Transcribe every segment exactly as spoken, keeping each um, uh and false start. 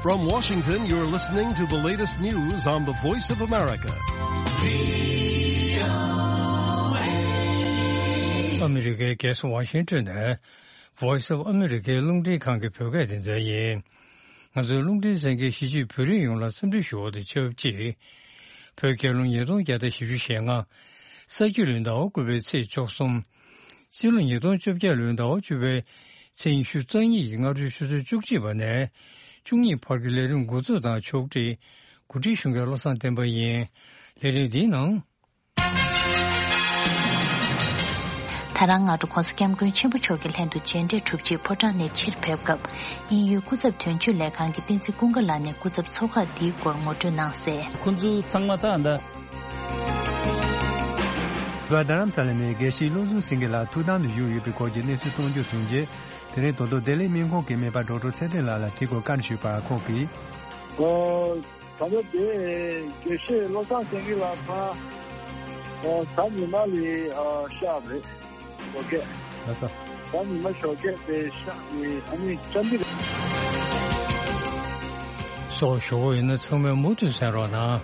From Washington, you're listening to the latest news on the Voice of America. ཨ་མི་རི་ཀའི་རྒྱལ་ས་ཝ་ཤིང་ཏོན་ནས་Voice of America རླུང་འཕྲིན་ཁང་གི་བོད་སྐད་སྡེ་ཚན་ཡིན། ང་ཚོའི་རླུང་འཕྲིན་གསན་མཁན་གཞིས་བྱེས་བོད་རིགས་ཡོངས་ལ་འཚམས་འདྲི་ཞུ་བ་དང་ཆབས་ཅིག་བོད་རྒྱལ་ལོ་ཉིས་སྟོང་བརྒྱ་དང་བཞི་བཅུ་ཞེ་ལྔ། ས་ཁྱི་ལོའི་ཟླ་བ་དགུ་པའི་ཚེས་བཅུ་གསུམ། སྤྱི་ལོ་ཉིས་སྟོང་བཅོ་བརྒྱད་ལོའི་ཟླ་བ་བཅུ་པའི་ཚེས་ཉི་ཤུ་རྩ་གཉིས་ཀྱི་སྔ་དྲོའི་ཆུ་ཚོད་བཅུ་གཅིག་པ་ནས་བཅུ་གཉིས་བར་གྱི་ལས་རིམ་འགོ་འཛུགས་དང་ཕྱོགས་སྒྲིག་གོ་སྒྲིག་ཞུ་མཁན་བློ་བཟང་བསྟན་པ་ཡིན། ལས་རིམ་འདིའི་ནང་། ད་རང་སྔ་དྲོ་༸གོང་ས་༸སྐྱབས་མགོན་ཆེན་པོ་མཆོག་གི་ལྷན་དུ་མཇལ་འཕྲད་གྲུབ་རྗེས་ཕོ་བྲང་ནས་ཕྱིར་ཕེབས་སྐབས། དབྱིན་ཡུལ་སྐུ་ཚབ་དོན་གཅོད་ལས་ཁང་གི་བསྟན་འཛིན་ཀུན་དགའ་ལགས་ནས་སྐུ་ཚབ་ཚོགས་ཁག་འདིའི་སྐོར་ངོ་སྤྲོད་གནང་གསལ། ཁོང་ཚོ་ཚང་མ་ད་ད། རྡ་རམ་ས་ལ་ནས་དགེ་བཤེས་བློ་བཟང་སེང་གེ་ལགས་ཐུགས་དམ་དུ་བཞུགས་ཡོད་པའི་སྐོར་གྱི་གནས་ཚུལ་གཏོང་རྒྱུ་བྱུང་རྗེས། དེ་རིང་ད་དུང་བདེ་ལེགས་སྨན་ཁང་གི་སྨན་པ་ཌོག་ཊར་ཚེ་བརྟན་ལགས་ལ་དེའི་སྐོར་བཀའ་འདྲི་ཞུས་པར་ཁོང་གིས། ཨོ། ད་ལྟ་དེ་དགེ་བཤེས་བློ་བཟང་སེང་གེ་ལགས་ད་ཨོ་གཟའ་ཉི་མ་ལ་ཨ་གཤགས་རེད། ཞོགས་ཀས། ལགས་སོ། གཟའ་ཉི་མ་ཞོགས་ཀས་དེ་གཤགས་ནས་ཨ་ནི་བཅར་འདྲི་རེད། སོགས་ཞུ་བ་ཡིན་ན་ཚང་མས་མུ་མཐུད་གསན་རོགས་གནང་།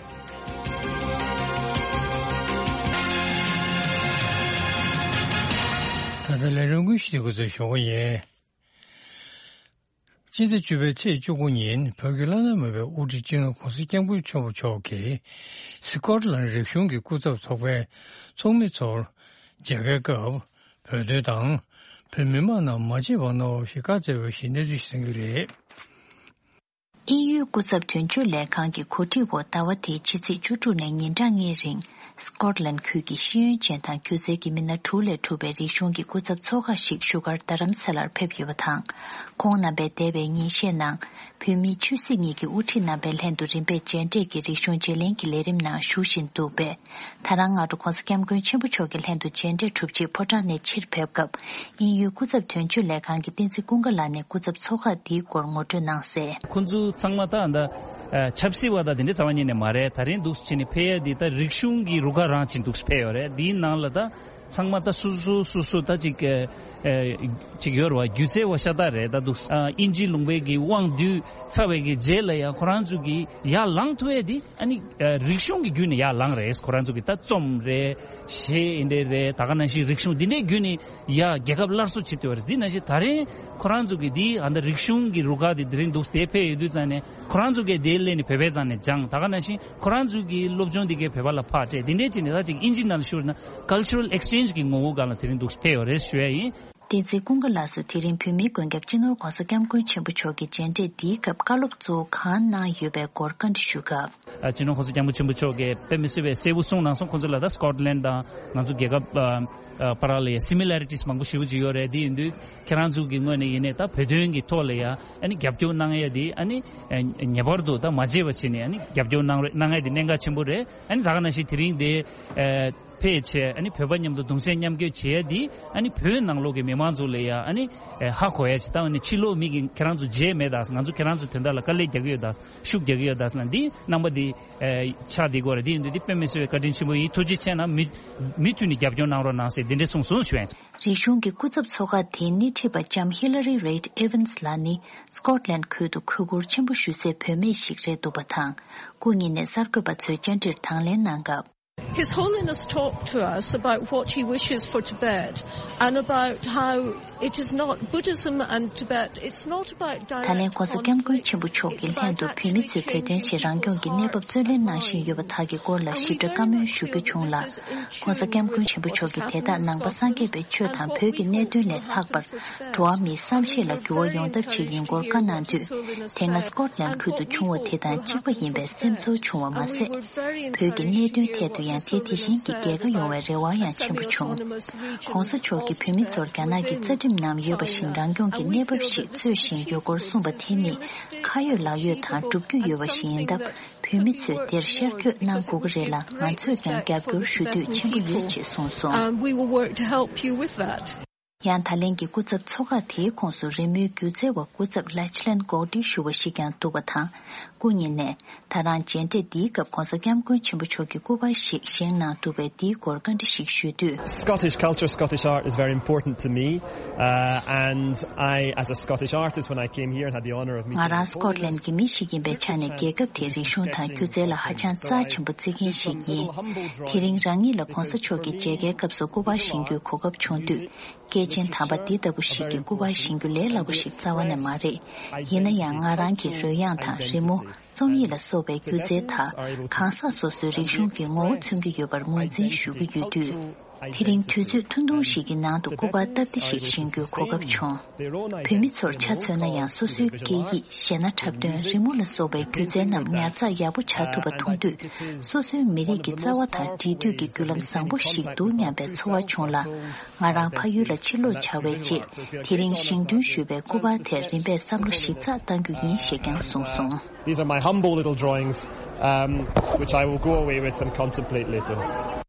ད་ལྟ་ལས་རིམ་ཀུན་ཞིག་འགོ་འཛུགས་ཞུ་བ་ཡིན། སྤྱི་ཟླ་བཅུ་པའི་ཚེས་བཅུ་དགུ་ཉིན་བོད་ཀྱི་བླ་ན་མེད་པའི་དབུ་ཁྲིད་སྤྱི་ནོར་༸གོང་ས་༸སྐྱབས་མགོན་ཆེན་པོ་མཆོག་གིས་སི་ཀོཊ་ལན་རིག་གཞུང་གི་སྐུ་ཚབ་ཚོགས་པའི་ཚོགས་མི་ཚོར་མཇལ་ཁའི་སྐབས་བོད་དོན་དང་བོད་མི་མང་རྣམས་མ་བརྗེད་པར་གནང་རོགས་ཞེས་བཀའ་སྩལ་བ་ཞིག་གནས་ཚུལ་ཞིག་གསན་གྱི་རེད། དབྱིན་ཡུལ་སྐུ་ཚབ་དོན་གཅོད་ལས་ཁང་གི་གོ་སྒྲིག་འོག་ཟླ་བ་འདིའི་ཕྱི་ཚེས་བཅུ་དྲུག་ནས་ཉིན་གྲངས་ལྔའི་རིང་སི་ཀོཊ་ལན་ཁུལ་གྱི་ཤེས་ཡོན་ཅན་དང་སྒྱུ་རྩལ་གྱི་མི་སྣ་དྲུག་ལས་གྲུབ་པའི་རིག་གཞུང་གི་སྐུ་ཚབ་ཚོགས་ཁག་ཞིག་བཞུགས་སྒར་རྡ་རམ་ས་ལར་ཕེབས་ཡོད་པ་དང་། ཁོང་རྣམ་པས་འདས་པའི་ཉིན་ཤས་ནང་བོད་མིའི་ཆོས་སྲིད་གཉིས་ཀྱི་དབུ་ཁྲིད་རྣམ་པའི་ལྷན་དུ་རིམ་པས་མཇལ་འཕྲད་ཀྱི་རིག་གཞུང་བརྗེ་ལེན་གྱི་ལས་རིམ་ནང་ཞུགས་བཞིན་འདུག་པས། ད་རང་སྔ་དྲོ་༸གོང་ས་༸སྐྱབས་མགོན་ཆེན་པོ་མཆོག་གི་ལྷན་དུ་མཇལ་འཕྲད་གྲུབ་རྗེས་ཕོ་བྲང་ནས་ཕྱིར་ཕེབས་སྐབས། དབྱིན་ཡུལ་སྐུ་ཚབ་དོན་གཅོད་ལས་ཁང་གི་བསྟན་འཛིན་ཀུན་དགའ་ལགས་ནས་སྐུ་ཚབ་ཚོགས་ཁག་འདིའི་སྐོར་ངོ་སྤྲོད་གནང་གསལ། ཁོང་ཚོ་ཚང་མ་ད་ད་ཆབ་སྲིད་པ་དང་དེ་འདྲའི་རྩ་བ་ཉིད་ནས་མ་རེད། ད་རིང་འདུག་སེ་བྱས་ནས་ཕེབས་ཡ་འདི་ད་རིག་གཞུང་གི་རུ་ཁག་རང་བྱས་འདུག་སེ་ཕེབས་ཡོད་རེད། འདིའི་ནང་ལ་ད་ཚང་མ་ད་སོ་སོ་སོ་སོ་ད་ཅིག་ཅིག་ཡོད་རེད་བ། སྒྱུ་རྩལ་བ་ཤ་སྟག་རེད། ད་འདུག་སེ་དབྱིན་ཇི་ལུང་པའི་གི་དབང་སྡུད་ཚར་བའི་གི་རྗེས་ལ་ཡང་ཁོ་རང་ཚོ་གི་ཡར་ལངས་ཐུབ་ཡ་འདི། ཨ་ནི་རིག་གཞུང་གི་བརྒྱུད་ནས་ཡར་ལངས་རེད། ཁོ་རང་ཚོ་གི་ད་རྩོམ་རེད། གཞས་འདི་འདྲ་རེད། ད་ག་ནང་བཞིན་རིག་གཞུང་འདི་འདྲའི་བརྒྱུད་ནས་ཡར་རྒྱལ་ཁབ་སླར་གསོ་བྱེད་ཐུབ་པ་རེད། འདི་ནང་བཞིན་ད་རིང་ཁོ་རང་ཚོ་གི་འདི་ཨ་ད་རིག་གཞུང་གི་རུ་ཁག་འདི་དེ་རིང་འདུག་སེ་ཕེབས་ཡོད་དུས་ཙང་ནས་ཁོ་རང་ཚོ་གི་འདི་སླེབས་ནས་བོད་པའི་ཙང་ནས་སྦྱངས། ད་ག་ནང་བཞིན་ཁོ་རང་ཚོ་གི་སློབ་སྦྱོང་འདི་གའི་བོད་པ་ལ་ཕར་སྤྲད། འདི་འདྲའི་བྱས་ནས་ད་ཅིག་དབྱིན་ཇི་ནང་ལ་ཞུ་བ་ན་cultural exchange གི་ངོ་བོ་སྒང་ལ་དེ་རིང་འདུག་སེ་ཕེབས་ཡོད་རེད་ཞུ་ཡ་ཡིན། བསྟན་འཛིན་ཀུན་དགའ་ལགས་སུ་དེ་རིང་བོད་མིའི་མགོན་སྐྱབས་སྤྱི་ནོར་༸གོང་ས་༸སྐྱབས་མགོན་ཆེན་པོ་མཆོག་གི་མཇལ་འཕྲད་འདིའི་སྐབས་བཀའ་སློབ་གཙོ་བོ་གང་གནང་ཡོད་པའི་སྐོར་བཀའ་འདྲི་ཞུས་སྐབས། ཨ་སྤྱི་ནོར་༸གོང་ས་༸སྐྱབས་མགོན་ཆེན་པོ་མཆོག་གིས་དཔེ་མི་སྲིད་པའི་གསལ་པོ་གསུངས་གནང་སོང་། ཁོང་ཚོ་ལ་ད་སི་ཀོཊ་ལན་དང་ང་ཚོ་རྒྱལ་ཁབ་ཨ་ཨ་བར་ལ་ཡ་སི་མི་ལ་རི་ཊིས་མང་པོ་ཞེ་པོ་ཅིག་ཡོད་རེད། དེ་ཡིན་དུས་ཁྱེད་རང་ཚོ་གི་ངོས་ནས་ཡིན་ནའི་ད་བོད་དོན་གྱི་ཐོག་ལ་ཡ་ཨ་ནི་རྒྱབ་སྐྱོར་གནང་ཡ་དེ་ཨ་ནི་ཨ་ངེས་པར་དུ་ད་མ་བརྗེད་པ་བྱས་ནས་ཨ་ནི་རྒྱབ་སྐྱོར་གནང་རེ་གནང་ཡ་དེ་གནད་འགག་ཆེན་པོ་རེད། ཨ་ནི་ད་ག་ནང་བཞིན་དེ་རིང་དེ་ཨ། ཕལ་ཆེར་ཨ་ནི་བོད་པ་མཉམ་དུ་གདུང་སེམས་མཉམ་སྐྱེད་བྱེད་ཡ་འདི་ཨ་ནི་བོད་ནང་ལོགས་ཀྱི་མི་མང་ཚོ་ལ་ཡ་ཨ་ནི་ཧ་གོ་ཡ་ཅིག་ད་ཨ་ནི་ཕྱི་ལོགས་མི་གིས་ཁྱེད་རང་ཚོ་བརྗེད་མེད་ད། ང་ཚོ་ཁྱེད་རང་ཚོ་དོན་དག་ལ་དཀའ་ལས་རྒྱག་གི་ཡོད་ད། ཤུགས་རྒྱག་གི་ཡོད་ད་ཟེར་ན་འདི་རྣམ་པ་འདི་ཆགས་བསྡད་ཀྱི་ཡོད་རེད། འདི་ཡིན་དུས་འདི་དཔེ་མི་སྲིད་པའི་བཀའ་དྲིན་ཆེན་པོ་ཡིན། ཐུགས་རྗེ་ཆེ་གནང་། མུ་མུ་མཐུད་ནས་རྒྱབ་སྐྱོར་གནང་རོགས་གནང་ཟེར་འདི་འདྲས་གསུངས་སོང་ཞུ་ཡ་ཡིན། རིག་གཞུང་གི་སྐུ་ཚབ་ཚོགས་ཁག་དེའི་སྣེ་ཁྲིད་པ་ལྕམ་ཧི་ལ་རི་རེད་ཨེ་ཝན་སི་ལགས་ནི་སི་ཀོཊ་ལན་ཁུལ་དུ་གུས་བཀུར་ཆེན་པོ་ཞུ་སའི་བུད་མེད་ཞིག་རེད་འདུག་པ་དང་། སྐུ་ཉིད་ནས་གསར་འགོད་པ་ཚོའི་བཅར་འདྲིར་དང་ལེན་གནང་སྐབས། His Holiness talked to us about what he wishes for Tibet and about how it is not Buddhism and Tibet, it's not about direct conflict, it's about actually creating a cultural exchange. ད་ལན་༸གོང་ས་༸སྐྱབས་མགོན་ཆེན་པོ་མཆོག་གི་ལྷན་དུ་བོད་མི་ཚོས་བོད་དོན་ཆེད་རང་སྐྱོང་གི་གནས་བབ་རྩོད་ལེན་གནང་བཞིན་ཡོད་པ་དག་གི་སྐོར་ལ་ཞིབ་ཕྲ་བཀའ་མོལ་ཞུ་རྒྱུ་བྱུང་ལ། ༸གོང་ས་༸སྐྱབས་མགོན་ཆེན་པོ་མཆོག་གིས་དེ་དག་ནང་པ་སངས་རྒྱས་པའི་ཆོས་དང་བོད་ཀྱི་གནད་དོན་ལས་ལྷག་པར། འགྲོ་བ་མིའི་བསམ་ཤེས་ལ་འགྱུར་བ་ཡོང་ཐབས་ཆེད་ཡིན་སྐོར་བཀའ་གནང་དུས། དེ་སྔ་སི་ཀོཊ་ལན་ཁུལ་དུ་བྱུང་བ་དེ་དང་གཅིག་པ་ཡིན་པའི་སེམས་ཚོར་བྱུང་བ་མ་ཟད། བོད་ཀྱི་གནད་དོན་ཐད་དུ་ཡང་དེ་དེ་བཞིན་གྱི་རྒྱལ་ཁ་ཡོང་བའི་རེ་བ་ཡང་ཆེན་པོ་བྱུང་། ༸གོང་ས་མཆོག་གིས་བོད་མི་ཚོར་རྒྱ་ནག་གི་རྩ་ཁྲིམས་ནང་ཡོད་པ་བཞིན་རང་སྐྱོང་གི་གནས་བབ་ཞིག་འཚོལ་བཞིན་ཡོད་སྐོར་གསུངས་པ་དེ་ནི། ཁ་ཡོད་ལག་ཡོད་དང་བསྒྲུབ་རྒྱུ་ཡོད་པ་ཞིག་ཡིན་སྟབས། བོད་མི་ཚོས་དེར་ཤར་བསྐྱོད་གནང་དགོས་ཀྱི་རེད་ལ། ང་ཚོས་ཀྱང་རྒྱབ་སྐྱོར་ཞུ་འདོད་ཆེན་པོ་ཡོད་ཅེས་གསུངས་སོང་། And we will work to help you with that. ཡང་ད་ལན་གྱི་སྐུ་ཚབ་ཚོགས་ཁག་དེའི་ཁོངས་སུ་རི་མོའི་སྒྱུ་རྩལ་བ་སྐུ་ཚབ་ལཱཆི་ལན་གོག་ཏི་ཞུ་བ་ཞིག་ཀྱང་འདུག་པ་དང་། སྐུ་ཉིད་ནས་ད་རང་མཇལ་འཕྲད་འདིའི་སྐབས་༧གོང་ས་༧སྐྱབས་མགོན་ཆེན་པོ་མཆོག་གི་སྐུ་པར་ཞིག་བཞེངས་གནང་འདུག་པས། འདིའི་སྐོར་བཀའ་འདྲི་ཞིག་ཞུས་དུས། Scottish culture, Scottish art is very important to me, uh, and I, as a Scottish artist, when I came here and had the honour of meeting the Home Minister, ང་རང་སི་ཀོཊ་ལན་གྱི་མི་ཞིག་ཡིན་པའི་ཆ་ནས། རྒྱལ་ཁབ་དེའི་རིག་གཞུང་དང་སྒྱུ་རྩལ་ལ་ཧ་ཅང་རྩ་ཆེན་པོ་བརྩི་མཁན་ཞིག་ཡིན། དེ་རིང་རང་ཉིད་ལ་༧གོང་ས་མཆོག་གི་མཇལ་ཁའི་སྐབས་སུ་སྐུ་པར་བཞེངས་རྒྱུའི་གོ་སྐབས་བྱུང་དུས། སྐྱེས་ཆེན་དམ་པ་འདི་ལྟ་བུ་ཞིག་གི་སྐུ་པར་བཞེངས་རྒྱུ་ལས་སླ་པོ་ཞིག་རྩ་བ་ནས་མ་རེད། ཡིན་ན་ཡང་ང་རང་གིས་རོལ་དབྱངས་དང་རི་མོ། རྩོམ་ཡིག་ལ་སོགས་པའི་སྒྱུ་རྩལ་དག་གང་ཟག་སོ་སོའི་རིག་གཞུང་གི་ངོ་བོ་མཚོན་གྱི་ཡོད་པར་ངོས་འཛིན་ཞུ་གི་ཡོད་དུས། དེ་རིང་དུས་ཚོད་ཐུང་ཐུང་ཞིག་གི་ནང་དུ་སྐུ་པར་སྟབས་བདེ་ཞིག་བཞེངས་རྒྱུའི་གོ་སྐབས་བྱུང་། བོད་མི་ཚོར་ཆ་མཚོན་ན་ཡང་། སོ་སོའི་སྐད་ཡིག་གཞས་སྣ་འཁྲབ་སྟོན། རི་མོ་ལ་སོགས་པའི་སྒྱུ་རྩལ་རྣམས་ཉར་ཚགས་ཡག་པོ་བྱ་ཐུབ་པ་མཐོང་དུས། སོ་སོའི་མི་རིགས་ཀྱི་རྩ་བ་དང་འབྲེལ་མཐུད་ཀྱི་བརྒྱུད་ལམ་བཟང་པོ་ཞིག་འདུག་སྙམ་པའི་ཚོར་བ་བྱུང་ལ། ང་རང་ཕ་ཡུལ་ལ་ཕྱིར་ལོག་བྱ་བའི་རྗེས། དེ་རིང་བཞེངས་སྐྲུན་ཞུས་པའི་སྐུ་པར་དེར་རིམ་པས་བསམ་བློ་ཞིབ་ཚགས་གཏང་རྒྱུ་ཡིན་ཞེས་ཀྱང་གསུངས་སོང་། These are my humble little drawings, um, which I will go away with and contemplate later.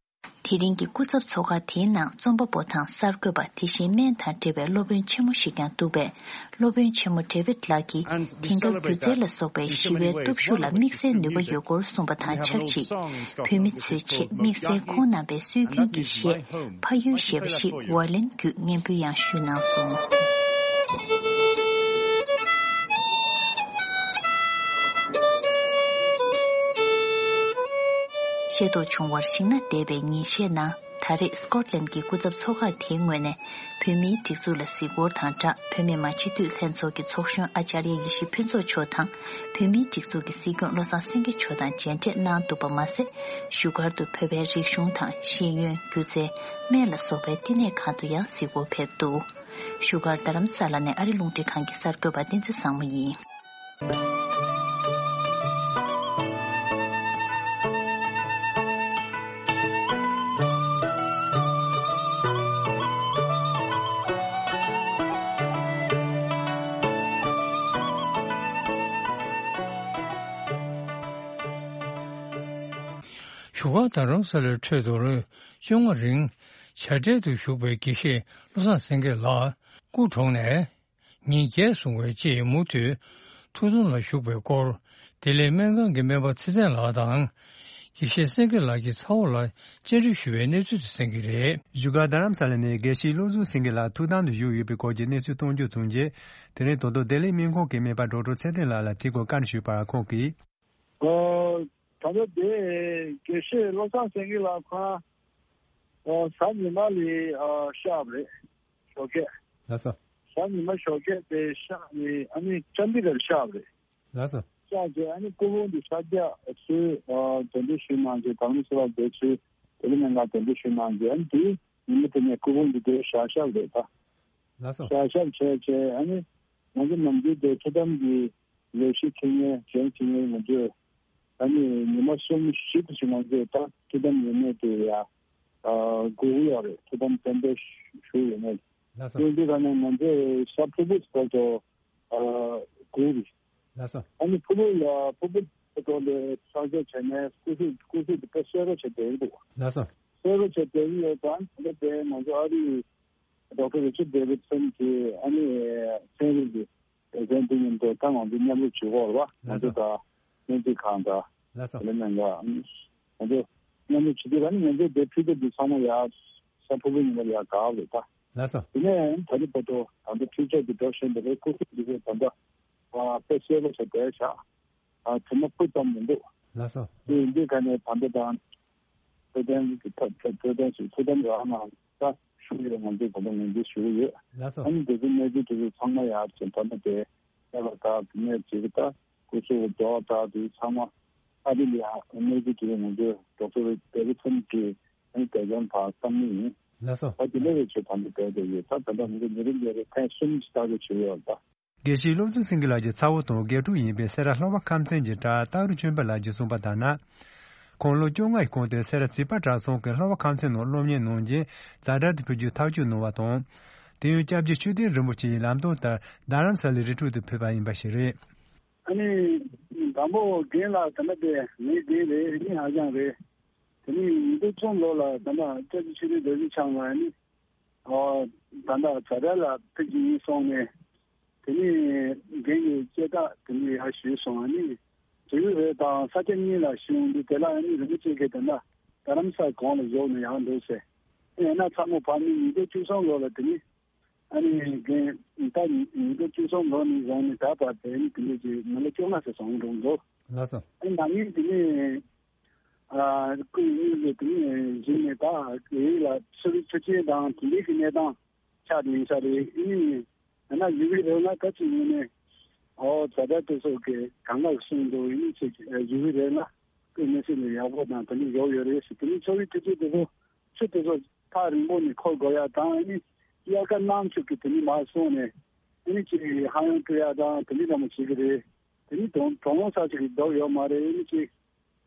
དེ་རིང་གི་སྐུ་ཚབ་ཚོགས་ཁག་དེའི་ནང་རྩོམ་པ་པོ་དང་གསར་འགོད་པ། དེ་བཞིན་སྨན་དང་འབྲེལ་བའི་སློབ་དཔོན་ཆེན་མོ་ཞིག་ཀྱང་འདུག་པས། སློབ་དཔོན་ཆེན་མོ་ཌེ་བིད་ལགས་ཀྱིས། དེང་སྐབས་སྒྱུ་རྩལ་ལ་སོགས་པའི་ཞི་བའི་སྟོབས་ཤུགས་ལ་དམིགས་བསལ་ནུས་པ་ཡོད་སྐོར་གསུངས་པ་དང་ཆབས་ཅིག་བོད་མི་ཚོའི་ཆེད་དམིགས་བསལ་ཁོང་རྣམ་པའི་སྲོལ་རྒྱུན་གྱི་གཞས་ཕ་ཡུལ་ཞེས་པ་ཞིག་ཝ་ལིན་བརྒྱུད་སྙན་འབུལ་ཡང་ཞུས་གནང་སོང་། ཤེས་རྟོགས་བྱུང་བར་གཞིགས་ན། འདས་པའི་ཉིན་ཤས་ནང་ད་རེས་སི་ཀོཊ་ལན་གྱི་སྐུ་ཚབ་ཚོགས་ཁག་དེའི་ངོས་ནས་བོད་མིའི་སྒྲིག་འཛུགས་ལ་གཟིགས་སྐོར་དང་སྦྲགས། བོད་མི་མང་སྤྱི་འཐུས་ལྷན་ཚོགས་ཀྱི་ཚོགས་གཞོན་ཨ་ཅཱརྱ་ཡེ་ཤེས་ཕུན་ཚོགས་མཆོག་དང་། བོད་མིའི་སྒྲིག་འཛུགས་ཀྱི་སྲིད་སྐྱོང་བློ་བཟང་སེང་གེ་མཆོག་དང་མཇལ་འཕྲད་གནང་འདུག་པ་མ་ཟད། བཞུགས་སྒར་དུ་བོད་པའི་རིག་གཞུང་དང་ཤེས་ཡོན། སྒྱུ་རྩལ། སྨན་ལ་སོགས་པའི་བསྟི་གནས་ཁང་དུ་ཡང་གཟིགས་སྐོར་ཕེབས་འདུག་བཞུགས་སྒར་རྡ་རམ་ས་ལ་ནས་ཨ་རི་རླུང་འཕྲིན་ཁང་གི་གསར་འགོད་པ་བསྟན་འཛིན་བཟང་མོ་ཡིན། བཞུགས་སྒར་རྡ་རམ་ས་ལའི་ཁྲོད་དུ་ལོ་བཅོ་ལྔ་རིང་བྱ་བྲལ་དུ་བཞུགས་པའི་དགེ་བཤེས་བློ་བཟང་སེང་གེ་ལགས་སྐུ་གྲོངས་ནས་ཉིན་བརྒྱད་སོང་བའི་རྗེས། མུ་མཐུད་ཐུགས་འཚོ་ལ་བཞུགས་པའི་སྐོར། བདེ་ལེགས་སྨན་ཁང་གི་སྨན་པ་ཚེ་བརྟན་ལགས་དང་། དགེ་བཤེས་སེང་གེ་ལགས་ཀྱི་ཚ་བོ་ལ་བཅར་འདྲི་ཞུ་བའི་གནས་ཚུལ་དེ་གསན་གྱི་རེད། བཞུགས་སྒར་རྡ་རམ་ས་ལ་ནས་དགེ་བཤེས་བློ་བཟང་སེང་གེ་ལགས་ཐུགས་དམ་དུ་བཞུགས་ཡོད་པའི་སྐོར་གྱི་གནས་ཚུལ་གཏོང་རྒྱུ་བྱུང་རྗེས། དེ་རིང་ད་དུང་བདེ་ལེགས་སྨན་ཁང་གི་སྨན་པ་ཌོག་ཊར་ཚེ་བརྟན་ལགས་ལ་དེའི་སྐོར་བཀའ་འདྲི་ཞུས་པར། ཁོང་གིས། ཨོ། ད་ལྟ་དེ་དགེ་བཤེས་བློ་བཟང་སེང་གེ་ལགས་ཁོ་རང་ཨོ་གཟའ་ཉི་མ་ལ་ཨོ་གཤགས་པ་རེད། ཞོགས་ཀས། ལགས་སོ། གཟའ་ཉི་མ་ཞོགས་ཀས་དེ་གཤགས་ནས་ཨ་ནི་ཅན་དི་གར་གཤགས་པ་རེད། ལགས་སོ། གཤགས་རྗེས་ཨ་ནི་སྐུ་ཕུང་དེ་ཤར་རྒྱག་ཚུར་ཨོ་གདན་འདྲེན་ཞུས་གནང་རྗེས། དྷ་རམ་ས་ལ་བསྡད་ཚུར་བདེ་ལེགས་སྨན་ཁང་གདན་འདྲེན་ཞུས་གནང་རྗེས། ཨ་ནི་དེ་ཉི་མ་དེ་ནས་སྐུ་ཕུང་དེ་དེར་བཞག་བཞག་པ་རེད་ད། ལགས་སོ། བཞག་བཞག་བྱས་བྱས་ཨ་ནི་ང་ཚོ་ནམ་རྒྱུན་དེ་ཐུགས་དམ་གྱི་ལས་གཞི་འཁྱེར་མཁན་བྱོན་འཁྱེར་མཁན་ང་ཚོས་ཨ་ནི་ཉི་མ་གསུམ་བཞི་དེ་ཞིག་ང་ཚོས་ད་ཐུགས་དམ་ཡོད་མེད་དེ་ཡ་ཨ་སྒུག་གི་ཡོད་རེད། ཐུགས་དམ་གཏན་འབེབས་ཞུ་ཡོད་མེད། ལགས་སོ། དེ་འདི་ག་ནས་ང་ཚོས་ས་ཕུར་བུ་སྐོར་དུ་ཨ་སྒུག་རེད། ལགས་སོ། ཨ་ནི་ཕུར་བུ་ལ་ཕུར་བུ་སྐོར་ལ་བསང་མཆོད་བྱས་ནས་སྐུ་གཟུགས་སྐུ་གཟུགས་དེ་དཔེ་གསལ་པོ་བྱས་བསྡད་ཀྱི་འདུག་ལགས་སོ། གསལ་པོ་བྱས་བསྡད་ཀྱི་ཡོད་ཙང་ད་ལྟ་དེ་ང་ཚོ་ཨ་རིའི་ཌོག་ཊར་རི་ཆར་ཌེ་བིད་སན་གྱིས་ཨ་ནི་ཚན་རིག་གི་འགན་འཛིན་མཉམ་དུ་ད་ང་ཚོ་མཉམ་རུབ་བྱེད་ཀྱི་ཡོད་རེད་པ། ང་ཚོ་དང་སྨན་རྩིས་ཁང་དང་། ལགས་སོ། དེ་ནས་ང་ང་ཚོ་མཉམ་རུབ་བྱེད་དུས་ཨ་ནི་ང་ཚོ་དེ་ཕུལ་ཏེ་འདི་ཚང་མ་ཡར་ས་ཕུར་བུ་ཉི་མ་ལ་ཡར་བཀག་རེད་ད། ལགས་སོ། དེ་ནས་ད་ལྟ་བར་དུ་ད་ལྟ་འཕྲུལ་ཆས་འདི་འགྲོ་བཞིན་པ་རེད། སྐུ་གཟུགས་འདི་ཚོ་ད་ལྟ་དཔེ་གསལ་པོ་བྱས་བསྡད་བཞག་ཨ་དེ་མ་སྤུ་ཙམ་མི་འདུག་ལགས་སོ། དེ་ཡིན་དུས་ག་ནས་ད་ལྟ་དང་འཕྲོད་བསྟེན་གྱི་ཐབས་འཕྲོད་བསྟེན་ཞིག་ཐུགས་དམ་རང་ནང་ད་ཞུ་ཡོད། ང་ཚོས་ད་ལྟ་ངོས་འཛིན་ཞུ་གི་ཡོད། ལགས་སོ། ཨ་ནི་དེ་ཚོ་གནས་ཚུལ་དེ་ཚོ་ཚང་མ་ཡར་ཕྱིན་ད་ལྟ་དེ་ཨ་ལ་ད་དེ་ནས་ཅིག་ད་སྐུ་གཟུགས་རྡོག་ད་དེ་ཚང་མ་ཨ་རི་ལ་ཡར་གནས་ཚུལ་དེ་ཚོ་ང་ཚོས་ཌོག་ཊར་ཌེ་བིད་སན་གྱི་ཨ་ནི་བསྡད་མཁན་དང་བསམ་མནོ་ཡིན། ལགས་སོ། ད་དེ་འདྲ་བའི་ཆེད་ད་ལྟ་བསྡད་དེ་ཡོད། ད་ད་ལྟ་ང་ཚོ་ཉེ་རིང་ལས་རེ་ཐེངས་གསུམ་ལྟ་རྒྱུ་བྱས་ཡོད་ད། དགེ་བཤེས་བློ་བཟང་སེང་གེ་ལགས་ཀྱི་ཚ་བོ་དང་དགེ་ཕྲུག་ཡིན་པའི་སེ་ར་ལྷོ་པ་ཁམས་ཚན་གྱི་གྲྭ་སྟག་རི་ཆོས་འཕེལ་ལགས་ཀྱིས་གསུངས་པ་ལྟར་ན། ཁོང་ལོ་བཅོ་ལྔ་ཡི་གོང་དུ་སེ་ར་བྱིས་པ་གྲྭ་ཚང་གི་ལྷོ་པ་ཁམས་ཚན་ནང་སློབ་གཉེར་གནང་རྗེས་ཛ་དྲག་ཏུ་ཕེབས་རྒྱུའི་ཐག་གཅོད་གནང་བ་དང་། དེ་ཡང་སྐྱབས་རྗེ་ཆོས་ལྡན་རིན་པོ་ཆེ་ཡི་ལམ་སྟོན་ལྟར་རྡ་རམ་ས་ལའི་རི་ཁྲོད་དུ་ཕེབས་པ་ཡིན་པ་ཞིག་རེད། ཨ་ནི་དང་པོ་རྒན་ལགས་ད་ལྟ་དེ་ངའི་རྒན་རེད། མི་ཧ་ཅང་རེད། དེ་ནས་ཉིས་སྟོང་གསུམ་ལོ་ལ་ད་ལྟ་སྐྱབས་རྗེ་ཆོས་ལྡན་རྡོ་རྗེ་འཆང་ལགས་ནི། ཨོ། ད་ལྟ་ཛ་དྲག་ལ་ཕེབས་ཀྱི་ཡིན་གསུངས་ནས། དེ་ནས་རྒན་གྱིས་དཔྱད་བརྟག་དེ་འདྲ་ཡག་ཞུས་སོང་། ཨ་ནི་དྲེའུ་རེ་དང་ས་སྐྱ་གཉིས་ལ་ཞུ་འོང་དུས་དེ་ལ་ཨ་ནི་རིན་པོ་ཆེ་གིས་ད་ལྟ་རྡ་རམ་ས་གོང་ལ་བཞུགས་ན་ཡག་འདུག་ཟེར། ཡང་ན་ཚ་མོ་བར་ནི་ཉིས་སྟོང་བཅུ་གསུམ་ལོ་ལ་དེ་ནི་ཨ་ནི་རྒན་ད་ཉིས་སྟོང་བཅུ་གསུམ་ལོ་ནས་བཟུང་ནས་ད་བར་དེ་ནི་དེ་འདྲ་ཅིག་མི་ལོ་བཅོ་ལྔ་ཙམ་སོང་འགྲོ་འདུག་ལགས་སོ། ཨ་ནི་ན་ནིང་དེ་ནི་ཨ་སྐུ་ཡི་དངོས་སུ་དེ་ནི་གཞི་ནས་ད་རིགས་ལ་ཚུར་ཚུར་ཆེན་དང་དེ་འདྲའི་གི་གནས་སྟངས་ཆགས་ཡིན་ས་རེད། ཨ་ནི་ཡང་ན་ཡུ་གུའི་རིགས་ལ་ད་ཅིག་ཡིན་ནས་ཨོ་ཛ་དྲག་དེ་ཚོ་གི་གང་ག་གསུངས་འདུག་ཨ་ནི་ཅིག་ཡུ་གུའི་རིགས་ལ་སྐུ་མི་སྲིད་ལ་ཡག་པོ་དང་དེ་འདྲ་ཡོད་ཡོད་རེད་ཟེར། དེ་ནི་ཚོགས་པའི་འཐུས་ཚོགས་དེ་ཚོ་ཆུ་དེ་ཚོ་ཐག་རིང་པོ་ནས་འཁོར་དགོས་ཡ་དང་། ཨ་ནི་དབྱར་ཁ་གནམ་ཆུ་གི་དེ་ནི་མར་སོང་ནས་ཨ་ནི་ཅིག་ཧ་ཡང་སྤྲོ་ཡ་དང་དེ་འདྲ་ལ་མ་བྱེད་ཀྱི་རེད། དེ་ནི་གྲོང་གྲོང་ལོ་ས་ཅིག་གི་རྡོ་ཡོད་མ་རེད། ཨ་ནི་ཅིག་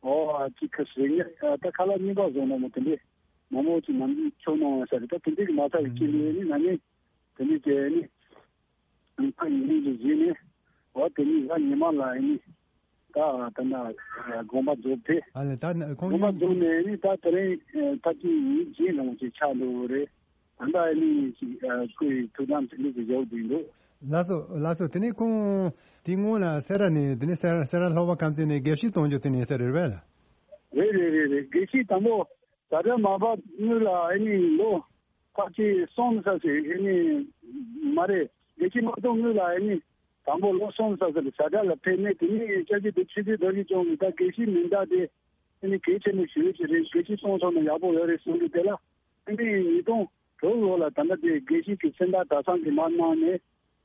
ཨོ་ཅིག་ཁ་ཟེར་ངེས་ད་ཁ་ལག་རྙིང་པ་བཟོ་ན་མ་དེ་འདྲས་མང་པོ་ཅིག་ནམ་རྒྱུན་ཆོག་གནང་བ་ས་རེད། ད་དེ་འདྲས་ཀྱི་མ་ཚར་གི་ཅིག་ནས་ཨ་ནི་ན་ནིང་དེ་འདྲས་ཀྱི་ཨ་ནི་ད་ཡིན་ནི་ཅིག་བྱས་ནས་ཨོ་དེ་ནི་གཟའ་ཉི་མ་ལ་ཨ་ནི་ད་ད་ན་དགོངས་པ་རྫོགས་ཏེ། ཨ་ལས་ད་ཁོང་དགོངས་པ་རྫོགས་ནས་ཨ་ནི་ད་དེ་རིང་ད་ཅི་ཡིན་བྱས་ལོང་ཅིག་ཆགས་འགྲོ་གི་རེད། ད་ལྟ་ཨ་ནི་ཅིག་ཨ་སྐུ་ཡི་ཐུགས་དམ་ཚིག་ལུགས་ཀྱི་ཡོག་འདུག་འདུག་ལགས་སོ་ལགས་སོ། དེ་ནས་ཁོང་དེ་སྔོན་ལ་སེ་ར་ནས་དེ་ནས་སེ་ར་སེ་ར་ལྷོ་པ་ཁམས་ཚན་ནས་དགེ་བཤེས་གཏོང་རྒྱུ་དེ་ནས་ས་རེད་པས་ལ། རེད་རེད་རེད་རེད། དགེ་བཤེས་དང་པོ་ད་ལྟ་མ་བབས་སྔོན་ལ་ཨ་ནི་ལོ་ཁ་ཅིག་སོང་ས་ཟེར་ཨ་ནི་མ་རེད། དགེ་བཤེས་མ་གཏོང་སྔོན་ལ་ཨ་ནི་དང་པོ་ལོ་སོང་ས་ཟེར་ཛ་དྲག་ལ་ཕེབས་ནས་དེ་ནས་སྐྱབས་རྗེ་དེ་ཆོས་རྗེ་རྡོ་རྗེ་འཆང་གིས་ད་དགེ་བཤེས་མིང་བཏགས་ཏེ་ཨ་ནི་གལ་ཆེན་པོ་ཞུ་ཡོད་ཀྱི་རེད། དགེ་བཤེས་གཏོང་ཐུབ་ན་ཡག་པོ་ཡོད་རེད་གསུང་གི་དེ་ལ་ཨ་ནི་ཉིས་སྟོང་དྲུག་ལོ་ལ་ད་ལྟ་དེ་དགེ་བཤེས་ཀྱི་མཚན་རྟགས་གྲྭ་ཚང་གིས་མར་གནང་ནས་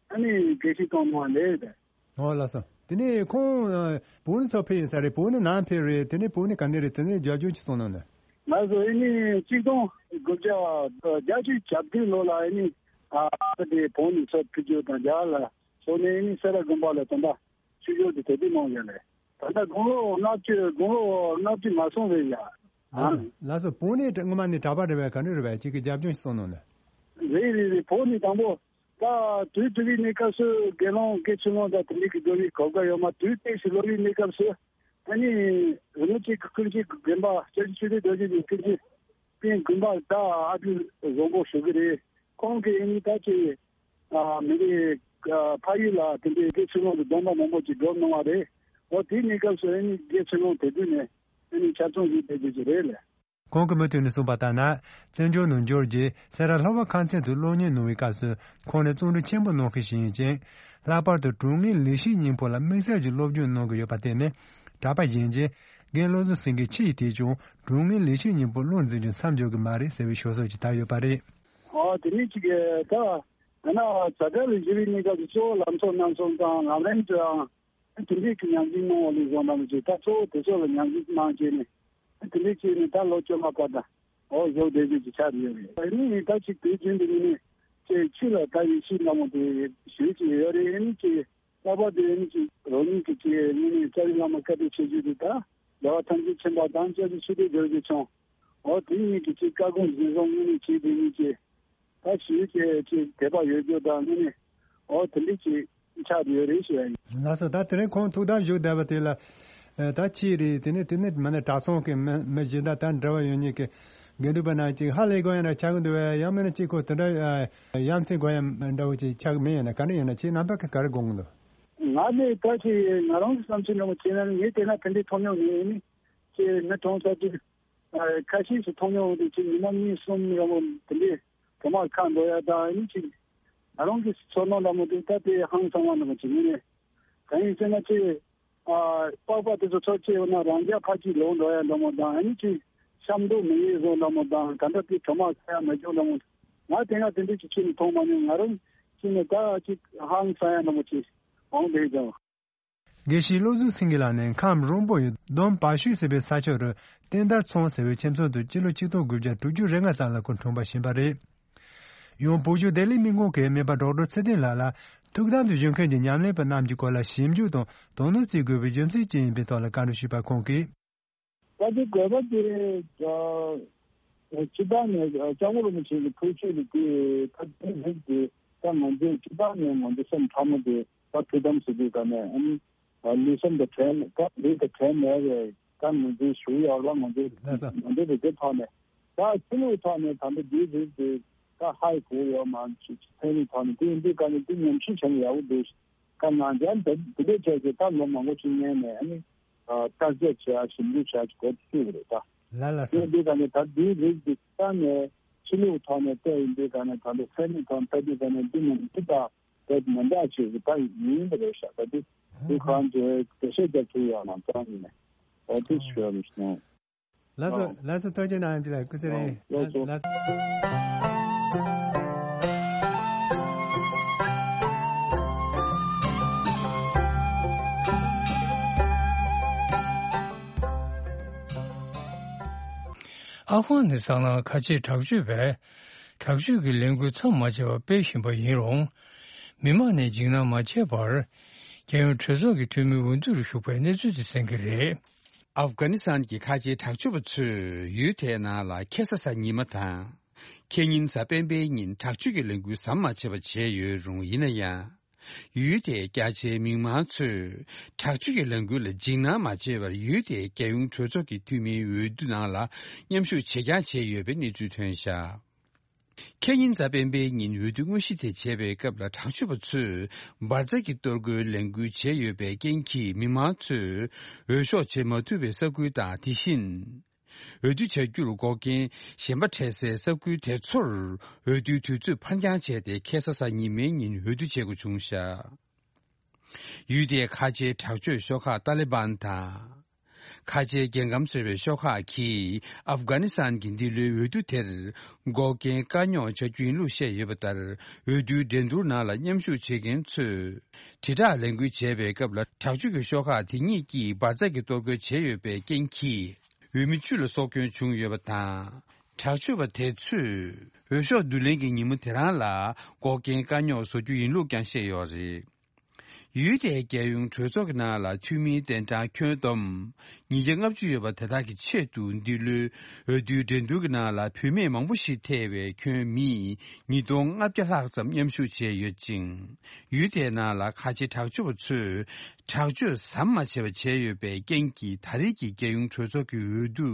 ཨ་ནི་དགེ་བཤེས་གཏོང་གནང་བ་ལས་རེད། ཨོ་ལགས་སོ། དེ་ནས་ཁོང་ཨ་བོད་ནས་ཚུར་ཕེབས་ཡིན་ས་རེད། བོད་ནས་ནང་ཕེབས་རེད། དེ་ནས་བོད་ནས་ག་ནས་རེད། དེ་ནས་རྒྱབ་ལྗོངས་ཅིག་གསུང་གནང་ན། ང་ཚོ་ཨ་ནི་གཅིག་སྟོང་དགུ་བརྒྱ་བརྒྱད་ཅུ་གྱ་བདུན་ལོ་ལ་ཨ་ནི་ཨ་དེ་བོད་ནས་ཚུར་ཕེབས་རྒྱུ་དང་རྒྱ་གར་ལ་སོང་ནས་ཨ་ནི་སེ་ར་དགོན་པ་ལ་ད་ལྟ་ཆོས་ཕྱོགས་དེ་དེ་དུས་གནང་ཡོད་ལས། ད་ལྟ་དགུང་ལོ་ལྔ་བཅུ་དགུང་ལོ་ལྔ་བཅུ་མ་སོང་རེད་ཡ། ལགས་སོ་ལགས་སོ། བོད་ནས་སྔོན་མ་ནས་གྲྭ་པ་རེད་པས། ག་ནས་རེད་པས། ཅིག་གི་རྒྱབ་ལྗོངས་ཤིག་གསུང་གནང་ན། རེད་རེད་རེད། བོད་ནས་དང་པོ་ད་དུས་དེ་དུས་གནས་སྐབས་སུ་དགེ་སློང་དགེ་ཆོས་སློང་དང་དེ་འདྲའི་གི་འགྲོ་བའི་གོ་སྐབས་ཡོད་མ། དུས་དེ་ཞིག་ལོ་རེའི་གནས་སྐབས་སུ་ཨ་ནི་རིན་པོ་ཆེ་གི་སྐུ་མཆེད་ཀྱི་དགོན་པ་སྐྱབས་རྗེ་ཆོས་སྡེ་རྡོ་རྗེ་གི་སྐུ་མཆེད་པའི་དགོན་པ་ད་ཨ་ཏི་བཟང་པོ་ཞུ་གི་རེད། ཁོང་གིས་ཨ་ནི་ད་ཅིག་ཨ་མི་རིགས་ཨ་ཕ་ཡུལ་ལ་དེ་འདྲའི་དགེ་ཆོས་སློང་གི་སྡོམ་པ་མང་པོ་ཅིག་སྒྲུབ་གནང་བ་རེད། འོ་དེའི་གནས་སྐབས་སུ་ཨ་ནི་དགེ་ཆོས་སློང་དེ་དུས་ནས་ཨ་ནི་ཆ་ཚང་ཞིག་བསྡད་རྒྱུ་ཅིག་རེད་ལ། ཁོང་གིས་མུ་མཐུད་ནས་གསུངས་པ་ལྟར་ན། བཙན་བྱོལ་ནང་འབྱོར་རྗེས་སེ་ར་ལྷོ་པ་ཁམས་ཚན་དུ་སློབ་གཉེར་གནང་བའི་སྐབས་སུ་ཁོང་ནི་བརྩོན་འགྲུས་ཆེན་པོ་གནང་མཁན་ཞིག་ཡིན་ཅིང་། ལྷག་པར་དུ་དྲང་ངེས་ལེགས་བཤད་སྙིང་པོ་ལ་དམིགས་བསལ་གྱི་སློབ་སྦྱོང་གནང་གི་ཡོད་པར་བརྟེན་ནས། གྲྭ་པ་གཞན་གྱིས་རྒན་བློ་བཟང་སེང་གེ་ཁྱེད་ཀྱིས་དེས་ཀྱང་དྲང་ངེས་ལེགས་བཤད་སྙིང་པོ་བློར་འཛིན་རྒྱུ་མཚམས་འཇོག་གི་མ་རེད་ཟེར་བའི་ཤོད་སྲོལ་ཅིག་དར་ཡོད་པ་རེད། ཨོ་དེ་ནི་ཅིག་ད་ད་ན་ཛ་དྲག་ལ་བཞུགས་པའི་གནས་སྐབས་སུ་གཙོ་བོ་ལམ་སྲོལ་རྣམ་གསུམ་དང་ལམ་རིམ་གྲོལ་དང་། དེ་འདྲའི་གི་ཉམས་ཞིབ་གནང་བ་ལས་བཟོ་འདྲ་མི་བྱེད། ད་གཙོ་བོ་དེ་ཚོ་ལ་ཉམས་ཞིབ་གནང་བྱས་ནས་དེ་འདྲའི་བྱས་ནས་ད་ལོ་བཅོ་ལྔ་བར་དུ་འོ་བཟོ་བསྡད་རྒྱུ་ཅིག་ཆགས་ཡོད་རེད། ཨ་ནི་ད་ཅིག་དུས་རྒྱུན་དུ་ནི་ཅིག་ཆུ་ལ་ད་ཡེ་ཤེས་ལྟ་བུ་དེ་ཞུ་ཅིག་ཡོད་རེད། ཨ་ནི་ཅིག་ལྷག་པར་དུ་ཨ་ནི་ཅིག་རང་ཉིད་ཀྱི་ཅིག་དངོས་གནས་ལྕགས་རི་བླ་མ་བཀའ་དྲིན་ཆེ་ཤོས་དེ་ད་རྒྱལ་བ་ཐམས་ཅད་མཁྱེན་པ་དང་སྐྱབས་རྗེ་ཆོས་སྡེ་རྡོ་རྗེ་འཆང་འོ་དེ་གཉིས་ཀྱི་ཅིག་བཀའ་དགོངས་གཞིར་བཟུང་དངོས་གནས་བྱས་དེ་གཉིས་ཀྱི་ད་ཞུས་ཀྱི་ཅིག་དད་པ་ཡོད་རྒྱུ་དང་དངོས་གནས་འོ་དེ་འདྲ་ཅིག་ཆགས་ཡོད་རེད་ཞུ་ཡ་ཡིན། ལགས་སོ། ད་དེ་རིང་ཁོང་ཐུགས་དམ་བཞུགས་བསྡད་པ་དེ་ལ་ད་ཅི་རེད། དེ་ནས་དེ་ནས་མ་ནས་གྲྭ་ཚང་གི་མི་མི་གཞན་དག་ད་འབྲེལ་བ་ཡོད་མཁན་གྱི་དགེ་འདུན་པ་རྣམས་ཅིག་ཧ་ལས་དགོས་ཡ་ན་ཆགས་ཀྱི་འདུག་བས། ཡང་མིན་ན་ཅིག་ཁོ་དེ་འདྲ་ཡ་མཚན་དགོས་ཡ་འདྲ་བོ་ཅིག་ཆགས་ཀྱི་མེད། ཡིན་ན་ག་འདྲ་ཡིན་ན་ཁྱེད་རྣམ་པ་གིས་ག་རེ་དགོངས་ཀྱི་འདུག་ང་ནི་ད་ཅིག་ང་རང་གི་བསམ་ཚུལ་འདྲ་བོ་བྱས་ན་ངས་དེ་ན་དེ་འདྲའི་མཐོང་མྱོང་མེད། ཨ་ནི་ཅིག་མི་གྲོངས་ཚར་དུས། ཨ་ཁ་ཤས་སུ་མཐོང་མྱོང་དེ་ཅིག་ཉི་མ་གཉིས་གསུམ་རིང་པོ་དེ་འདྲའི་གྲོ་མ་ཁ་འགྲོ་ཡ་དང་ཨ་ནི་ཅིག་ང་རང་གི་ཚོར་སྣང་འདྲ་མོ་དེ་ད་དེ་ཧང་སང་བ་འདྲ་མོ་ཅིག་ཡིན་ནས། གང་ཡིན་ཟེར་ན་ཅིག་ཨ་པགས་པ་དེ་ཚོ་ཚོ་སྐྱེས་ཡོད་ན་རང་རྒྱ་ཕར་ཅིག་ལོག་འགྲོ་ཡ་འདྲ་མོ་དང་ཨ་ནི་ཅིག་གཤམ་འགྲོ་མི་ཡེ་བཟོ་འདྲ་མོ་དང་ད་ལྟ་དེ་གྲོ་མ་ཁ་ཡ་མ་བྱུང་འདྲ་མོ། ང་དེ་སྔ་དེ་འདྲའི་ཅིག་ཁྱོན་ནས་མཐོང་མ་མྱོང་། ང་རང་ཅིག་ནས་ད་ཅིག་ཧང་སང་ཡ་འདྲ་མོ་ཅིག་འོང་བསྡད་ཀྱང་། དགེ་བཤེས་བློ་བཟང་སེང་གེ་ལགས་ནི་ཁམས་རོང་པོ་ཡི་འདོམ་བ་ཤུལ་ཟེར་བའི་ས་ཕྱོགས་རུ་བསྟན་དར་ཚང་ཟེར་བའི་ཁྱིམ་ཚང་དུ་སྤྱི་ལོ་ཆིག་སྟོང་དགུ་བརྒྱ་དྲུག་ཅུ་རེ་ལྔ་ཙམ་ལ་སྐུ་འཁྲུངས་པ་ཞིག་ཡིན་པ་རེད། ཡང་བོད་གཞུང་བདེ་ལེགས་སྨན་ཁང་གི་སྨན་པ་ཌོག་ཊར་ཚེ་བརྟན་ལགས་ལ་ཐུགས་དམ་དུ་བཞུགས་མཁན་གྱི་ཉམས་ལེན་པ་རྣམས་ཀྱི་སྐོར་ལ་ཞིབ་འཇུག་དང་དོ་སྣང་བྱེད་དགོས་པའི་རྒྱུ་མཚན་ཅི་ཡིན་པའི་ཐོག་ལ་བཀའ་འདྲི་ཞུས་པར་ཁོང་གིས། ད་དེ་དགོས་པ་དེ་སྤྱི་བཏང་ནས་སྐྱབས་མགོན་རིན་པོ་ཆེ་གི་ཐུགས་རྗེ་ལ་དེ་ད་དེ་རིགས་དེ་ད་ང་ཚོས་སྤྱི་བཏང་ནས་ང་ཚོ་སེམས་ཕྲ་མོ་དེ་ད་ཐུགས་དམ་ཟེར་དུས་ག་ནས་ཨ་ནི་ལུས་སེམས་དང་བྲལ་ད་ལུས་དང་བྲལ་མེད་པའི་ད་ང་ཚོའི་ཞུ་ཡག་ལ་ང་ཚོ་ང་ཚོ་དེ་དེ་ཐོག་ནས་ད་ཕྱི་ལོགས་ཐོག་ནས་ད་ལྟ་དེའི་རིགས་དེ་ ད་ཧའི་གོ་ཡོད་མ་ཅིག་ཚན་རིག་ཐོག་ནས་དེ་འདི་ག་ནས་དེ་ཉམས་ཞིབ་བྱས་ནས་ཡག་པོ་འདུག་ཀ་ནང་ཀྱང་དེ་དེ་འདྲས་བྱས་ཏེ་ད་ལོ་མང་པོ་ཅིག་སྔོན་ནས་ཨ་ནི་བརྟག་དཔྱད་བྱེད་ཡ་ཞིབ་འཇུག་བྱ་ཅིག་གོ་བཅུག་རེད་ད། ལ་ལ་ས། དེ་འདི་ག་ནས་ད་དེའི་རིགས་འདི་ས་ནས་ཕྱི་ལུགས་ཐོག་ནས་བལྟས་ཡིན་འདི་ག་ནས་ད་ལོ་ཚན་རིག་ཐོག་ནས་ལྟ་དུས་ག་ནས་འདི་ནས་འདི་ད་དེ་མི་འདྲ་ཅིག་གི་ད་ཡིན་པ་རེད་ཤག་ད་དེ་དེ་གང་ཅི་འགྲེལ་བཤད་རྒྱབ་ཐུབ་ཡོད་ན་ཙང་ཡིན་ནས་ཨོ་དེ་ཞུ་ཡ་རེད་ཤག་ལགས་སོ། ཨོ། ལགས་སོ། ཐུགས་རྗེ་གནང་། འདི་ལ་སྐུ་ཚེ་རིང་། ཨོ། ལགས་སོ། ལགས་སོ། ཨ་ཧྥ་གྷ་ནི་སི་ཐན་ནང་ཁ་ཆེའི་དྲག་སྤྱོད་པས་དྲག་སྤྱོད་ཀྱི་ལས་འགུལ་མཚམས་མ་ཆད་པར་སྤེལ་བཞིན་པ་ཡིན་རུང་། མི་མང་ནས་འཇིགས་སྣང་མ་བྱས་པར། རྒྱལ་ཡོངས་གྲོས་ཚོགས་ཀྱི་འཐུས་མིའི་འོས་བསྡུ་རུ་ཞུགས་པའི་གནས་ཚུལ་དེ་གསན་གྱི་རེད། ཨབ་གྷ་ནི་སི་ཐན་གྱི་ཁ་ཆེའི་དྲག་སྤྱོད་པ་ཚོས་ཡུལ་དེའི་ནང་ལ་ཁ་སང་གཟའ་ཉི་མ་དང་། ཁ་ཉིན་གཟའ་སྤེན་པའི་ཉིན་དྲག་སྤྱོད་ཀྱི་ལས་འགུལ་ཟམ་མ་ཆད་པ་བྱས་ཡོད་རུང་ཡིན་ན་ཡང་། ཡུལ་དེའི་རྒྱ་ཆེའི་མི་མང་ཚོས་དྲག་སྤྱོད་ཀྱི་ལས་འགུལ་ལ་འཇིགས་སྣང་མ་བྱས་པར་ཡུལ་དེའི་རྒྱལ་ཡོངས་གྲོས་ཚོགས་ཀྱི་འཐུས་མིའི་འོས་བསྡུ་ནང་ལ་མཉམ་ཞུགས་བྱེད་རྐྱང་བྱས་ཡོད་པའི་གནས་ཚུལ་ཐོན་བཞག་ཁ་ཉིན་གཟའ་སྤེན་པའི་ཉིན་འོས་བསྡུ་དངོས་གཞི་དེ་བྱེད་པའི་སྐབས་ལ་དྲག་སྤྱོད་པ་ཚོས་འབར་རྫས་ཀྱི་གཏོར་རྒོལ་ལས་འགུལ་བྱས་ཡོད་པའི་རྐྱེན་གྱིས་མི་མང་ཚོས་འོས་ཤོག་བྱེད་མ་ཐུབ་པའི་ས་ཁུལ་དང་། དེ་བཞིན་འོས་བསྡུ་བྱ་རྒྱུར་འགོག་རྐྱེན་གཞན་པ་འཕྲད་སའི་ས་ཁུལ་དེ་ཚོར་འོས་བསྡུའི་དུས་ཚོད་ཕར་འགྱངས་བྱས་ཏེ་ཁ་སང་གཟའ་ཉི་མའི་ཉིན་འོས་བསྡུ་བྱེད་དགོས་བྱུང་བཞག་ཡུལ་དེའི་ཁ་ཆེའི་དྲག་སྤྱོད་ཤོག་ཁག་ཏཱ་ལི་བན་དང་། ཁ་ཆེའི་རྒྱལ་ཁམས་ཟེར་བའི་ཤོག་ཁག་གིས་ཨབ་གྷ་ནི་སི་ཐན་གྱི་འདི་ལོའི་འོས་བསྡུ་དེར་འགོག་རྐྱེན་དཀའ་རྙོག་བྱ་རྒྱུ་ཡིན་ལུགས་བཤད་ཡོད་པ་ལྟར། འོས་བསྡུའི་འགྲན་བསྡུར་ནང་ལ་མཉམ་ཞུགས་བྱེད་མཁན་ཚོས་དྲིལ་བསྒྲགས་ལས་འགུལ་བྱས་པའི་སྐབས་ལ་དྲག་སྤྱོད་ཀྱི་ཤོག་ཁག་དེ་གཉིས་ཀྱིས་འབར་རྫས་ཀྱི་གཏོར་རྒོལ་བྱས་ཡོད་པའི་རྐྱེན་གྱིས་འོས་མི་བཅུ་ལ་སྲོག་སྐྱོན་བྱུང་ཡོད་པ་དང་། དྲག་སྤྱོད་པ་དེ་ཚོས་འོས་ཤོག་བསྡུ་ལེན་གྱི་ཉིན་མོ་དེ་རང་ལ་འགོག་རྐྱེན་དཀའ་རྙོག་བཟོ་རྒྱུ་ཡིན་ལུགས་ཀྱང་བཤད་ཡོད་རེད། ཡུལ་དེའི་རྒྱལ་ཡོངས་གྲོས་ཚོགས་ཀྱི་ནང་ལ་འཐུས་མིའི་གདན་གྲངས་ཁྱོན་བསྡོམས་ཉིས་བརྒྱ་ལྔ་བཅུ་ཡོད་པ་དེ་དག་གི་ཆེད་དུ་འདི་ལོའི་འོས་བསྡུའི་འགྲན་བསྡུར་གྱི་ནང་ལ་བུད་མེད་མང་པོ་ཞིག་ཐེ་བའི་ཁྱོན་མི་ཉིས་སྟོང་ལྔ་བརྒྱ་ལྷག་ཙམ་མཉམ་ཞུགས་བྱས་ཡོད་ཅིང་། ཡུལ་དེའི་ནང་ལ་ཁ་ཆེ་དྲག་སྤྱོད་པ་ཚོས་དྲག་སྤྱོད་ཟམ་མ་ཆད་པ་བྱས་ཡོད་པའི་རྐྱེན་གྱིས་ད་རེས་ཀྱི་རྒྱལ་ཡོངས་གྲོས་ཚོགས་ཀྱི་འོས་བསྡུ་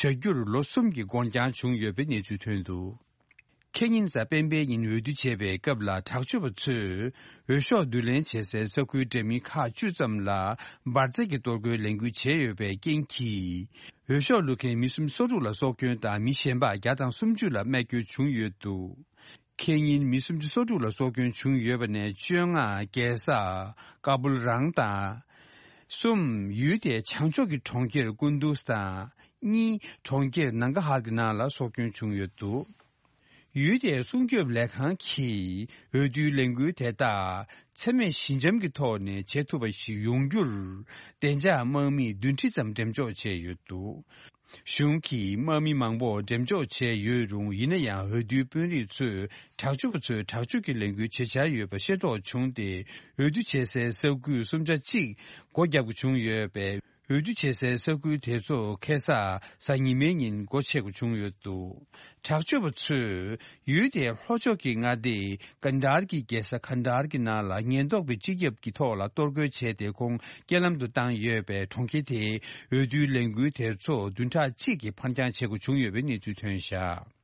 བྱ་རྒྱུར་ལོ་གསུམ་གྱི་འགོར་འགྱངས་བྱུང་ཡོད་པའི་གནས་ཚུལ་ཐོན་འདུག་ཁ་ཉིན་གཟའ་སྤེན་པའི་ཉིན་འོས་བསྡུ་བྱས་པའི་སྐབས་ལ་དྲག་སྤྱོད་པ་ཚོས་འོས་ཤོག་བསྡུ་ལེན་བྱེད་སའི་ས་ཁུལ་འདྲ་མིན་ཁག་བཅུ་ཙམ་ལ་འབར་རྫས་ཀྱི་གཏོར་རྒོལ་ལས་འགུལ་བྱས་ཡོད་པའི་རྐྱེན་གྱིས། འོས་ཤོག་བླུག་མཁན་མི་སུམ་ཅུ་སོ་དྲུག་ལ་སྲོག་སྐྱོན་དང་མི་གཞན་པ་བརྒྱ་དང་སུམ་ཅུ་ལ་རྨས་སྐྱོན་བྱུང་ཡོད་འདུག་ཁ་ཉིན་མི་སུམ་ཅུ་སོ་དྲུག་ལ་སྲོག་སྐྱོན་བྱུང་ཡོད་པ་ནས་བཅོ་ལྔ་རྒྱལ་ས་ཀ་བུལ་རང་དང་། གསུམ། ཡུལ་དེའི་བྱང་ཕྱོགས་ཀྱི་གྲོང་ཁྱེར་ཀུན་དུས་དང་། གཉིས། གྲོང་ཁྱེར་ནང་ག་ཧར་གྱི་ནང་ལ་སྲོག་སྐྱོན་བྱུང་ཡོད་འདུག་ཡུལ་དེའི་སྲུང་སྐྱོབ་ལས་ཁང་གིས་འོས་བསྡུའི་ལས་འགུལ་དེ་དག་འཚེ་མེད་ཞི་འཇམ་གྱི་ཐོག་ནས་བྱེད་ཐུབ་པ་ཞིག་ཡོང་རྒྱུར་བདེ་འཇགས་དམག་མི་བདུན་ཁྲི་ཙམ་འགྲེམས་འཇོག་བྱས་ཡོད་འདུག་གཞུང་གིས་དམག་མི་མང་པོ་འགྲེམས་འཇོག་བྱས་ཡོད་རུང་། ཡིན་ན་ཡང་འོས་བསྡུའི་དཔོན་རིགས་ཚོས་དྲག་སྤྱོད་པ་ཚོས་དྲག་སྤྱོད་ཀྱི་ལས་འགུལ་བྱེད་འཆར་ཡོད་པ་ཤེས་རྟོགས་བྱུང་སྟེ། འོས་བསྡུ་བྱེད་སའི་ས་ཁུལ་སུམ་ཆ་གཅིག་སྒོ་བརྒྱབ་དགོས་བྱུང་ཡོད་པས། འོས་བསྡུ་བྱེད་སའི་ས་ཁུལ་དེ་ཚོ་ཁ་སང་གཟའ་ཉི་མའི་ཉིན་སྒོ་ཕྱེ་དགོས་བྱུང་ཡོད་འདུག་དྲག་སྤྱོད་པ་ཚོས་ཡུལ་དེའི་ལྷོ་ཕྱོགས་ཀྱི་མངའ་སྡེ་ཀན་ཌར་གྱི་རྒྱལ་ས་ཁན་ཌར་གྱི་ནང་ལ་ཉེན་རྟོག་པའི་སྤྱི་ཁྱབ་ཀྱི་ཐོག་ལ་གཏོར་རྒོལ་བྱས་ཏེ། ཁོང་རྐྱེན་ལམ་དུ་བཏང་ཡོད་པས། གྲོང་ཁྱེར་དེའི་འོས་བསྡུའི་ལས་འགུལ་དེ་ཚོ་བདུན་ཕྲག་གཅིག་གི་ཕར་འགྱངས་བྱེད་དགོས་བྱུང་ཡོད་པའི་གནས་ཚུལ་ཐོན་བཞག་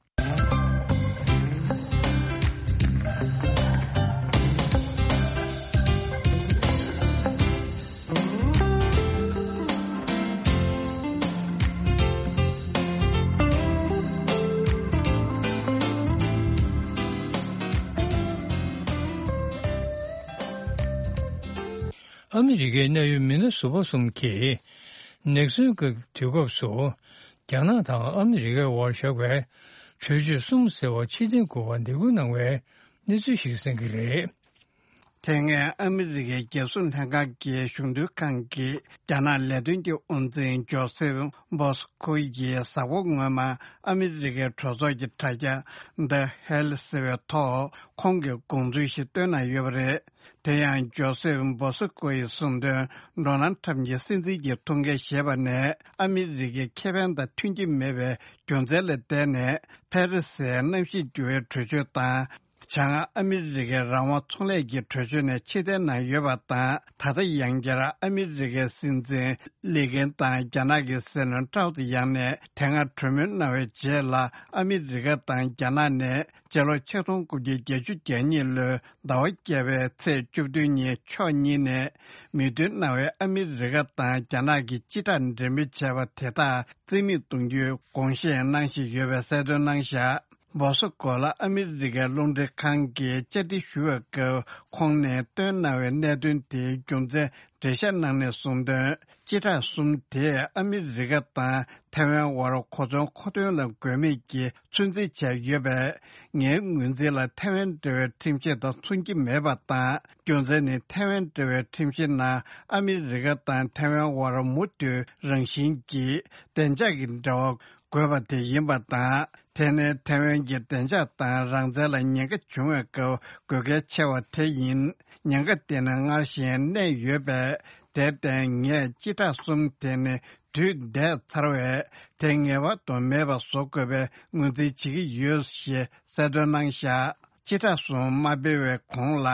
ཨ་མི་རི་ཀའི་གནད་ཡོད་མི་སྣ་ཟུར་པ་གསུམ་གྱིས་ནེག་སོན་གྱི་དུས་སྐབས་སུ་རྒྱ་ནག་དང་ཨ་མི་རི་ཀའི་དབར་བཞག་པའི་གྲོས་ཆོད་གསུམ་ཟེར་བ་ཕྱིར་འཐེན་དགོས་པར་འདེད་སྐུལ་གནང་བའི་གནས་ཚུལ་ཞིག་གསན་གྱི་རེད། དེ་སྔའི་ཨ་མི་རི་ཀའི་རྒྱལ་སྲུང་ལྷན་ཁང་གི་གཞུང་དོན་ཁང་གི་རྒྱ་ནག་ལས་དོན་གྱི་དབུ་འཛིན་ཇོ་སེབ་བྷོ་སི་ཁོ་ཡིས་གཟའ་འཁོར་སྔོན་མ་ཨ་མི་རི་ཀའི་གྲོས་ཚོགས་ཀྱི་དྲ་རྒྱ་The Hill ཟེར་བའི་ཐོག་ཁོང་གི་དགོངས་ཚུལ་ཞིག་བཏོན་གནང་ཡོད་པ་རེད། དེ་ཡང་ཇོ་སེབ་བྷོ་སི་ཁོ་ཡིས་གསུངས་དོན། ཌོ་ནལ་ཁྲམ་གྱི་སྲིད་འཛིན་གྱི་ཐུགས་འགན་བཞེས་པ་ནས་ཨ་མི་རི་ཀའི་ཁེ་ཕན་དང་མཐུན་གྱི་མེད་པའི་རྒྱུ་མཚན་ལ་བརྟེན་ནས། ཕ་རི་སིའི་གནམ་གཤིས་འགྱུར་བའི་གྲོས་ཆོད་དང་། བྱང་ཨ་མི་རི་ཀའི་རང་དབང་ཚོང་ལས་ཀྱི་གྲོས་ཆོད་ནས་ཕྱིར་འཐེན་གནང་ཡོད་པ་དང་། ད་ལྟ་ཡང་བསྐྱར་ཨ་མི་རི་ཀའི་སྲིད་འཛིན་ལི་ཀེན་དང་རྒྱ་ནག་གི་སྲིད་བློན་ཀྲའོ་ཙེ་ཡང་ནས་དེ་སྔ་གྲོས་མོལ་གནང་བའི་རྗེས་ལ། ཨ་མི་རི་ཀ་དང་རྒྱ་ནག་ནས་སྤྱི་ལོ་ཆིག་སྟོང་དགུ་བརྒྱ་བརྒྱད་ཅུ་གྱ་གཉིས་ལོའི་ཟླ་བ་བརྒྱད་པའི་ཚེས་བཅུ་བདུན་ཉིན་ཕྱོགས་གཉིས་ནས་མོས་མཐུན་གནང་བའི་ཨ་མི་རི་ཀ་དང་རྒྱ་ནག་གི་སྤྱི་བསྒྲགས་འབྲེལ་མོལ་བྱས་པ་དེ་དག་རྩིས་མེད་གཏོང་རྒྱུའི་དགོངས་བཞེས་གནང་བཞིན་ཡོད་པའི་གསལ་སྟོན་གནང་བཞག་མོ་སི་ཀོ་ལ་ཨ་མི་རི་ཀའི་རླུང་འཕྲིན་ཁང་གིས་བཅར་འདྲི་ཞུ་བའི་སྐབས། ཁོང་ནས་བཏོན་གནང་བའི་གནད་དོན་དེའི་རྒྱུ་མཚན་འགྲེལ་བཤད་གནང་ནས་གསུངས་དོན། སྤྱི་བསྒྲགས་གསུམ་དེས་ཨ་མི་རི་ཀ་དང་ཐའེ་ཝན་དབར་གོ་མཚོན་མཁོ་འདོན་ལ་དགོས་མེད་ཀྱི་ཚོད་འཛིན་བྱས་ཡོད་པས། ངའི་ངོས་འཛིན་ལ་ཐའེ་ཝན་འབྲེལ་བའི་ཁྲིམས་གཞི་དང་མཚུངས་ཀྱི་མེད་པ་དང་། རྒྱུ་མཚན་ནི་ཐའེ་ཝན་འབྲེལ་བའི་ཁྲིམས་གཞིའི་ནང་ཨ་མི་རི་ཀ་དང་ཐའེ་ཝན་དབར་མུ་མཐུད་རང་བཞིན་གྱིས་བདེ་འཇགས་ཀྱི་འབྲེལ་བ་དགོས་པ་དེ་ཡིན་པ་དང་། དེ་ནི་ཐའེ་ཝན་གྱི་བདེ་འཇགས་དང་རང་བཙན་ལ་ཉེན་ཁ་བྱུང་བའི་སྐབས་དགོས་གལ་ཆེ་བ་དེ་ཡིན། ཉེན་ཁ་དེ་ནི་སྔར་བཞིན་གནས་ཡོད་པས། དེར་བརྟེན་ངས་སྤྱི་བསྒྲགས་གསུམ་དེ་ནི་དུས་འདས་ཚར་བས། དེ་ངེས་པར་དུ་མེད་པ་བཟོ་དགོས་པའི་ངོས་འཛིན་བྱེད་ཀྱི་ཡོད་ཞེས་གསལ་སྟོན་གནང་བཞག་སྤྱི་བསྒྲགས་གསུམ་མ་སྤེལ་བའི་གོང་ལ།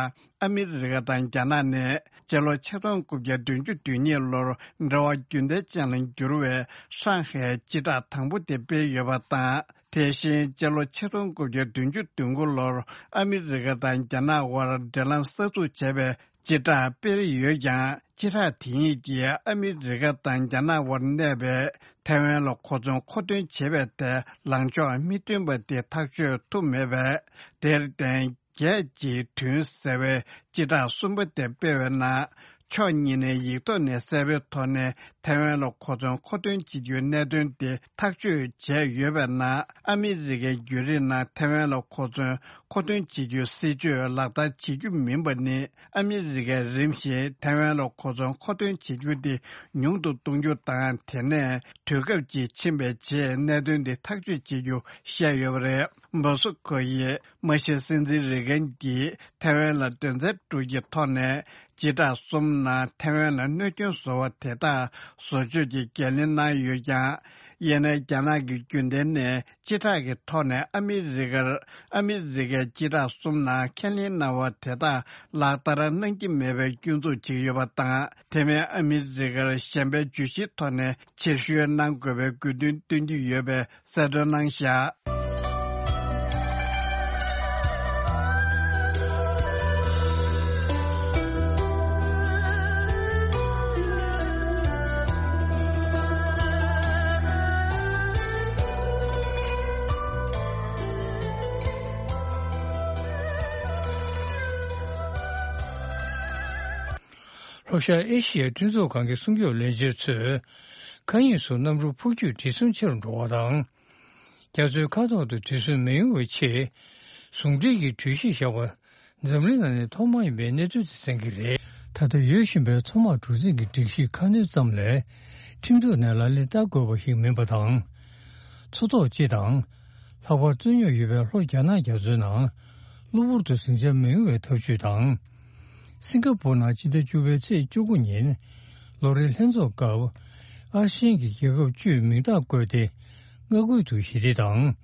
ཨ་མི་རི་ཀ་དང་རྒྱ་ནག་ནས་སྤྱི་ལོ་ཆིག་སྟོང་དགུ་བརྒྱ་བདུན་ཅུ་དོན་གཉིས་ལོར་འབྲེལ་བ་རྒྱུན་ལྡན་ཅན་ལ་འགྱུར་བའི་ཧྲང་ཧའེ་སྤྱི་བསྒྲགས་དང་པོ་དེ་སྤེལ་ཡོད་པ་དང་། དེ་བཞིན་སྤྱི་ལོ་ཆིག་སྟོང་དགུ་བརྒྱ་བདུན་ཅུ་དོན་དགུ་ལོར་ཨ་མི་རི་ཀ་དང་རྒྱ་ནག་དབར་འབྲེལ་ལམ་གསར་འཛུགས་བྱས་པའི་སྤྱི་བསྒྲགས་སྤེལ་ཡོད་ཀྱང་། སྤྱི་བསྒྲགས་དེ་ཉིད་ཀྱིས་ཨ་མི་རི་ཀ་དང་རྒྱ་ནག་དབར་གནས་པའི་ཐའེ་ཝན་ལ་གོ་མཚོན་མཁོ་འདོན་བྱེད་པའི་ཐད་ལངས་ཕྱོགས་མི་མཐུན་པ་དེ་ཐག་གཅོད་ཐུབ་མེད་པས། དེར་བརྟེན། རྒྱལ་གཅེས་མཐུན་ཟེར་བའི་སྤྱི་བསྒྲགས་གསུམ་པ་དེ་སྤེལ་བའི་ནང་། ཕྱོགས་གཉིས་ནས་ཡིག་ཐོག་ནས་གསལ་པོའི་ཐོག་ནས་ཐའེ་ཝན་ལ་གོ་མཚོན་མཁོ་འདོན་བྱེད་རྒྱུའི་གནད་དོན་དེ་ཐག་གཅོད་བྱས་ཡོད་པའི་ནང་། ཨ་མི་རི་ཀའི་བརྒྱུད་རིམ་ནང་ཐའེ་ཝན་ལ་གོ་མཚོན་མཁོ་འདོན་བྱེད་རྒྱུའི་སྲིད་བྱུས་ལག་བསྟར་བྱེད་རྒྱུ་མིན་པ་ནི། ཨ་མི་རི་ཀས་རིམ་བཞིན་ཐའེ་ཝན་ལ་གོ་མཚོན་མཁོ་འདོན་བྱེད་རྒྱུ་དེ་ཉུང་དུ་གཏོང་རྒྱུ་དང་། དེ་ནས་དུས་སྐབས་ཅིག་ཕྱིན་པའི་རྗེས་གནད་དོན་དེ་ཐག་གཅོད་བྱེད་རྒྱུ་བཤད་ཡོད་པ་རེད། མོ་སི་ཁོ་ཡིས་མ་གཞི་སྲིད་འཛིན་རེ་གན་གྱིས་ཐའེ་ཝན་ལ་དོན་ཚན་དྲུག་གི་ཐོག་ནས་སྤྱི་བསྒྲགས་གསུམ་ནང་ཐའེ་ཝན་ལ་གནོད་སྐྱོན་བཟོ་བ་དེ་དག་བཟོ་བཅོས་ཀྱི་འགན་ལེན་གནང་ཡོད་ཀྱང་། ཡིན་ནའི་རྒྱ་ནག་གི་རྒྱུན་ལྡན་ནས་སྤྱི་བསྒྲགས་ཀྱི་ཐོག་ནས་ཨ་མི་རི་ཀར། ཨ་མི་རི་ཀའི་སྤྱི་བསྒྲགས་གསུམ་ནང་ཁས་ལེན་གནང་བ་དེ་དག་ལག་བསྟར་གནང་གི་མེད་པའི་སྐྱོན་འཛུགས་བྱེད་ཀྱི་ཡོད་པ་དང་། དེ་མིན་ཨ་མི་རི་ཀར་གཞན་པའི་བརྗོད་གཞིའི་ཐོག་ནས་ཕྱིར་བཤོལ་གནང་དགོས་པའི་དགོས་འདུན་བཏོན་གྱི་ཡོད་པའི་གསལ་སྟོན་གནང་བཞག་ལྷོ་ཤར་ཨེ་ཤི་ཡའི་མཐུན་ཚོགས་ཁང་གི་སྲུང་སྐྱོབ་བློན་ཆེན་ཚོས། མཁའ་དབྱིངས་སུ་གནམ་གྲུ་འཕུར་སྐྱོད་བྲེལ་ཟིང་ཆེ་རུ་འགྲོ་བ་དང་། རྒྱ་མཚོའི་ཁ་ཐོག་ཏུ་བྲེལ་ཟིང་མི་ཡོང་བའི་ཆེད། ཟུང་འབྲེལ་གྱི་གྲོས་གཞི་བཞག་པ། འཛམ་གླིང་ནང་ནས་ཐོག་མ་ཡིན་པའི་གནས་ཚུལ་དེ་གསན་གྱི་རེད། ད་ལྟ་ཡོད་བཞིན་པའི་མཚོ་དམག་གྲུ་གཟིངས་ཀྱི་སྒྲིག་གཞི་ཁ་སྣོན་ཙམ་ལས། ཁྲིམས་གཏུག་ནས་ལག་ལེན་བསྟར་དགོས་པ་ཞིག་མིན་པ་དང་། མཚོ་ཐོག་སྤྱི་དང་། ལྷག་པར་རྩོད་རྙོག་ཡོད་པའི་ལྷོ་རྒྱ་ནག་རྒྱ་མཚོའི་ནང་། གློ་བུར་དུ་ཟིང་ཆ་མི་ཡོང་བའི་ཐབས་ཇུས་དང་། སིང་ག་པུར་ནང་སྤྱི་ཟླ་བཅུ་པའི་ཚེས་བཅུ་དགུ་ཉིན། ལོ་རེའི་ལྷན་ཚོགས་སྐབས། ཨ་སི་ཡན་གྱི་རྒྱལ་ཁབ་བཅུས་མིང་རྟགས་བཀོད་དེ། མངའ་ཁུལ་དུ་ཞི་བདེ་དང་།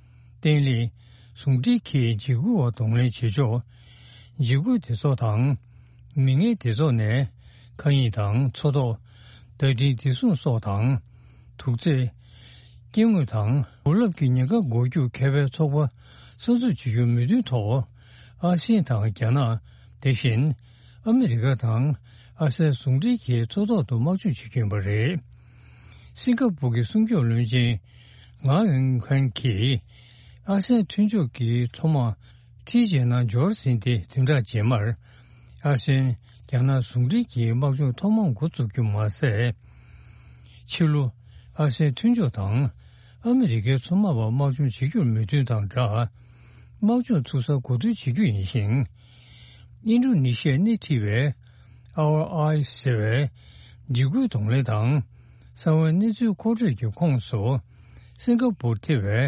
བརྟན་ལྷིང་། ཟུང་འབྲེལ་གྱི་འཇིགས་སྐུལ་བ་གདོང་ལེན་བྱེད་ཕྱོགས། འཇིགས་སྐུལ་སྡེ་ཚོགས་དང་། མི་ངན་སྡེ་ཚོགས་ནས། མཁའ་དབྱིངས་དང་མཚོ་ཐོག་བརྡ་འཕྲིན་བདེ་སྲུང་སོགས་དང་། དུག་རྫས། སྐྱེ་དངོས་དང་། བུ་སློབ་ཀྱི་ཉེན་ཁ་འགོག་རྒྱུ་མཁས་པའི་ཚོགས་པ་གསར་འཛུགས་བྱེད་རྒྱུའི་མོས་མཐུན་ཐོག་ཨ་སི་ཡན་དང་རྒྱ་ནག་དེ་བཞིན་ཨ་མི་རི་ཀ་དང་ཨ་སའི་ཟུང་འབྲེལ་གྱིས་མཚོ་ཐོག་ཏུ་དམག་སྦྱོང་བྱེད་ཀྱི་ཡིན་པ་རེད། སིང་ག་པུར་གྱི་སྲུང་སྐྱོབ་བློན་ཆེན་ངའོ་ཝེང་ཁན་གྱིས་ཨ་སའི་མཐུན་ཕྱོགས་ཀྱི་མཚོ་དམག་ཐི་ཇེ་ནང་འབྱོར་ཟིན་ཏེ་བདུན་ཕྲག་རྗེས་མར་ཨ་སའི་རྒྱ་ནག་ཟུང་འབྲེལ་གྱི་དམག་སྦྱོང་ཐོག་མར་འགོ་བཙུགས་རྒྱུ་མ་ཟད། ཕྱི་ལོ། ཨ་སའི་མཐུན་ཕྱོགས་དང་ཨ་མི་རི་ཀའི་མཚོ་དམག་པ་དམག་སྦྱོང་བྱེད་རྒྱུར་མོས་མཐུན་དང་སྦྲགས། དམག་སྦྱོང་ཚུགས་སར་གོ་སྒྲིག་བྱེད་རྒྱུ་ཡིན་ཞིང་། ཨིན་ཌོ་ནི་ཤི་ཡར་སྣེ་ཁྲིད་པའི་ཨར་ཨའི་ཟེར་བའི་འཇིགས་སྐུལ་གདོང་ལེན་དང་གསང་བའི་གནས་ཚུལ་མཁོ་སྤྲོད་ཀྱི་ཁོངས་སུ་སིང་ག་པུར་ཐེ་བའི་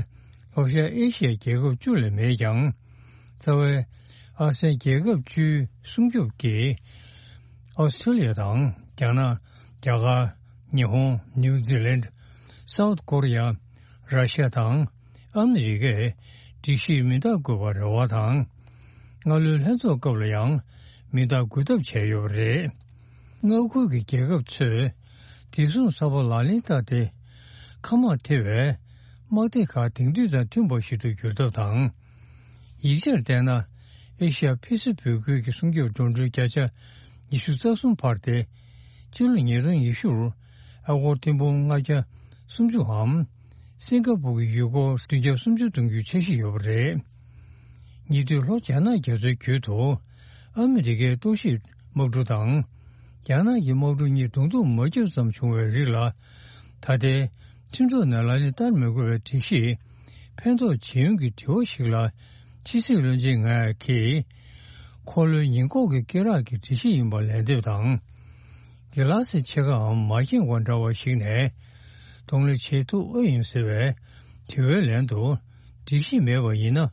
ལྷོ་ཤར་ཨེ་ཤི་ཡའི་རྒྱལ་ཁབ་བཅུ་ལས་མེད་ཀྱང་། རྩ་བའི་ཨ་སེའི་རྒྱལ་ཁབ་བཅུའི་སྲུང་སྐྱོབ་ཀྱིས། ཨོ་སི་ཁྲེ་ལི་ཡ་དང་རྒྱ་ནག་རྒྱ་གར། ཉི་ཧོང་། ནིའུ་ཛི་ལན། སའུ་ཐི་ཀོ་རི་ཡ། ར་ཤ་ཡ་དང་ཨ་མི་རི་ཀས་སྒྲིག་གཞིར་མིང་རྟགས་བཀོད་པར་རེ་བ་དང་། སྔ་ལོའི་ལྷན་ཚོགས་སྐབས་ལ་ཡང་མིང་རྟགས་འགོད་ཐབས་བྱས་ཡོད་པ་རེད། མངའ་ཁུལ་གྱི་རྒྱལ་ཁབ་ཚོས་བདེ་སྲུང་གསར་པ་ལག་ལེན་བསྟར་ཏེ། མཁའ་དམག་ཐེ་བའི་དམག་སྡེ་ཁག་དེང་དུས་དང་མཐུན་པ་ཞིག་ཏུ་འགྱུར་ཐབས་དང་། ཡིག་ཆར་བལྟས་ན། ཨེ་ཤ་ཡ་ཕི་སི་ཕིག་ཁུལ་གྱི་སྲུང་སྐྱོབ་འགྲོ་གྲོན་བརྒྱ་ཆ་ཉི་ཤུ་རྩ་གསུམ་འཕར་ཏེ། ཕྱི་ལོ་ཉིས་སྟོང་ཉི་ཤུར་ཨ་སྒོར་ཐེར་འབུམ་ལྔ་བརྒྱ་སུམ་ཅུའམ། སིང་ག་པུར་གྱི་ཡུལ་སྒོར་བདུན་བརྒྱ་སུམ་ཅུ་གཏོང་རྒྱུའི་འཆར་གཞི་ཡོད་པ་རེད། ཉེ་དུས་ལྷོ་རྒྱ་ནག་རྒྱ་མཚོའི་རྒྱུད་དུ། ཨ་མི་རི་ཀའི་རྟོག་ཞིབ་དམག་གྲུ་དང་། རྒྱ་ནག་གི་དམག་གྲུ་གཉིས་གདོང་ཐུག་མ་བརྒྱབ་ཙམ་བྱུང་བའི་རིགས་ལ། ད་ལྟའི་ཁྲིམས་ཐོག་ནས་ལག་ལེན་བསྟར་མི་དགོས་པའི་སྒྲིག་གཞི་ཕན་ཐོགས་ཇི་ཡོང་གི་དྲི་བ་ཞིག་ལ། ཕྱི་སྲིད་བློན་ཆེན་ང་ཡ་གིས། འཁོར་ལོའི་ཉེན་འགོག་གི་སྐེ་རགས་ཀྱི་སྒྲིག་གཞི་ཡིན་པ་ལན་འདེབས་དང་། གི་ལ་སི་ཕྱེད་ཀའམ་མ་བཞེངས་པ་འདྲ་བ་ཞིག་ནས་གདོང་ལེན་བྱེད་ཐུབ་ཨེ་ཡིན་ཟེར་བའི་དྲི་བའི་ལན་དུ། སྒྲིག་གཞི་མེད་པ་ཡིན་ན་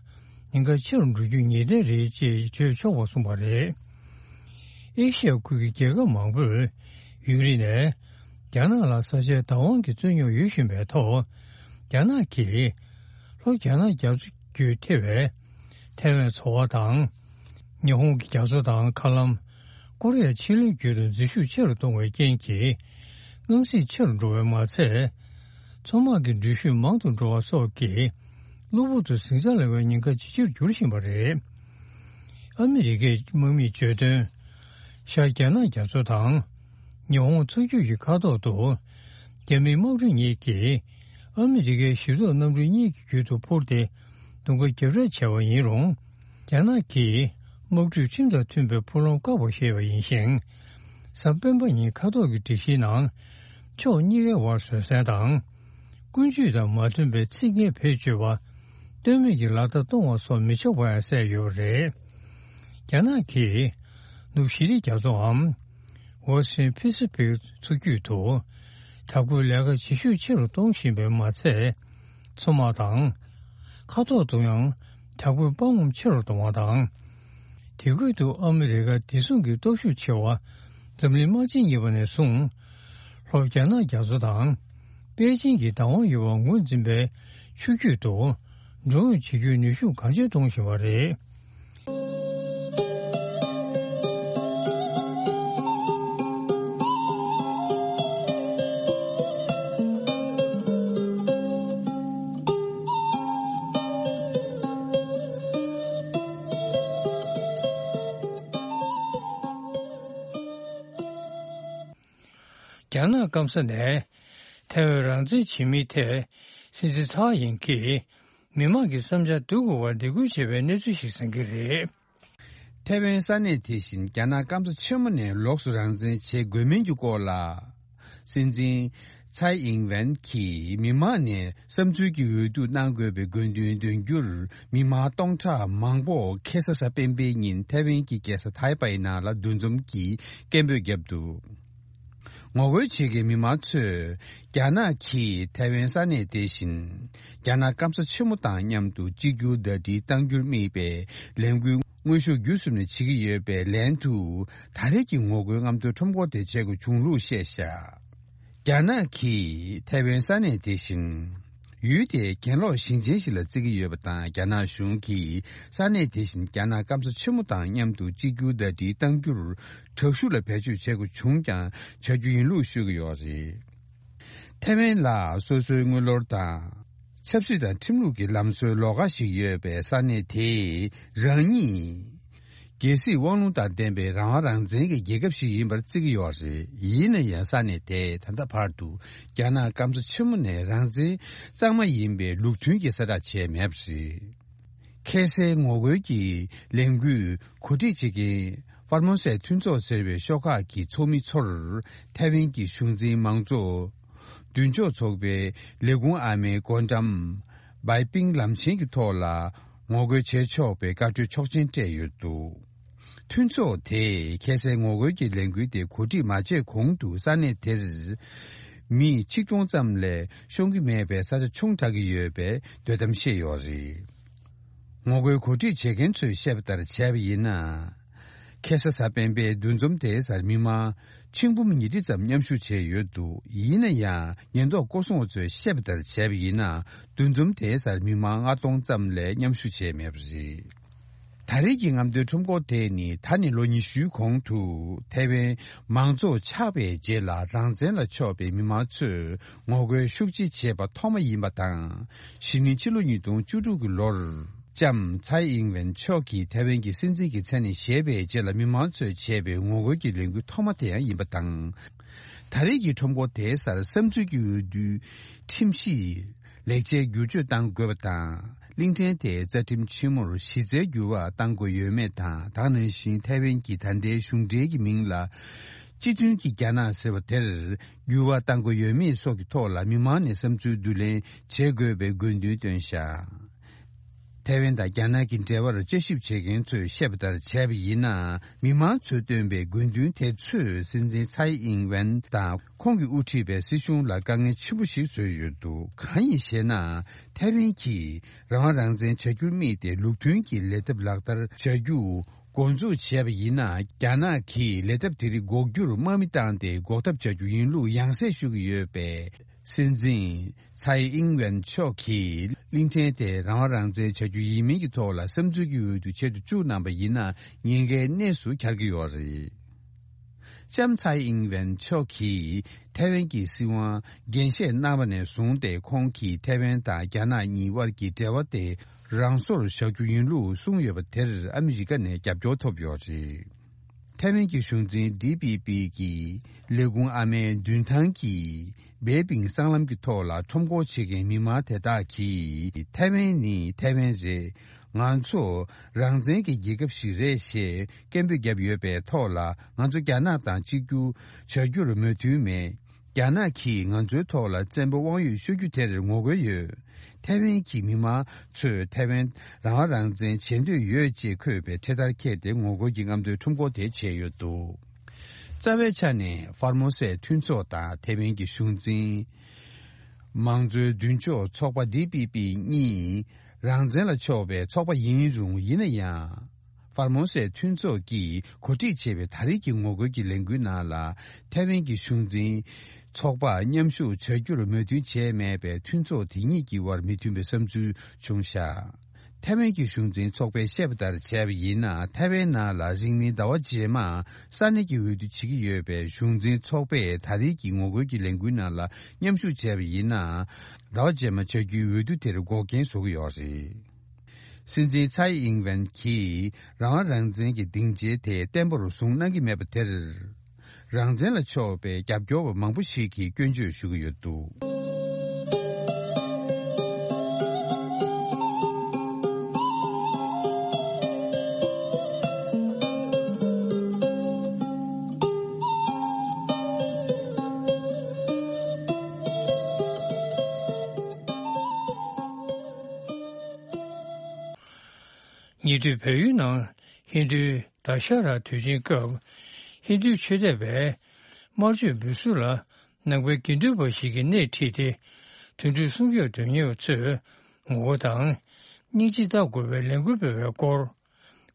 ཉེན་ཁ་ཆེ་རུ་འགྲོ་རྒྱུ་ངེས་གཏན་རེད་ཅེས་བརྗོད་ཆོག་པ་གསུངས་པ་རེད། ཨེ་ཤི་ཡ་ཁུལ་གྱི་རྒྱལ་ཁབ་མང་པོས་ཡུན་རིང་ནས་རྒྱ་ནག་ལ་ས་ཆའི་བདག་དབང་གི་རྩོད་རྙོག་ཡོད་བཞིན་པའི་ཐོག་རྒྱ་ནག་གིས་ལྷོ་རྒྱ་ནག་རྒྱ་མཚོ་བརྒྱུད་ཐེ་བའི་ཐེ་ཝན་ཚོ་བ་དང་། ཉི་ཧོང་གི་རྒྱ་མཚོ་དང་། མཁའ་ལམ་ཀོ་རི་ཡ་ཕྱེད་ལེབ་བརྒྱུད་དུ་འཛུལ་ཞུགས་ཆེ་རུ་གཏོང་བའི་རྐྱེན་གྱིས། རྔམ་བརྗིད་ཆེ་རུ་འགྲོ་བས་མ་ཚད། མཚོ་དམག་གི་འགྲུལ་བཞུད་མང་དུ་འགྲོ་བ་སོགས་ཀྱིས། གློ་བུར་དུ་ཟིང་ཆ་ལངས་པའི་ཉེན་ཁ་ཇེ་ཆེར་འགྱུར་བཞིན་པ་རེད། ཨ་མི་རི་ཀའི་དམག་མིས་བརྗོད་དོན། ཤར་རྒྱ་ནག་རྒྱ་མཚོ་དང་། ཉི་ཧོང་མཚོ་རྒྱུད་ཀྱི་མཁའ་ཐོག་ཏུ། རྒྱ་མིའི་དམག་གྲུ་གཉིས་ཀྱིས། ཨ་མི་རི་ཀའི་ཞིབ་འཚོལ་གནམ་གྲུ་གཉིས་ཀྱི་རྒྱུད་དུ་འཕུར་ཏེ། རྡུང་རྡེག་རྒྱབ་རེས་བྱས་པ་ཡིན་རུང་། རྒྱ་ནག་གིས་དམག་གྲུས་ཁྲིམས་དང་མཐུན་པའི་འཕུར་ལམ་བཀག་པ་ཞེས་པ་ཡིན་ཞིང་། གཟའ་སྤེན་པ་ཉིན་མཁའ་ཐོག་གི་སྒྲིག་གཞིའི་ནང་། ཕྱོགས་གཉིས་ཀའི་དབར་བཟོད་བསྲན་དང་། ཀུན་སྤྱོད་དང་མ་མཐུན་པའི་ཚིག་ངན་བེད་སྤྱོད་པ། ལྟོས་མེད་ཀྱི་ལག་བརྡ་གཏོང་བ་སོགས་མི་ཆོག་པ་ཡང་གསལ་ཡོད་པ་རེད། རྒྱ་ནག་གིས་ནུབ་ཞི་བདེ་རྒྱ་མཚོའམ། Western Pacific མཚོ་རྒྱུད་དུ། དྲག་པོའི་ལས་ཀ་བྱེད་ཤུགས་ཆེ་རུ་གཏོང་བཞིན་པས་མ་ཚད། མཚོ་དམག་དང་། མཁའ་ཐོག་ཏུ་ཡང་དྲག་པོའི་དཔའ་ངོམ་ཆེ་རུ་གཏོང་བ་དང་། དེ་ཁུལ་དུ་ཨ་མི་རི་ཀ་བདེ་སྲུང་གི་སྟོབས་ཤུགས་ཆེ་བ། འཛམ་གླིང་དམག་ཆེན་གཉིས་པ་ནས་བཟུང་། ལྷོ་རྒྱ་ནག་རྒྱ་མཚོ་དང་། པེ་ཅིང་གི་བདག་དབང་ཡོད་པ་ངོས་འཛིན་པའི་ཆུ་རྒྱུད་དུ། འགྲོ་འོང་བྱེད་རྒྱུའི་ནུས་ཤུགས་གང་ཆེར་གཏོང་བཞིན་པ་རེད། རྒྱ་ནག་སྐམ་ས་ནས་ཐའེ་ཝན་རང་བཙན་བྱེད་མིན་ཐད་སྲིད་འཛིན་ཚའོ་ཡིན་གྱིས་མི་མང་གི་བསམ་འཆར་བསྡུ་དགོས་པར་འདེད་སྐུལ་བྱས་པའི་གནས་ཚུལ་ཞིག་གསན་གྱི་རེད། ཐའེ་ཝན་ས་གནས་དེ་བཞིན་རྒྱ་ནག་སྐམ་ས་ཆེན་མོ་ནས་ལོགས་སུ་རང་བཙན་བྱེད་དགོས་མིན་གྱི་སྐོར་ལ། སྲིད་འཛིན་ཚའེ་ཨིང་ཝེན་གྱིས་མི་མང་ནས་བསམ་ཚུལ་གྱི་འོས་བསྡུ་གནང་དགོས་པའི་དགོས་འདུན་འདོན་རྒྱུར། མི་མང་སྟོང་ཕྲག་མང་པོ་ཁ་སང་གཟའ་སྤེན་པའི་ཉིན་ཐའེ་ཝན་གྱི་རྒྱལ་ས་ཐའེ་པའི་ནང་ལ་འདུ་འཛོམས་ཀྱིས་སྐད་འབོད་བརྒྱབ་འདུག་ངོ་རྒོལ་བྱེད་མཁན་མི་མང་ཚོས། རྒྱ་ནག་གིས་ཐའེ་ཝན་ས་གནས་དེ་བཞིན། རྒྱ་ནག་སྐམ་ས་ཆེན་མོ་དང་མཉམ་དུ་གཅིག་གྱུར་ཟླ་སྒྲིལ་གཏང་རྒྱུར་དམིགས་པའི་ལས་འགུལ་དངོས་ཤུགས་བརྒྱུད་གསུམ་ནས་བྱེད་ཀྱི་ཡོད་པའི་ལན་དུ། ད་རེས་ཀྱི་ངོ་རྒོལ་རྔམ་སྟོན་ཁྲོམ་སྐོར་དེ་བྱེད་དགོས་བྱུང་ལུགས་བཤད་བཞག་རྒྱ་ནག་གིས་ཐའེ་ཝན་ས་གནས་དེ་བཞིན། ཡུལ་དེའི་གྱེན་ལོག་ཞིང་ཆེན་ཞིག་ལ་བརྩི་གི་ཡོད་པ་དང་། རྒྱ་ནག་གཞུང་གིས་ས་གནས་དེ་བཞིན་རྒྱ་ནག་སྐམ་ས་ཆེན་མོ་དང་མཉམ་དུ་གཅིག་གྱུར་ཟླ་སྒྲིལ་གཏང་རྒྱུར། དྲག་ཤུགས་ལ་བེད་སྤྱོད་བྱེད་དགོས་བྱུང་ཀྱང་། བྱ་རྒྱུ་ཡིན་ལུགས་ཤོད་ཀྱི་ཡོད་རེད། ཐའེ་ཝན་ལ་སོ་སོའི་དངུལ་ལོར་དང་། ཆབ་སྲིད་དང་ཁྲིམས་ལུགས་ཀྱི་ལམ་སྲོལ་ལོགས་ཀ་ཞིག་ཡོད་པའི་ས་གནས་དེས་རང་ཉིད། རྒྱལ་སྲིད་དབང་ལུང་དང་ལྡན་པའི་རང་དབང་རང་བཙན་གྱི་རྒྱལ་ཁབ་ཞིག་ཡིན་པར་བརྩི་གི་ཡོད་རེད། ཡིན་ན་ཡང་ས་གནས་དེས་ད་ལྟ་བར་དུ་རྒྱ་ནག་སྐམ་ས་ཆེན་མོ་ནས་རང་བཙན་གཙང་མ་ཡིན་པའི་ལུགས་མཐུན་གྱི་གསལ་བསྒྲགས་བྱས་མེད་པ་རེད། ཁ་སའི་ངོ་རྒོལ་གྱི་ལས་འགུལ་གོ་སྒྲིག་བྱེད་མཁན་ཧྥར་མོ་སའི་མཐུན་ཚོགས་ཟེར་བའི་ཤོག་ཁག་གི་ཚོགས་མི་ཚོར་ཐའེ་ཝན་གྱི་གཞུང་འཛིན་མང་གཙོ། མདུན་ཕྱོགས་ཚོགས་པའི་ལས་ཁུངས་ཨ་མའི་སྒོ་འགྲམ། བའི་པིང་ལམ་ཆེན་གྱི་ཐོག་ལ་ངོ་རྒོལ་བྱེད་ཆོག་པའི་བཀའ་འཁྲོལ་ཆོག་མཆན་སྤྲད་ཡོད་འདུག་མཐུན་ཚོགས་དེས་ཁ་སའི་ངོ་རྒོལ་གྱི་ལས་འགུལ་དེ་གོ་སྒྲིག་མ་བྱས་གོང་དུ་ས་གནས་དེར་མི་ཆིག་སྟོང་ཙམ་ལས་ཤོང་གི་མེད་པའི་ས་ཆ་ཆུང་དྲགས་ཀྱི་ཡོད་པའི་འདོད་གཏམ་བཤད་ཡོད་རེད། ངོ་རྒོལ་གོ་སྒྲིག་བྱེད་མཁན་ཚོས་བཤད་པ་ལྟར་བྱས་པ་ཡིན་ན། ཁ་སང་གཟའ་སྤེན་པའི་འདུ་འཛོམས་དེའི་སར་མི་མང་ཆིག་འབུམ་ཉིས་ཁྲི་ཙམ་མཉམ་ཞུགས་བྱས་ཡོད་འདུག་ཡིན་ན་ཡང་ཉེན་རྟོག་སྐོར་སྲུང་བ་ཚོས་བཤད་པ་ལྟར་བྱས་པ་ཡིན་ན། འདུ་འཛོམས་དེའི་སར་མི་མང་ལྔ་སྟོང་ཙམ་ལས་མཉམ་ཞུགས་བྱས་མེད་པ་རེད། ད་རེས་ཀྱི་རྔམ་སྟོན་ཁྲོམ་སྐོར་དེ་ནི་ད་ནས་ལོ་ཉི་ཤུའི་གོང་དུ་ཐའེ་ཝན་མང་གཙོ་ཆགས་པའི་རྗེས་ལ་རང་བཙན་ལ་ཕྱོགས་པའི་མི་མང་ཚོས་ངོ་རྒོལ་ཤུགས་ཆེ་བྱས་པ་ཐོག་མ་ཡིན་པ་དང་། གཞེས་ནིང་ཕྱི་ལོ་ཉིས་སྟོང་བཅུ་དྲུག་གི་ལོར་ལྕམ་ཚའེ་ཨིང་ཝེན་མཆོག་གིས་ཐའེ་ཝན་གྱི་སྲིད་འཛིན་གྱི་མཚན་ནས་བཞེས་པའི་རྗེས་ལ་མི་མང་ཚོས་བྱས་པའི་ངོ་རྒོལ་གྱི་ལས་འགུལ་ཐོག་མ་དེ་ཡང་ཡིན་པ་དང་། ད་རེས་ཀྱི་ཁྲོམ་སྐོར་དེའི་སར་བསམ་ཚུལ་གྱི་འོས་བསྡུའི་ཁྲིམས་གཞི་ལེགས་ཆའི་བསྒྱུར་བཅོས་གཏང་དགོས་པ་དང་། གླིང་ཕྲན་དེའི་རྩ་ཁྲིམས་ཆེན་མོར་གཞི་རྩའི་འགྱུར་བ་གཏང་དགོས་ཡོད་མེད་དང་། ད་ག་ནང་བཞིན་ཐའེ་ཝན་གྱི་ད་ལྟའི་གཞུང་འབྲེལ་གྱི་མིང་ལ་སྤྱི་མཐུན་གྱི་རྒྱ་ནག་ཟེར་བ་དེར་འགྱུར་བ་གཏང་དགོས་ཡོད་མེད་སོགས་ཀྱི་ཐོག་ལ་མི་མང་ནས་བསམ་ཚུལ་བསྡུ་ལེན་བྱེད་དགོས་པའི་དགོས་འདུན་བཏོན་བཞག་ཐའེ་ཝན་དང་རྒྱ་ནག་གི་འབྲེལ་བར་དཔྱད་ཞིབ་བྱེད་མཁན་ཚོས་བཤད་པ་ལྟར་བྱས་པ་ཡིན་ན། མི་མང་ཚོས་བཏོན་པའི་དགོས་འདུན་དེ་ཚོས་སྲིད་འཛིན་ཚའེ་ཨིང་ཝེན་དང་ཁོང་གིས་དབུ་ཁྲིད་པའི་སྲིད་གཞུང་ལ་དཀའ་ངལ་ཆེན་པོ་ཞིག་བཟོས་ཡོད་འདུག་གང་ཡིན་ཞེ་ན། ཐའེ་ཝན་གྱིས་རང་དབང་རང་བཙན་བྱ་རྒྱུར་དམིགས་ཏེ་ལུགས་མཐུན་གྱི་ལས་ཐབས་ལག་བསྟར་བྱ་རྒྱུ་འགོ་འཛུགས་བྱས་པ་ཡིན་ན། རྒྱ་ནག་གིས་ལས་ཐབས་དེ་རིགས་འགོག་རྒྱུར་དམག་མི་བཏང་སྟེ་འགོག་ཐབས་བྱ་རྒྱུ་ཡིན་ལུགས་ཡང་སེ་ཞུ་གི་ཡོད་པས། སྲིད་འཛིན་ཚའེ་ཨིང་ཝེན་མཆོག་གིས་གླིང་ཕྲན་དེ་རང་དབང་རང་བཙན་བྱ་རྒྱུ་ཡིན་མིན་གྱི་ཐོག་ལ་བསམ་ཚུལ་གྱི་འོས་བསྡུ་བྱེད་དུ་བཅུག་གནང་པ་ཡིན་ན་ཉེན་ཁའི་གནས་སུ་འཁྱར་གྱི་ཡོད་རེད། ལྕམ་ཚའེ་ཨིང་ཝེན་མཆོག་གིས་ཐའེ་ཝན་གྱི་སྲིད་དབང་རྒྱས་བཤད་གནང་བ་ནས་བཟུང་སྟེ། ཁོང་གིས་ཐའེ་ཝན་དང་རྒྱ་ནག་གཉིས་དབར་གྱི་འབྲེལ་བ་དེ་རང་སོར་བཞག་རྒྱུ་ཡིན་ལུགས་གསུངས་ཡོད་པ་དེར་ཨ་མི་རི་ཀ་ནས་རྒྱབ་སྐྱོར་ཐོབ་ཡོད་རེད། ཐའེ་ཝན་གྱི་གཞུང་འཛིན་ཌི་པི་པི་གི་ལས་ཁུངས་ཨ་མའི་མདུན་ཐང་གི་བེ་པིང་སྲང་ལམ་གྱི་ཐོག་ལ་ཁྲོམ་སྐོར་བྱེད་མཁན་མི་མང་དེ་དག་གིས། ཐའེ་ཝན་ནི་ཐའེ་ཝན་རེད། ང་ཚོ་རང་བཙན་གྱི་རྒྱལ་ཁབ་ཞིག་རེད་ཞེས་སྐད་འབོད་བརྒྱབ་ཡོད་པའི་ཐོག་ལ། ང་ཚོ་རྒྱ་ནག་དང་གཅིག་གྱུར་བྱ་རྒྱུར་མོས་མཐུན་མེད། རྒྱ་ནག་གིས་ང་ཚོའི་ཐོག་ལ་བཙན་པོ་དབང་ཡོད་ཤོད་རྒྱུ་དེར་ངོ་རྒོལ་ཡོད། ཐའེ་ཝན་གྱི་མི་མང་ཚོས་ཐའེ་ཝན་རང་དབང་རང་བཙན་བྱེད་འདོད་ཡོད་ཅེས་འཁོད་པའི་འཕྲེད་དར་འཁྱེར་ཏེ་ངོ་རྒོལ་གྱི་རྔམ་སྟོན་ཁྲོམ་སྐོར་དེ་བྱས་ཡོད་འདུག་རྩ་བའི་ཆ་ནས་ཧྥར་མོ་སའི་མཐུན་ཚོགས་དང་ཐའེ་ཝན་གྱི་གཞུང་འཛིན། མང་གཙོའི་མདུན་ཕྱོགས་ཚོགས་པ་ཌི་པི་པི་གཉིས་རང་བཙན་ལ་ཕྱོགས་པའི་ཚོགས་པ་ཡིན་རུང་། ཡིན་ན་ཡང་། ཧྥར་མོ་སའི་མཐུན་ཚོགས་ཀྱིས་གོ་སྒྲིག་བྱས་པའི་ད་རེས་ཀྱི་ངོ་རྒོལ་གྱི་ལས་འགུལ་ནང་ལ། ཐའེ་ཝན་གྱི་གཞུང་འཛིན་ཚོགས་པ་མཉམ་ཞུགས་བྱ་རྒྱུར་མོས་མཐུན་བྱས་མེད་པས། མཐུན་ཚོགས་དེ་གཉིས་ཀྱི་དབར་མི་མཐུན་པའི་བསམ་ཚུལ་བྱུང་བཞག་ཐའེ་ཝན་གྱི་གཞུང་འཛིན་ཚོགས་པས་བཤད་པ་ལྟར་བྱས་པ་ཡིན་ན། ཐའེ་ཝན་ནང་ལ་རིང་མིན་ཟླ་བ་རྗེས་མ་ས་གནས་ཀྱི་འོས་བསྡུ་བྱེད་ཀྱི་ཡོད་པས། གཞུང་འཛིན་ཚོགས་པས་ད་རེས་ཀྱི་ངོ་རྒོལ་གྱི་ལས་འགུལ་ནང་ལ་མཉམ་ཞུགས་བྱས་པ་ཡིན་ན། ཟླ་བ་རྗེས་མ་བྱ་རྒྱུའི་འོས་བསྡུ་དེར་འགོག་རྐྱེན་བཟོ་གི་ཡོད་རེད། སྲིད་འཛིན་ཚའེ་ཨིང་ཝེན་གྱིས་རང་དབང་རང་བཙན་གྱི་སྡིངས་ཆའི་དེ་བརྟན་པོར་བཟུང་གནང་གི་མེད་པ་དེར། རང་བཙན་ལ་ཕྱོགས་པའི་རྒྱབ་སྐྱོར་བ་མང་པོ་ཞིག་གིས་སྐྱོན་བརྗོད་ཞུ་གི་ཡོད་འདུག་ཉེ་དུས་བལ་ཡུལ་ནང་ཧིན་རྡུའི་ད་ཤ་ར་དུས་ཆེན་སྐབས། ཧིན་རྡུའི་ཆོས་དད་པས་དམར་མཆོད་འབུལ་ཚུལ་ལ་ནང་པའི་དགེ་འདུན་པ་ཞིག་གིས་སྣེ་ཁྲིད་དེ། དུད་འགྲོ་སྲུང་སྐྱོབ་དོན་གཉེར་བ་ཚོས་ངོ་རྒོལ་དང་། སྙིང་རྗེ་ལྟ་དགོས་པའི་ལས་འགུལ་སྤེལ་བའི་སྐོར།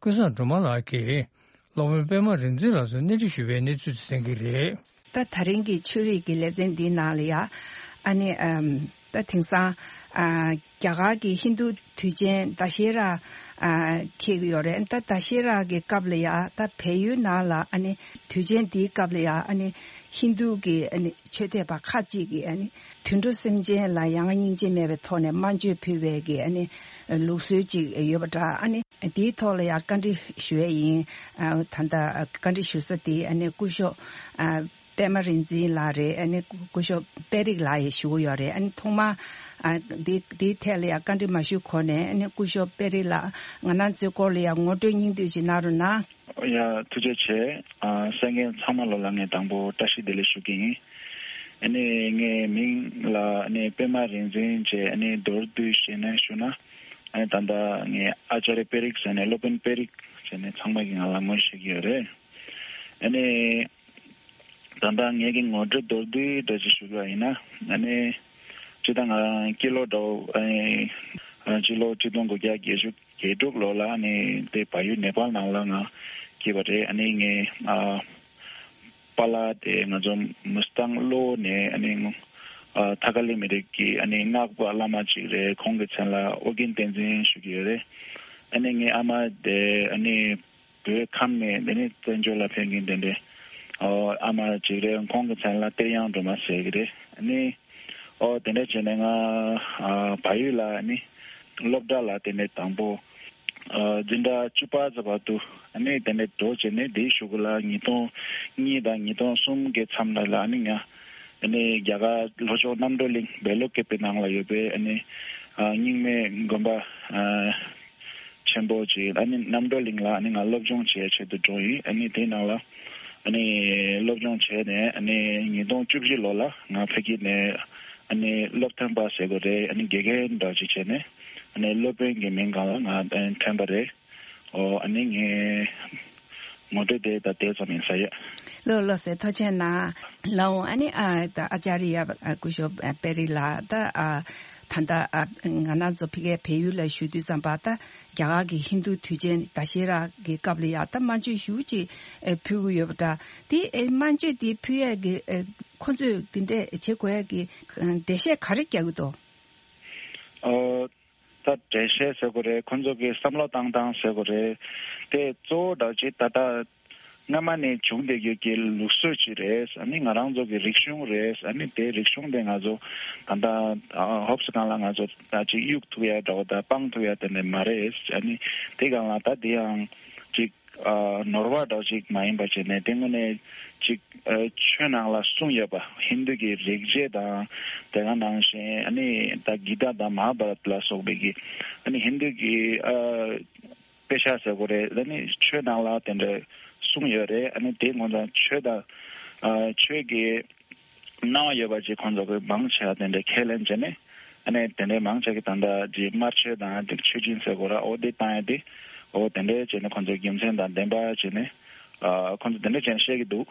ཀུན་བཟང་སྒྲོལ་མ་ལགས་ཀྱིས་སློབ་དཔོན་པད་མ་རིག་འཛིན་ལགས་སུ་གནས་འདྲི་ཞུས་པའི་གནས་ཚུལ་དེ་གསན་གྱི་རེད། ད་ད་རིང་གི་ཆོས་རིག་གི་ལེ་ཚན་འདིའི་ནང་ལ་ཡ། ཨ་ནི་ཨམ། ད་དེང་སང་ཨ། རྒྱ་གར་གྱི་ཧིན་རྡུ་དུས་ཆེན་ད་ཤེ་ར་ཨ། འཁེལ་གྱི་ཡོད་རེད། ད་ད་ཤེ་ར་གི་སྐབས་ལ་ཡ། ད་བལ་ཡུལ་ནང་ལ་ཨ་ནི་དུས་ཆེན་འདིའི་སྐབས་ལ་ཡ། ཨ་ནི་ཧིན་རྡུ་གི་ཨ་ནི་ཆོས་དད་པ་ཁག་ཅིག་གིས་ཨ་ནི་དུད་འགྲོ་སེམས་ཅན་ལ་ཡ་ང་སྙིང་རྗེ་མེད་པའི་ཐོག་ནས་དམར་མཆོད་ཕུལ་བའི་གི་ཨ་ནི་ལུགས་སྲོལ་ཅིག་ཡོད་པ་འདྲ། ཨ་ནི་དེའི་ཐོག་ལ་ཡ་བཀའ་འདྲི་ཞུ་ཡས་ཡིན། ཨ། ད་ལྟ་བཀའ་འདྲི་ཞུ་ས་དེ་ཨ་ནི་སྐུ་ཞབས་ཨ། པད་མ་རིག་འཛིན་ལགས་རེད། ཨ་ནི་སྐུ་ཞབས་པད་རིག་ལགས་ཡང་ཞུ་གི་ཡོད་རེད། ཨ་ནི་ཐོག་མར་ཨ། འདི་འདིའི་ཐད་ལ་ཡང་བཀའ་འདྲི་མ་ཞུས་གོང་ནས། ཨ་ནི་སྐུ་ཞབས་པད་རིག་ལགས། ང་རང་ཚོའི་སྐོར་ལ་ཡང་ངོ་སྤྲོད་སྙིང་བསྡུས་ཅིག་གནང་རོགས་གནང་། ཡ། ཐུགས་རྗེ་ཆེ། ཨ། གསན་མཁན་ཚང་མ་ལོ་ལ་ངས་དང་པོ་བཀྲ་ཤིས་བདེ་ལེགས་ཞུ་གི་ཡིན། ཨ་ནི་ངའི་མིང་ལ་ཨ་ནི་པད་མ་རིག་འཛིན་བྱས། ཨ་ནི་མདོར་བསྡུས་བཤད་ན་ཞུ་ན། ཨ་ནི་ད་ལྟ་ངས་ཨ་ཅཱ་རི་པད་རིག་ཟེར་ནས། སློབ་དཔོན་པད་རིག་ཟེར་ནས་ཚང་མ་གིས་ང་ལ་ངོ་ཤེས་ཀྱི་ཡོད་རེད། ཨ་ནི། ད་ལྟ་ངེད་ཀྱི་ངོ་སྤྲོད་མདོར་བསྡུས་འདྲ་ཅིག་ཞུ་དགོས་ཡིན་ན། ཨ་ནི། སྤྱིར་བཏང་ང་རང་སྤྱི་ལོ་འདྲ་བོ། ཨ་ནི། སྤྱི་ལོ་ཆིག་སྟོང་དགུ་བརྒྱ་བརྒྱད་ཅུ་གྱ་དྲུག་ལོ་ལ་ཨ་ནི་དེ་བལ་ཡུལ་ནེ་པཱལ་ནང་ལ་ང་སྐྱེས་པ་རེད། ཨ་ནི་ངའི་ཨ། པཱ་ལགས་དེ་ང་ཚོ་མུས་ཐང་གློ་བོ་ནས། ཨ་ནི་ཨ། ཐ་ཀ་ལི་མི་རིགས་ཀྱི་ཨ་ནི་སྔགས་པ་བླ་མ་ཅིག་རེད། ཁོང་གི་མཚན་ལ་ཨོ་རྒྱན་བསྟན་འཛིན་ཞུ་གི་ཡོད་རེད། ཨ་ནི་ངའི་ཨ་མ་དེ་ཨ་ནི་བོད་ཁམས་ནས་དེ་ནི་བཙན་བྱོལ་ལ་ཕེབས་མཁན་དེ་འདྲའི་ཨོ་ཨ་མ་ཅིག་རེད། ཁོང་གི་མཚན་ལ་གཏེར་གཡང་སྒྲོལ་མ་ཟེར་གི་རེད། ཨ་ནི་ཨོ་དེ་འདྲ་བྱས་ནས་ང་ཨ་བལ་ཡུལ་ལ་ཨ་ནི་སློབ་གྲྭ་ལ་དེ་ནས་དང་པོ་ཨ་འཛིན་གྲྭ་བཅུ་པ་ཙམ་བར་དུ་ཨ་ནི་དེ་ནས་འགྲོ་བྱས་ནས་དེའི་གཞུག་གུ་ལ་ཉིས་སྟོང་གཉིས་དང་ཉིས་སྟོང་གསུམ་གྱི་མཚམས་ལ་ལ་ཨ་ནི་ང་ཨ་ནི་རྒྱ་གར་ལྷོ་ཕྱོགས་རྣམ་གྲོལ་གླིང་བལ་ལུ་ཀེ་པའི་ནང་ལ་ཡོད་པའི་ཨ་ནི་ཨ་རྙིང་མའི་དགོན་པ་ཨ་ཆེན་པོ་ཅིག་ཨ་ནི་རྣམ་གྲོལ་གླིང་ལ་ཨ་ནི་ང་སློབ་སྦྱོང་བྱེད་ཆེད་དུ་འགྲོ་ཡིན། ཨ་ནི་དེའི་ནང་ལ་ཨ་ནི་སློབ་སྦྱོང་བྱས་ནས་ཨ་ནི་ཉིས་སྟོང་བཅུ་བཞི་ལོ་ལ་ང་ཕ་གི་ནས་ཨ་ནི་སློབ་ཐོན་པ་ཟེར་དགོས་རེད། ཨ་ནི་དགེ་རྒན་འདྲ་ཅིག་བྱས་ནས་ཨ་ནི་སློབ་དཔོན་གྱི་མིང་སྒང་ལ་ང་ཐོན་པ་རེད། ཨོ་ཨ་ནི་ངའི་ངོ་སྤྲོད་དེ་ད་དེ་ཙམ་ཡིན་ས་ཡོད། ལགས་ལགས་སེ། ཐུགས་རྗེ་གནང་། ལགས་འོང་། ཨ་ནི་ཨ་ད་ཨ་ཅཱ་རི་ཡ་སྐུ་ཞབས་པེ་རི་ལགས། ད་ཨ་ད་ལྟ་ཨ་ང་རང་ཚོ་ཕ་གིའི་བལ་ཡུལ་ལ་བཞུགས་དུས་ཙམ་པ་ད་རྒྱ་གར་གྱི་ཧིན་རྡུ་དུས་ཆེན་ད་ཤེ་ར་གི་སྐབས་ལ་ཡ་ད་དམར་མཆོད་ཞུ་ཅིག་ཨེ་ཕུལ་གི་ཡོད་པ་འདྲ། དེ་ཨེ་དམར་མཆོད་དེ་ཕུལ་ཡས་ཀྱི་ཨེ་ཁོ་ཚོས་དེ་འདྲས་བྱེད་དགོས་ཡས་ཀྱི་འགྲེལ་བཤད་ག་རེ་རྒྱག་གི་འདུག་ཨོ། ད་འགྲེལ་བཤད་ཟེར་དགོས་རེད། ཁོ་ཚོ་གི་བསམ་བློ་བཏང་སྟངས་ཟེར་དགོས་རེད། དེ་གཙོ་བོ་འདྲ་ཅིག་ད་ལྟ་སྔ་མ་ནས་བྱུང་བསྡད་རྒྱུ་གི་ལུགས་སྲོལ་ཅིག་རེད། ཨ་ནི་ང་རང་ཚོ་གི་རིག་གཞུང་རེད། ཨ་ནི་དེ་རིག་གཞུང་དེ་ང་ཚོ་ད་ལྟ་ཧོབ་སི་གང་ལ་ང་ཚོ་ད་ཅིག་གཡུག་ཐུབ་ཡ་འདྲ་བོ་ད་སྤང་ཐུབ་ཡ་དེ་འདྲ་མ་རེད། ཨ་ནི་དེ་གང་ལ་ད་དེ་ཡང་ཅིག་ཨ་ནོར་བ་འདྲ་ཅིག་མ་ཡིན་པ་བྱས་ནས་དེ་དངོས་གནས་ཅིག་ཨ་ཆོས་ནང་ལ་གསུངས་ཡོད་པ་ཧིན་རྡུ་གི་རིག་བྱེད་དང་དེ་ག་ནང་བཞིན་ཨ་ནི་ད་གི་ཏཱ་དང་མ་ཧཱ་བྷ་རཏ་ལ་སོགས་པའི་གི་ཨ་ནི་ཧིན་རྡུ་གི་ཨ་དཔེ་ཆ་ཟེར་དགོས་རེད། ཨ་ནི་ཆོས་ནང་ལ་དེ་འདྲ་གསུངས་ཡོད་རེད། ཨ་ནི་དེ་ངོ་ཚ་ཆོས་དང་ཨ་ཆོས་ཀྱི་སྣང་བ་ཡོད་པ་ཅིག་ཁོང་ཚོ་གི་མང་ཆེ་བ་དེ་འདྲ་ཁས་ལེན་བྱས་ནས་ཨ་ནི་དེ་འདྲའི་མང་ཆེ་གི་ད་ལྟ་ཅིག་དམར་མཆོད་དང་ཅིག་མཆོད་སྦྱིན་ཟེར་དགོས་ར། ཨོ་དེ་བཏང་ཡ་དེ་ཨོ་དེ་འདྲའི་བྱས་ནས་ཁོང་ཚོ་རྒྱུ་མཚན་དང་ལྡན་པ་བྱས་ནས་ཨ་ཁོང་ཚོ་དེ་འདྲ་བྱས་ནས་བཤད་ཀྱི་འདུག་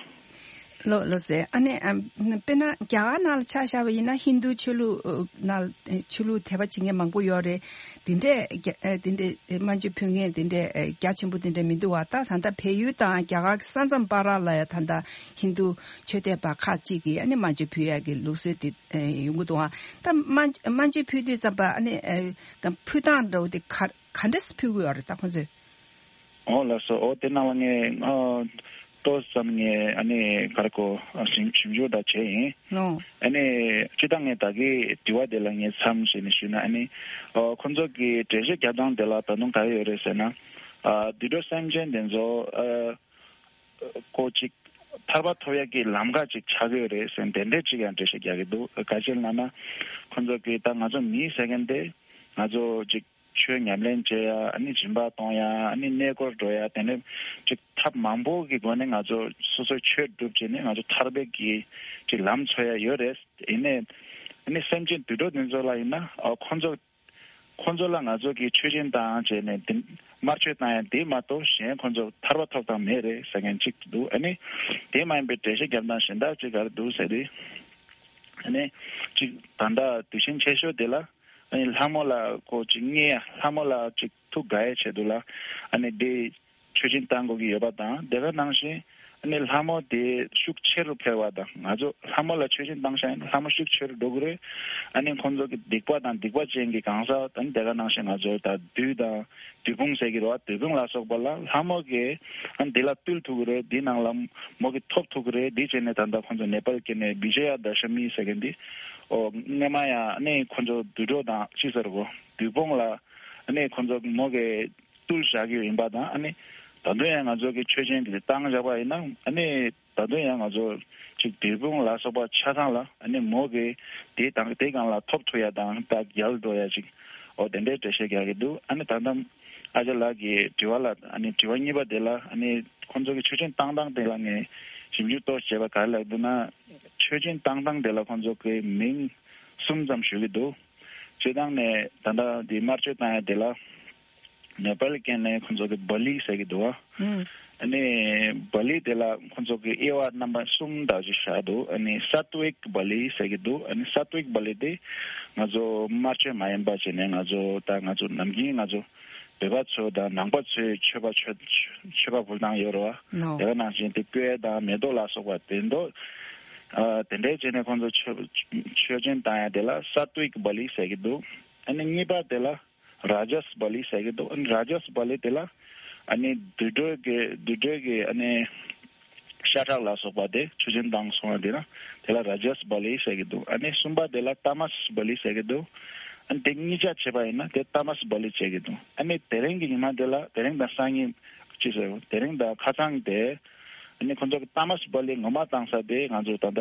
ལོ་ལོ་ཟེར། ཨ་ནི་ཨམ་དཔེར་ན་རྒྱ་གར་ནང་ལ་ཆ་བཞག་པ་ཡིན་ན་ཧིན་རྡུ་ཆོས་ལུགས་ཨ་ནང་ལ་ཆོས་ལུགས་དད་པ་བྱེད་མཁན་མང་པོ་ཡོད་རེད། དེ་འདྲས་རྒྱ་ཨ་དེ་འདྲས་དམར་མཆོད་ཕུལ་མཁན་དེ་འདྲས་ཨ་རྒྱ་ཆེན་པོ་དེ་འདྲས་མི་འདུག་བ། ད་ད་ལྟ་བལ་ཡུལ་དང་རྒྱ་གར་གྱི་ས་མཚམས་བར་ལ་ཡ་ད་ལྟ་ཧིན་རྡུ་ཆོས་དད་པ་ཁག་ཅིག་གིས་ཨ་ནི་དམར་མཆོད་ཕུལ་ཡ་གི་ལུགས་སྲོལ་དེ་ཨ་ཡོང་གི་འདུག་བ། ད་དམར་དམར་མཆོད་ཕུལ་དུས་ཙམ་པ་ཨ་ནི་ཨ་ད་ཕུལ་སྟངས་འདྲ་བོ་དེ་ག་ག་འདྲས་ཕུལ་གི་ཡོད་རེད་ད་ཁོང་ཚོས། ཨོ་ལགས་སོ། ཨོ་དེ་ནང་ལ་ངས་ཨ་ཏོག་ཙམ་ངས་ཨ་ནི་ག་རེ་གོ་ཨ་ཞིབ་ཞིབ་འཇུག་འདྲ་བྱས་ཡིན། ཨོ། ཨ་ནི་སྤྱིར་བཏང་ངས་ད་གིན་དྲི་བ་དེ་ལ་ངས་མཚམས་བཞག་ནས་ཞུས་ན། ཨ་ནི་ཨོ་ཁོང་ཚོ་གི་འགྲེལ་བཤད་རྒྱབ་སྟངས་དེ་ལ་ད་དུང་ག་རེ་ཡོད་རེད་ཟེར་ན། ཨ་དུད་འགྲོ་སེམས་ཅན་དེ་ཚོ་ཨ་ཁོ་ཅིག་ཐར་པ་ཐོབ་ཡག་གི་ལམ་ཁ་ཅིག་ཆགས་ཀྱི་ཡོད་རེད་ཟེར་དེ་འདྲས་ཅིག་ཡང་འགྲེལ་བཤད་རྒྱག་གི་འདུག་ག་ཅི་ལབ་ན་ཁོང་ཚོ་གི་ད་ང་ཚོ་མི་ཟེར་མཁན་དེ་ང་ཚོ་ཅིག་ཆོས་ཉམས་ལེན་བྱེད་ཡ། ཨ་ནི་སྦྱིན་པ་གཏོང་ཡ། ཨ་ནི་གནས་སྐོར་འགྲོ་ཡ། དེ་ནས་ཅིག་ཐབས་མང་པོ་གི་སྒོ་ནས་ང་ཚོ་སོ་སོའི་ཆོས་སྒྲུབ་བྱས་ནས་ང་ཚོ་ཐར་པའི་གི་ཅིག་ལམ་འཚོལ་ཡ་ཡོད་རེད། ཡིན་ནའི་ཨ་ནི་སེམས་ཅན་དུད་འགྲོ་དེ་ཚོ་ལ་ཡིན་ན་ཨ་ཁོ་ཚོ་ཁོ་ཚོ་ལ་ང་ཚོ་གི་མཆོད་སྦྱིན་བཏང་བྱས་ནས་དེ་དམར་མཆོད་བཏང་ཡ་དེ་མ་གཏོགས་གཞན་ཁོ་ཚོ་ཐར་པ་ཐོབ་ཐབས་མེད་རེད་ཟེར་མཁན་ཅིག་འདུག་ཨ་ནི་དེ་མ་ཡིན་པའི་འགྲེལ་བཤད་རྒྱབ་སྟངས་གཞན་དག་ཅིག་ག་རེ་འདུག་ཟེར་དུས་ཨ་ནི་ཅིག་ད་ལྟ་དུས་ཆེན་ཆེ་ཤོས་དེ་ལ། ཨ་ནི་ལྷ་མོ་ལ་ཁོ་ཅིག་བརྙས་ཡ། ལྷ་མོ་ལ་ཅིག་ཐུགས་དགའ་ཡའི་ཆེད་དུ་ལ་ཨ་ནི་དེ་མཆོད་སྦྱིན་བཏང་དགོས་ཀྱི་ཡོད་པ་དང་། དེ་ག་ནང་བཞིན་ཨ་ནི་ལྷ་མོ་དེ་ཤུགས་ཆེ་རུ་འཕེལ་བ་དང་། ང་ཚོ་ལྷ་མོ་ལ་མཆོད་སྦྱིན་བཏང་ཤག་ཡིན་ན་ལྷ་མོ་ཤུགས་ཆེ་རུ་འགྲོ་གི་རེད། ཨ་ནི་ཁོང་ཚོ་གི་སྡིག་པ་དང་སྡིག་པ་ཅན་གྱི་གང་ཟག་ཨ་ནི་དེ་ག་ནང་བཞིན་ང་ཚོ་ད་བདུད་དང་བདུད་དཔུང་ཟེར་གྱི་རེད་བ། བདུད་དཔུང་ལ་སོགས་པ་ལ་ལྷ་མོ་གིས་ཨ་ནི་དེ་ལ་བཏུལ་ཐུབ་ཀྱི་རེད། དེ་ནང་ལ་མོ་གིས་ཐོབ་ཐུབ་ཀྱི་རེད། དེ་བྱས་ནས་ད་ལྟ་ཁོང་ཚོ་ནེ་པཱལ་སྐད་ནས་བི་ཇེ་ཡ་དཱ་ཤ་མི་ཟེར་མཁན་དེ། ཨོ་སྔོན་མ་ཡང་ཨ་ནི་ཁོ་ཚོ་དུད་འགྲོ་དང་ཅི་ཟེར་གོ་བདུད་དཔུང་ལ་ཨ་ནི་ཁོ་ཚོ་མོ་གིས་བཏུལ་བཞག་གི་ཡིན་པ་དང་། ཨ་ནི་ད་དུང་ཡང་ང་ཚོ་གི་མཆོད་སྦྱིན་དེ་བཏང་བཞག་པ་ཡིན་ན་ཨ་ནི་ད་དུང་ཡང་ང་ཚོ་ཅིག་བདུད་དཔུང་ལ་སོགས་པ་ཆ་ཚང་ལ་ཨ་ནི་མོ་གིས་དེ་དང་དེ་སྒང་ལ་ཐོབ་ཐུབ་ཡ་དང་ད་རྒྱལ་འགྲོ་ཡ་ཅིག་ཨོ་དེ་འདྲའི་འགྲེལ་བཤད་རྒྱག་གི་འདུག་ཨ་ནི་ད་ལྟ་ཨ་ཅག་ལགས་ཀྱི་དྲི་བ་ལ་ཨ་ནི་དྲི་བ་གཉིས་པ་དེ་ལ་ཨ་ནི་ཁོང་ཚོ་གི་མཆོད་སྦྱིན་བཏང་སྟངས་དེ་ལ་ངས་ཞིབ་འཇུག་ཏོག་བྱས་པ་ག་རེ་ལབ་འདུག་ན། མཆོད་སྦྱིན་བཏང་སྟངས་དེ་ལ་ཁོང་ཚོ་གི་མིང་གསུམ་ཙམ་ཞུ་གི་འདུག་སྤྱིར་བཏང་ནས་ད་ལྟ་འདི་དམར་མཆོད་བཏང་ཡ་དེ་ལ་ནེ་པཱལ་སྐད་ནས་ཁོང་ཚོ་གི་བ་ལི་ཟེར་གི་འདུག་བ། ཨ་ནི་བ་ལི་དེ་ལ་ཁོང་ཚོ་གི་དབྱེ་བ་རྣམ་པ་གསུམ་དག་ཅིག་བཞག་འདུག་ཨ་ནི་སཏ་ཝིག་བ་ལི་ཟེར་གི་འདུག་ཨ་ནི་སཏ་ཝིག་བ་ལི་དེ་ང་ཚོ་དམར་མཆོད་མ་ཡིན་པ་བྱས་ནས་ང་ཚོ་ད་ང་ཚོ་ནམ་རྒྱུན་ང་ཚོ་བོད་པ་ཚོ་དང་ནང་པ་ཚོས་མཆོད་པ་མཆོད་མཆོད་པ་ཕུལ་སྟངས་ཡོད་རེད་བ། ནོ། དེ་ག་ནང་བཞིན་དེ་སྐོལ་དང་མེ་ཏོག་ལ་སོགས་པ་དེ་འདྲ་ཨ་དེ་འདྲའི་བྱས་ནས་ཁོང་ཚོ་མཆོད་མཆོད་སྦྱིན་བཏང་ཡ་དེ་ལ་སཏ་ཝིག་བ་ལི་ཟེར་གི་འདུག་ཨ་ནི་གཉིས་པ་དེ་ལ་ རཱ་ཇཱས་བ་ལི་ཟེར་གྱི་འདུག་ཨ་ནི་རཱ་ཇཱས་བ་ལི་དེ་ལ་ཨ་ནི་དུད་འགྲོའི་གི་དུད་འགྲོའི་གི་ཨ་ནི་ཤ་ཁྲག་ལ་སོགས་པ་དེ་ཆུ་སྦྱིན་བཏང་སོང་བ་དེ་ལ་དེ་ལ་རཱ་ཇཱས་བ་ལི་ཟེར་གྱི་འདུག་ཨ་ནི་གསུམ་པ་དེ་ལ་ཏཱ་མཱས་བ་ལི་ཟེར་གྱི་འདུག་ཨ་ནི་དེ་གཉིས་ཆ་བྱས་པ་ཡིན་ན་དེ་ཏཱ་མཱས་བ་ལི་བྱེད་ཀྱི་འདུག་ཨ་ནི་དེ་རིང་གི་ཉི་མ་དེ་ལ་དེ་རིང་དང་སང་ཉིན་ཅི་ཟེར་དེ་རིང་དང་ཁ་སང་དེ། ཨ་ནི་ཁོང་ཚོ་གི་ཏཱ་མཱས་བ་ལི་ངོ་མ་བཏང་ས་དེ་ང་ཚོ་ད་ལྟ་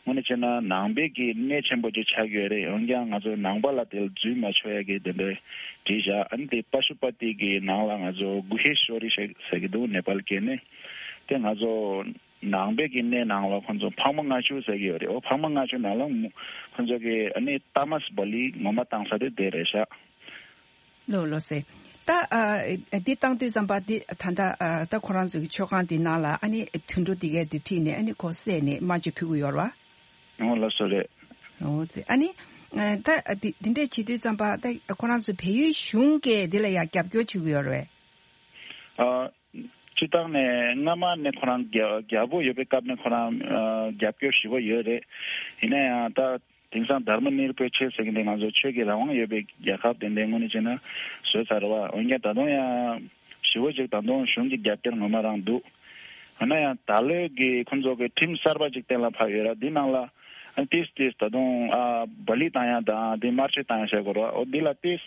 དངོས་གནས་བྱས་ན་ནང་པའི་གི་གནས་ཆེན་པོ་ཅིག་ཆགས་ཀྱི་ཡོད་རེད། འོན་ཀྱང་ང་ཚོ་ནང་པ་ལ་དེ་ལ་འཛུལ་མ་ཆོག་ཡ་གི་དེ་འདྲའི་བྲིས་བཞག་ཨ་ནི་དེ་པ་ཤུ་པ་ཏི་གི་ནང་ལ་ང་ཚོ་གུ་ཧེ་ཤོ་རི་ཞེས་ཟེར་གྱི་འདུག་ནེ་པཱལ་སྐད་ནས། དེ་ང་ཚོ་ནང་པའི་གི་གནས་ནང་ལ་ཁོང་ཚོ་འཕགས་མ་ལྔ་མཆོད་ཟེར་གྱི་ཡོད་རེད། འོ་འཕགས་མ་ལྔ་མཆོད་ནང་ལ་ཁོང་ཚོ་གི་ཨ་ནི་ཏཱ་མཱས་བ་ལི་ངོ་མ་བཏང་ས་དེ་དེ་རེད་ཤག་ལོ་ལོ་སེ། ད་ཨ་འདི་བཏང་དུས་ཙམ་པ་འདི་ད་ལྟ་ཨ་ད་ཁོ་རང་ཚོའི་མཆོད་ཁང་འདི་ནང་ལ་ཨ་ནི་དུད་འགྲོ་འདི་གས་འདི་ཁྲིད་ནས་ཨ་ནི་ཁོ་བསད་ནས་དམར་མཆོད་ཕུལ་གི་ཡོད་རེད་བ། ཨོ་ལགས་སོ་རེད། ཨོ་ཙི་ཨ་ནི་ཨ་ད་འདི་འདི་འདྲས་བྱེད་དུས་ཙམ་པ་ད་ཁོ་རང་ཚོའི་བལ་ཡུལ་གཞུང་གིས་འདི་ལ་ཡང་རྒྱབ་སྐྱོར་བྱེད་ཀྱི་ཡོད་རེད་བས། ཨ་སྤྱི་བཏང་ནས་སྔ་མ་ནས་ཁོ་རང་རྒྱ་རྒྱལ་པོ་ཡོད་པའི་སྐབས་ནས་ཁོ་རང་ཨ་རྒྱབ་སྐྱོར་ཞེ་པོ་ཡོད་རེད། ཡིན་ན་ཡང་ད། དེང་སང་དྷརྨ་ནིར་པེ་ཆེ་ཟེར་གྱི་འདི་ང་ཚོ་ཆོས་ཀྱི་རང་དབང་ཡོད་པའི་རྒྱལ་ཁབ་དེ་འདྲའི་ངོས་ནས་བྱས་ན་བཟོས་ཚར་བ། འོན་ཀྱང་ད་དུང་ཡང་ཞེ་པོ་ཅིག་ད་དུང་གཞུང་གི་རྒྱབ་སྐྱོར་ངོ་མ་རང་འདུག་འོ་ན་ཡང་ད་ལོའི་གི་ཁོང་ཚོ་གི་ཁྲིམས་གསར་པ་ཅིག་གཏན་ལ་ཕབ་ཡོད་ར། འདི་ནང་ལ་ཨ་ཏིས་ཏིས་ད་དུང་ཨ་བ་ལི་བཏང་ཡ་དང་འདི་དམར་མཆོད་བཏང་ཡ་བྱེད་དགོས་ར། འོ་འདི་ལ་ཏིས་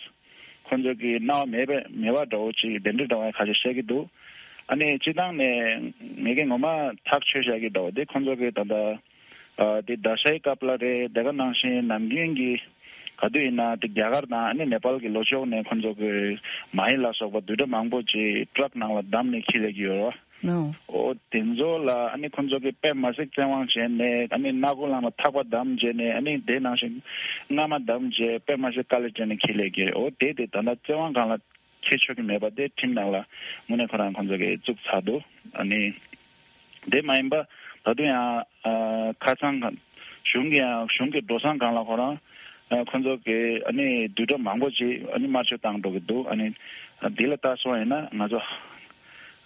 ཁོང་ཚོ་གི་སྣང་བ་མེད་པའི་མེད་པ་འདྲ་བོ་ཅིག་དེ་འདྲའི་འདྲ་བ་ཁ་ཤས་བཤད་ཀྱི་འདུག་ཨ་ནི་སྤྱི་བཏང་ནས་ངེད་ཀྱི་ངོ་མ་ཐག་ཆོད་བཤད་ཀྱི་འདྲ་བོ་དེ་ཁོང་ཚོ་གི་ད་ལྟ། ཨ་དེ་ད་ཤའི་སྐབས་ལ་རེད། དེ་ག་ནང་བཞིན་ནམ་རྒྱུན་གྱི་ག་དུས་ཡིན་ན་དེ་རྒྱ་གར་དང་ཨ་ནི་ནེ་པཱལ་གྱི་ལྷོ་ཕྱོགས་ནས་ཁོང་ཚོ་གི་མ་ཧེ་ལ་སོགས་པ་དུད་འགྲོ་མང་པོ་ཅིག་ཊྲག་ནང་ལ་བསྡམས་ནས་འཁྱེར་སླེབས་ཀྱི་ཡོད་རེད་བ། ནོ། ཨོ་དེ་ཚོ་ལ་ཨ་ནི་ཁོང་ཚོ་གི་དཔེ་མ་སྲིད་བཙན་དབང་བྱས་ནས་ཨ་ནི་སྣ་ཁུག་ལ་མ་ཐག་པ་བསྡམས་བྱས་ནས་ཨ་ནི་དེ་ནང་བཞིན་རྔ་མ་བསྡམས་བྱས་དཔེ་མ་སྲིད་དཀའ་ལས་བྱས་ནས་འཁྱེར་སླེབས་ཀྱི་རེད། ཨོ་དེ་དེ་ད་ལྟ་བཙན་དབང་སྒང་ལ། ཁྱེར་ཆོག་གི་མེད་པ་དེ་ཁྲིམས་ནང་ལ་དངོས་གནས་ཁོ་རང་ཁོང་ཚོ་གིས་བཙུགས་ཚར་འདུག་ཨ་ནི་དེ་མ་ཡིན་པ་ད་དུང་ཡང་ཨ་ཁ་སང་ག་གཞུང་གི་ཡང་གཞུང་གི་འགྲོ་སོང་སྒང་ལ་ཁོ་རང་ཨ་ཁོང་ཚོ་གིས་ཨ་ནི་དུད་འགྲོ་མང་པོ་ཅིག་ཨ་ནི་དམར་མཆོད་བཏང་འགྲོ་གི་འདུག་ཨ་ནི་འདི་ལ་ལྟ་སོང་ཡིན་ན་ང་ཚོ་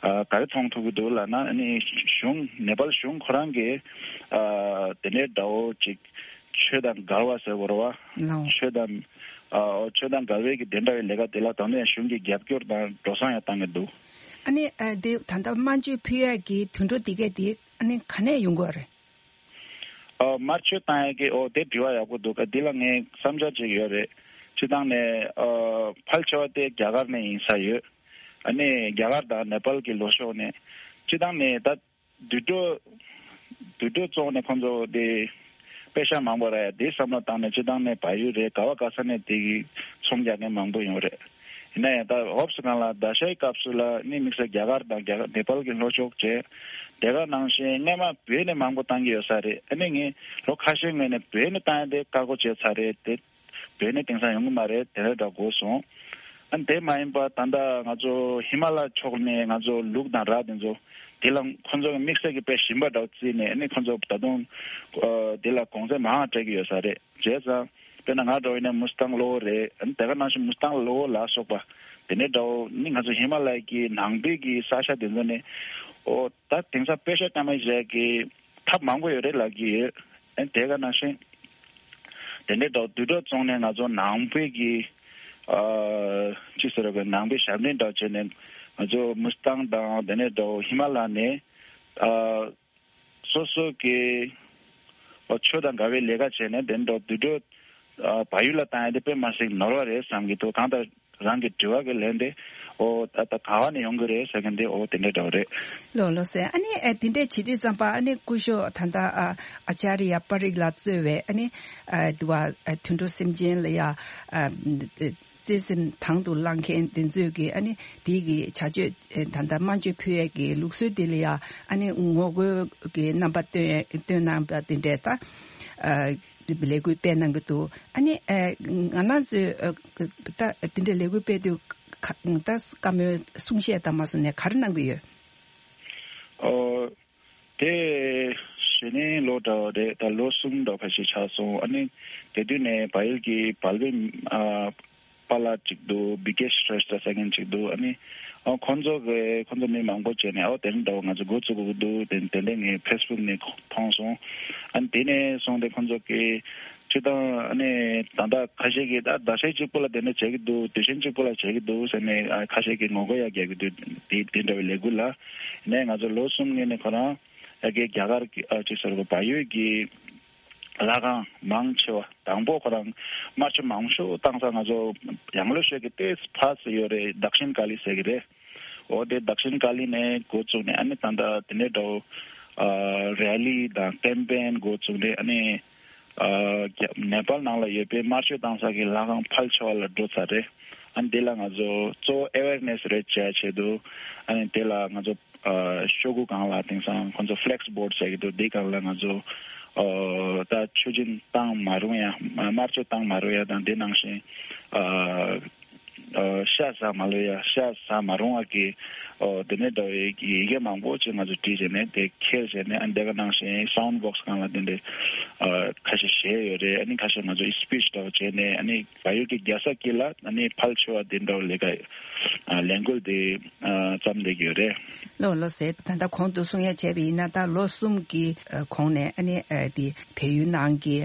ཨ་ག་རེ་མཐོང་ཐུབ་ཀྱི་འདུག་ལབ་ན་ཨ་ནི་གཞུང་ནེ་པཱལ་གཞུང་ཁོ་རང་གིས་ཨ་དེ་འདྲའི་འདྲ་བོ་ཅིག་ཆོས་དང་འགལ་བ་ཟེར་དགོས་རེད་བ། ལའོ། ཆོས་དང་། ཨ་ཆོས་དང་འགལ་བའི་གི་དེ་འདྲ་བའི་ལས་ཀ་དེ་ལ་ད་ནས་གཞུང་གི་རྒྱབ་སྐྱོར་དང་འགྲོ་སོང་ཡང་བཏང་གི་འདུག་ཨ་ནི་ཨ་དེ་ད་ལྟ་དམར་མཆོད་ཕུལ་ཡས་ཀྱི་དུད་འགྲོ་དེ་གས་དེ་ཨ་ནི་ག་ནས་ཡོང་གི་རེད། ཨ་དམར་མཆོད་བཏང་ཡས་ཀྱི་ཨོ་དེ་དྲི་བ་ཡག་པོ་འདུག་ཨ་འདི་ལ་ངས་བསམ་འཆར་ཅིག་ཡོད་རེད། སྤྱི་བཏང་ནས་ཨ་ཕལ་ཆེ་བ་དེ་རྒྱ་གར་ནས་ཡིན་ས་ཡོད། ཨ་ནི་རྒྱ་གར་དང་ནེ་པཱལ་གྱི་ལྷོ་ཕྱོགས་ནས་སྤྱི་བཏང་ནས་ད། དུད་འགྲོ། དུད་འགྲོ་བཙོང་ནས་ཁོང་ཚོ་དེ་པེ་ཤ་མང་པོ་རག་ཡ་དེ་བསམ་བློ་བཏང་ནས་སྤྱི་བཏང་ནས་བལ་ཡུལ་རེད་ག་བ་ག་ས་ནས་དེ་གི་ཚོང་རྒྱག་མཁན་མང་པོ་ཡོང་རེད། ཡིན་ན་ཡང་ད་འོབས་སུ་གང་ལ་ཟླ་ཤའི་སྐབས་སུ་ལ་ནི་དམིགས་བསལ་རྒྱ་གར་དང་རྒྱ་གར་ནེ་པཱལ་གྱི་ལྷོ་ཕྱོགས་བྱས། དེ་ག་ནང་བཞིན་སྔས་མ་བོད་ནས་མང་པོ་བཏང་གི་ཡོད་ས་རེད། ཨ་ནི་ངས་ལོ་ཁ་ཤས་སྔོན་ནས་བོད་ནས་བཏང་ཡ་དེ་བཀག་འགོག་བྱས་ཚར་རེད་དེ། བོད་ནས་དེང་སང་ཡོང་གི་མ་རེད་དེ་འདྲ་འདྲ་གོ་སོང་། ཨ་དེ་མ་ཡིན་པ་ད་ལྟ་ང་ཚོ་ཧི་མ་ལ་ཕྱོགས་ནས་ང་ཚོ་ལུག་དང་ར་དེ་ཚོ་དེ་ལ་ཁོ་ཚོ་གི་དམིགས་བསལ་གྱི་དཔེ་ཞིམ་པ་འདྲ་བོ་བརྩིས་ནས་ཨ་ནི་ཁོ་ཚོ་ད་དུང་ཨ་དེ་ལ་གོང་ཚད་མང་བ་སྤྲད་ཀྱི་ཡོད་ས་རེད། བྱས་ཙང་དཔེར་ན་ང་འདྲ་བོ་ཡིན་ན་མུ་སི་ཐང་གློ་བོ་རེད། ཨ་ནི་དེ་ག་ནང་བཞིན་མུ་སི་ཐང་གློ་བོ་ལ་སོགས་པ་དེ་འདྲའི་འདྲ་བོ་ནི་ང་ཚོ་ཧི་མ་ལ་ཡ་གི་ནང་པའི་གི་ས་ཆ་དེ་ཚོ་ནས་ཨོ་ད་དེང་སང་པེ་ཤ་སྐམ་པ་བཞག་གི་ཐབས་མང་པོ་ཡོད་རེད་ལབ་ཀྱི་ཡོད། ཨ་ནི་དེ་ག་ནང་བཞིན། དེ་འདྲའི་འདྲ་བོ་དུད་འགྲོ་བཙོང་ནས་ང་ཚོ་ནང་པའི་གི་ཨ་ཅི་ཟེར་བའི་ནང་པའི་ཞབས་འདྲེན་འདྲ་བྱས་ནས་ང་ཚོ་མུ་སི་ཐང་དང་དེ་འདྲའི་འདྲ་བོ་ཧི་མ་ལ་ནས་ཨ་སོ་སོ་གི་ཨ་ཆོས་དང་འགལ་བའི་ལས་ཀ་བྱས་ནས་དེ་འདྲ་དུད་འགྲོ་ཨ་བལ་ཡུལ་ལ་བཏང་ཡ་དེ་དཔེ་མ་སྲིད་ནོར་བ་རེད་བསམ་གྱི་འདུག་གང་ལྟར། རང་གི་དྲི་བ་གི་ལན་དེ་ཨོ་ད་ད་ག་བ་ནས་ཡོང་གི་རེད་ཟེར་མཁན་དེ་ཨོ་དེ་འདྲ་འདྲ་བོ་རེད། ལོ་ལོ་ཟེར་ཨ་ནི་ཨེ་དེ་འདྲས་བྱེད་དུས་ཙམ་པ་ཨ་ནི་སྐུ་ཞབས་ད་ལྟ་ཨ་ཨ་ཅཱརྱ་པ་རིག་ལགས་གཙོས་པའི་ཨ་ནི་ཨ་དུ་བ་ཨ་དུད་འགྲོ་སེམས་ཅན་ལ་ཡ་ཨ་བརྩེ་སེམས་དང་དུ་བླངས་མཁན་དེ་ཚོས་ཀྱི་ཨ་ནི་དེའི་གི་བྱ་སྤྱོད་ཨེ་ད་ལྟ་དམར་མཆོད་ཕུལ་ཡས་ཀྱི་ལུགས་སྲོལ་དེ་ལ་ཡ་ཨ་ནི་ངོ་རྒོལ་གྱི་རྣམ་པ་སྟོན་སྟོན་གནང་པ་དེ་འདྲས་ད་ཨ། ལས་འགུལ་སྤེལ་གནང་གི་འདུག་ཨ་ནི་ཨ་ང་རང་ཚོས་ཨ་ད་དེ་འདྲའི་ལས་འགུལ་སྤེལ་དུས་ཁ་ད་བཀའ་མོལ་གསུང་བཤད་དང་མ་སོང་ནས་ག་རེ་གནང་གི་ཡོད། ཨོ། དེ་གཞེས་ནིང་ལོ་འདྲ་བ་རེད། ད་ལོ་གསུམ་འདྲ་ཁ་ཤས་ཆགས་སོང་། ཨ་ནི་དེ་དུས་ནས་བལ་ཡུལ་གྱི་བལ་པོའི་ཨ། པཱ་ལགས་གཅིག་འདུག་བི་ཀེ་ཤྲེ་ཤྟ་ཟེར་མཁན་གཅིག་འདུག་ཨ་ནི་ཨོ་ཁོང་ཚོ་གི་ཁོང་ཚོ་མི་མང་པོ་བྱས་ནས་ཨོ་དེ་འདྲ་འདྲ་བོ་ང་ཚོ་འགོ་བཙུགས་དགོས་ཀྱི་འདུག་དེ་དེ་འདྲ་ངས་ཕེ་སི་བུག་ནས་མཐོང་སོང་། ཨ་ནི་དེ་ནས་བཟུང་སྟེ་ཁོང་ཚོ་གི་སྤྱིར་བཏང་ཨ་ནི་ད་ལྟ་ཁ་ཤས་ཀྱིས་ད་ཟླ་ཤས་གཅིག་པོ་ལ་དེ་འདྲ་བྱེད་ཀྱི་འདུག་དུས་ཆེན་གཅིག་པོ་ལ་བྱེད་ཀྱི་འདུག་ཟེར་ནས་ཨ་ཁ་ཤས་ཀྱིས་ངོ་རྒོལ་ཡང་རྒྱག་གི་འདུག་དེ་དེ་འདྲ་བའི་ལས་འགུལ་ལ་ནས་ང་ཚོ་ལོ་གསུམ་སྔོན་ནས་ཁོ་རང་ཨ་གི་རྒྱ་གར་གྱི་ཨ་ཅིག་ཟེར་བ་བལ་ཡུལ་གྱི་ལྷ་ཁང་མང་ཆེ་བ་དང་པོ་ཁོ་རང་དམར་མཆོད་མང་ཤོས་བཏང་ས་ང་ཚོ་ཡང་ལོ་ཤོད་ཀྱི་ཏེས་ཕ་སི་ཡོད་རེད། དག་ཤིན་ཀ་ལི་ཟེར་གྱི་རེད། འོ་དེ་དག་ཤིན་ཀ་ལི་ནས་འགོ་བཙུགས་ནས་ཨ་ནི་ད་ལྟ་དེ་ནས་འགྲོ་ཨ་རེ་ལི་དང་ཀེམ་པེན་འགོ་བཙུགས་ནས་ཨ་ནི་ཨ་རྒྱ་ནེ་པཱལ་ནང་ལ་ཡོད་པའི་དམར་མཆོད་བཏང་ས་གི་ལྷ་ཁང་ཕལ་ཆེ་བ་ལ་འགྲོ་ཚར་རེད། ཨ་ནི་དེ་ལ་ང་ཚོ་གཙོ་བོ་ཨེ་ཝེར་ནེ་སི་རེ་བྱ་ཆེད་དུ་ཨ་ནི་དེ་ལ་ང་ཚོ་ཨ་ཤོག་གུ་སྒང་ལ་དེང་སང་ཁོང་ཚོ་ཕི་ལེག་སི་བོར་ཌི་ཟེར་གྱི་འདུག་དེ་སྒང་ལ་ང་ཚོ་ཨ་ད་མཆོད་སྦྱིན་བཏང་མ་རུང་ཡ་དམར་མཆོད་བཏང་མ་རུང་ཡ་དང་དེ་ནང་བཞིན་ཨ་ཨ་ཤ་ཟ་མ་ལོ་ཡ་ཤ་ཟ་མ་རུང་བ་གི་ཨོ་དེ་ནས་འདྲ་བའི་ཡི་གེ་མང་པོ་ཅིག་ང་ཚོ་བྲིས་བྱས་ནས་དེ་འཁྱེར་བྱས་ནས་ཨ་འདི་ག་ནང་བཞིན་སའུན་ཌི་བོག་སི་སྒང་ལ་དེ་འདྲའི་ཨ་ཁ་ཤས་བཞེས་ཡོད་རེད། ཨ་ནི་ཁ་ཤས་ང་ཚོ་སི་པིཆ་འདྲ་བོ་བྱས་ནས་ཨ་ནི་བལ་ཡུལ་གྱི་རྒྱལ་ས་དཀྱིལ་ལ་ཨ་ནི་ཕལ་ཆེ་བ་དེ་འདྲ་བོ་ལས་ཀ་ཨ་ལས་འགུལ་དེ་ཨ་བརྩམས་བསྡད་ཀྱི་ཡོད་རེད། ལགས་ལགས་སེ། ད་ལྟ་གོང་དུ་གསུང་ཡ་བྱས་པ་ཡིན་ན་ད་ལོ་གསུམ་གྱི་ཨ་གོང་ནས་ཨ་ནི་ཨ་དེ་བལ་ཡུལ་ནང་གི་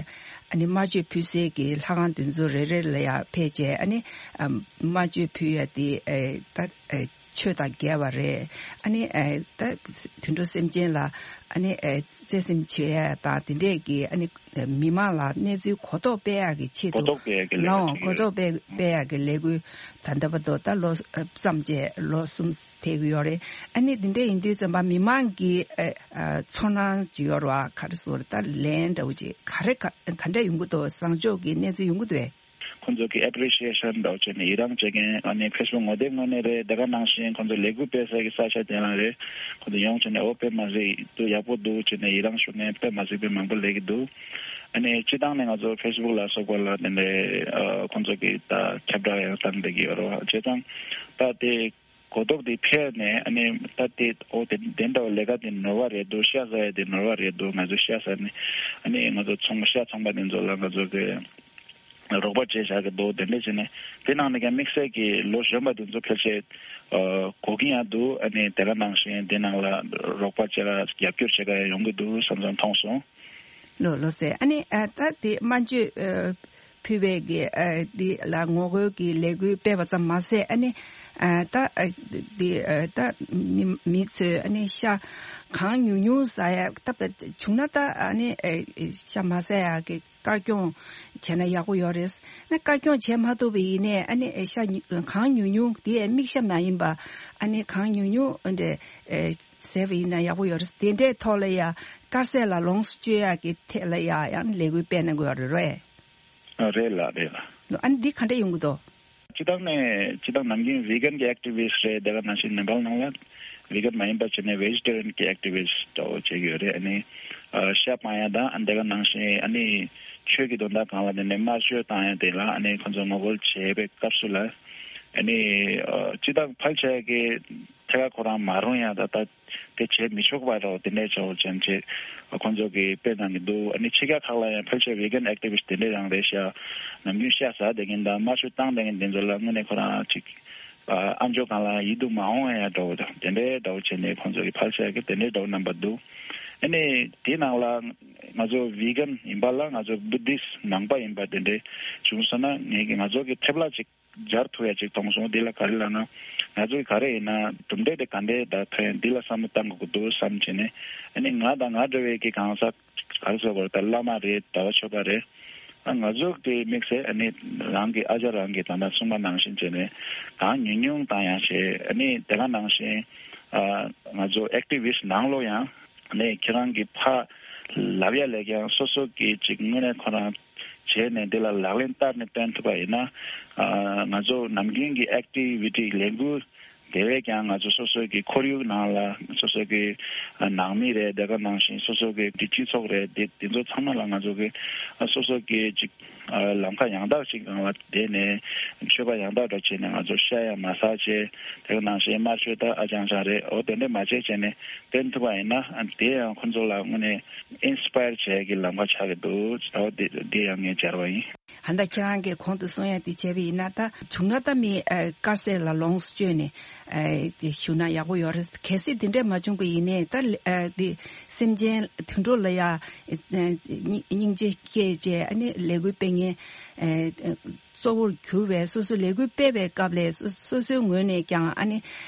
ཨ་ནི་དམར་མཆོད་ཕུལ་སའི་གི་ལྷ་ཁང་དེ་ཚོ་རེ་རེ་ལ་ཡ་ཕེབས་བྱས་ཨ་ནི་ཨ་དམར་མཆོད་ཕུལ་ཡ་དེ་ཨ་ད་ཨ་ཆོས་དང་འགལ་བ་རེད། ཨ་ནི་ཨ་ད་དུད་འགྲོ་སེམས་ཅན་ལ་ཨ་ནི་ཨ་བརྩེ་སེམས་བྱེད་ཡ་དང་དེ་འདྲས་ཀྱི་ཨ་ནི་མི་མང་ལ་གནས་ཚུལ་གོ་རྟོགས་སྤེལ་ཡག་གི་ཆེད་དུ་གོ་རྟོགས་སྤེལ་ཡག་གི་ལས་ཀ་ལའང་བྱེད་ཀྱི་གོ་ཡོད། རྟོགས་སྤེལ་སྤེལ་ཡག་གི་ལས་འགུལ་ད་ལྟ་བར་དུ་ད་ལོ་ཨ་བརྩམས་བྱས་ལོ་གསུམ་ཐེག་གི་ཡོད་རེད། ཨ་ནི་འདི་འདྲ་ཡིན་དུས་ཙམ་པ་མི་མང་གི་ཨ་ཨ་ཚོར་སྣང་ཅིག་ཡོད་རེད་བ། ག་རེ་ཟེར་ད་ལན་འདྲ་བོ་ཅིག་ག་རེ་ག་ག་འདྲ་ཡོང་གི་འདུག་བཟང་ཕྱོགས་ཀྱི་གནས་ཚུལ་ཡོང་གི་འདུག་གས། ཁོང་ཚོ་གི་ཨེ་པི་རི་ཤི་ཡེ་ཤན་འདྲ་བོ་བྱས་ནས་ཡི་རངས་བྱེད་མཁན་ཨ་ནི་ཕེ་སི་བུག་ངོ་དེབ་ངོས་ནས་རེད། དེ་ག་ནང་བཞིན་ཁོང་ཚོ་ལས་འགུལ་སྤེལ་ས་གི་ས་ཆ་དེ་ལ་རེད། ཁོང་ཚོ་ཡོང་བྱས་ནས་འོ་དཔེ་མ་སྲིད་འདུག་ཡག་པོ་འདུག་བྱས་ནས་ཡི་རངས་ཞུ་མཁན་དཔེ་མ་སྲིད་དཔེ་མང་པོ་སླེབས་ཀྱི་འདུག་ཨ་ནི་སྤྱི་བཏང་ནས་ང་ཚོ་ཕེ་སི་བུག་ལ་སོགས་པ་ལ་དེ་འདྲའི་ཨ་ཁོང་ཚོ་གི་ད་ཁྱབ་བསྒྲགས་ཡང་བཏང་བསྡད་ཀྱི་ཡོད་རེད་བ། བྱས་ཙང་ད་དེ་གོ་རྟོགས་དེ་འཕེལ་ནས་ཨ་ནི་ད་དེ་ཨོ་དེ་དེ་འདྲ་བ་ལས་ཀ་དེ་ནོར་བ་རེད་འདུག་ཤ་ཟ་ཡ་དེ་ནོར་བ་རེད་འདུག་ང་ཚོ་ཤ་ཟ་ནས་ཨ་ནི་ང་ཚོ་ཚོང་ཤ་ཚོང་པ་དེ་ཚོ་ལ་ང་ཚོ་གི་རོགས་པ་བྱས་བཞག་གི་འདུག་དེ་འདྲ་བྱས་ནས་དེ་ནང་ནས་ཀྱང་དམིགས་བསལ་གྱི་ལོ་གཞོན་པ་དེ་ཚོ་ཕལ་ཆེར་ཨ་གོ་གི་ཡང་འདུག་ཨ་ནི་དེ་ག་ནང་བཞིན་དེ་ནང་ལ་རོགས་པ་བྱེད་ག་རྒྱབ་སྐྱོར་བྱེད་ག་ཡོང་གི་འདུག་བསམ་བསམ་མཐོང་སོང་། ལོ་ལོ་ཟེར་ཨ་ནི་ཨ་ད་དེ་དམར་མཆོད་ཨ་ཕུལ་བའི་གི་ཨ་དེ་ལ་ངོ་རྒོལ་གྱི་ལས་འགུལ་སྤེལ་བ་ཙམ་མ་ཟད་ཨ་ནི་ཨ་ད་ཨ་དེ་ཨ་ད་མི་མི་ཚོས་ཨ་ནི་ཤ་གང་ཉུང་ཉུང་ཟ་ཡ་ད་བྱུང་ན་ད་ཨ་ནི་ཨ་ཤ་མ་ཟ་ཡ་གི་དཀར་སྐྱོང་བྱས་ན་ཡག་པོ་ཡོད་རེད། ཨ་ནི་དཀར་སྐྱོང་བྱས་མ་ཐུབ་པ་ཡིན་ནའི་ཨ་ནི་ཨ་ཤ་ཉུ་གང་ཉུང་ཉུང་དེ་ཡ་དམིགས་ཤ་མ་ཡིན་པ་ཨ་ནི་གང་ཉུང་ཉུང་ཨ་འདྲ་ཨ་ཟས་པ་ཡིན་ན་ཡག་པོ་ཡོད་རེད། དེ་འདྲའི་ཐོག་ལ་ཡ་དཀར་ཟས་ལ་ལོངས་སུ་སྤྱོད་ཡག་གི་ཐད་ལ་ཡ་ཡང་ལས་འགུལ་སྤེལ་གནང་དགོས་ཡོད་རེད་རེད། ཨ་རེད་ལགས་རེད་ལགས། ཨ་ནི་འདི་ག་འདྲ་ཡོང་གི་འདུག་སྤྱི་བཏང་ནས་སྤྱི་བཏང་ནམ་རྒྱུན་བྷི་གན་གྱི་ཨེག་ཊི་བི་སི་ཊི་རེད། དེ་ག་ནང་བཞིན་ནེ་པཱལ་ནང་ལ་བྷི་གན་མ་ཡིན་པ་བྱས་ནས་ཝེ་ཇི་ཊེ་རི་ཡན་གྱི་ཨེག་ཊི་བི་སི་ཊི་འདྲ་བོ་བྱེད་ཀྱི་ཡོད་རེད། ཨ་ནི་ཨ་ཤ་སྤང་ཡ་དང་ཨ་དེ་ག་ནང་བཞིན་ཨ་ནི་ཆོས་ཀྱི་དོན་དག་སྒང་ལ་དེ་ནས་དམར་མཆོད་བཏང་ཡ་དེ་ལ་ཨ་ནི་ཁོང་ཚོ་ངོ་རྒོལ་བྱེད་པའི་སྐབས་སུ་ལ་ཨ་ནི་ཨ་སྤྱི་བཏང་ཕལ་ཆེ་གི་ཐད་ཀར་ཁོ་རང་མ་རུང་ཡ་ད་ལྟ་དེ་བྱེད་མི་ཆོག་པ་རོ་དེ་འདྲའི་ཆོག་ཅན་ཅེས་ཁོང་ཚོ་གིས་དཔེ་གནང་གི་འདུག་ཨ་ནི་ཕྱི་རྒྱལ་ཁག་ལ་ཡང་ཕལ་ཆེར་བྷི་གན་ཨེག་ཊི་བི་སི་ཊི་དེ་འདྲ་རང་རེད་ཤག་ནམ་རྒྱུན་ཤ་ཟ་བསྡད་མཁན་དང་དམར་མཆོད་བཏང་བསྡད་མཁན་དེ་ཚོ་ལ་དངོས་གནས་ཁོ་རང་ཅིག་ཨ་ཨམ་ཅོག་སྒང་ལ་ཡིད་དུ་མ་འོང་ཡ་འདྲ་བོ་དང་དེ་འདྲའི་འདྲ་བོ་བྱས་ནས་ཁོང་ཚོ་གིས་ཕལ་ཆེར་གི་དེ་འདྲའི་འདྲ་བོ་རྣམ་པ་འདུག་ཨ་ནི་དེའི་ནང་ལ་ང་ཚོ་བྷི་གན་ཡིན་པ་ལ་ང་ཚོ་བུ་དིསི་ནང་པ་ཡིན་པ་དེ་འདྲའི་བྱུང་སོང་ན་ངེད་ཀྱི་ང་ཚོ་གི་ཐེབས་ལ་ཅིག་སྦྱར་ཐུབ་ཡ་ཅིག་མཐོང་སོང་། འདི་ལ་ག་རེ་ལབ་ན། ང་ཚོས་ག་རེ་ཡིན་ན་གྲུབ་འབྲས་དེ་ག་འདྲས་ད་ཐོན་འདི་ལ་བསམ་བློ་བཏང་དགོས་ཀྱི་འདུག་བསམ་བྱས་ནས། ཨ་ནི་ང་དང་ང་འདྲ་བའི་གི་གང་ཟག་ག་རེ་ཟེར་དགོས་རེད། ད་བླ་མ་རེད། གྲྭ་བ་ཆོས་པ་རེད། ཨ་ང་ཚོ་དེ་དམིགས་བསལ་ཨ་ནི་རང་གི་ཨ་ཅག་རང་གི་ད་ལྟ་གསུངས་པ་ནང་བཞིན་བྱས་ནས་གང་ཉུང་ཉུང་བཏང་ཡང་བྱས། ཨ་ནི་དེ་ག་ནང་བཞིན་ཨ་ང་ཚོ་ཨེག་ཊི་བི་སི་ཊི་ནང་ལོགས་ཡང་ནས་ཁྱེད་རང་གི་ཕ་ལབ་ཡ་ལས་ཀྱང་སོ་སོ་གི་ཅིག་དངོས་གནས་ཁོ་རང་བྱས་ནས་འདི་ལ་ལག་ལེན་བསྟར་ནས་སྟོན་ཐུབ་པ་ཡིན་ན། ཨ་ང་ཚོ་ནམ་རྒྱུན་གྱི་ཨེག་ཊི་བི་ཊི་ལས་འགུལ་དེ་བས་ཀྱང་ང་ཚོ་སོ་སོ་གི་ཁོར་ཡུག་ནང་ལ་སོ་སོ་གི་ཨ་ནང་མི་རེད། དེ་ག་ནང་བཞིན་སོ་སོ་གི་སྤྱི་ཚོགས་རེད། དེ་དེ་ཚོ་ཚང་མ་ལ་ང་ཚོ་གི་ཨ་སོ་སོ་གི་ཅིག་ཨ་ལམ་ཁ་ཡང་དག་ཅིག་སྒང་ལ་བསྡད་ནས་ཆོས་པ་ཡང་དག་འདྲ་བྱས་ནས་ང་ཚོ་ཤ་ཡང་མ་ཟ་བྱས། དེ་ག་ནང་བཞིན་དམར་མཆོད་ད་ཨ་ཅང་ཅང་རེད། འོ་དེ་འདྲས་མ་བྱས་བྱས་ནས་བསྟན་ཐུབ་པ་ཡིན་ན། ཨ་དེ་ཡང་ཁོ་ཚོ་ལ་དངོས་གནས་ཨིན་སི་པ་ཡར་བྱེད་ཀྱི་ལམ་ཁ་ཆགས་ཀྱི་འདུག་འོ་དེ་དེ་ཡང་ངས་སྦྱར་བ་ཡིན། ད་ལྟ་ཁྱེད་རང་གིས་གོང་དུ་གསུང་ཡ་དེ་བྱས་པ་ཡིན་ན། ད་བྱུང་ན་ད་མི་ཨ་དཀར་ཟས་ལ་ལོངས་སུ་སྤྱོད་ནས་ཨ་དེ་བཞུགས་ན་ཡག་པོ་ཡོད་རེད། གལ་སྲིད་དེ་འདྲས་མ་བྱུང་པ་ཡིན་ནའི་ད་ཨ་དེ་སེམས་ཅན་དུད་འགྲོ་ལ་ཡ་ཨ་སྙིང་རྗེ་སྐྱེས་བྱས། ཨ་ནི་ལས་འགུལ་སྤེལ་མཁན་ཨ་གཙོ་བོར་གྱུར་བའི་སོ་སོ་ལས་འགུལ་སྤེལ་བའི་སྐབས་ལ་སོ་སོ་སོའི་ངོས་ནས་ཀྱང་ཨ་ནི་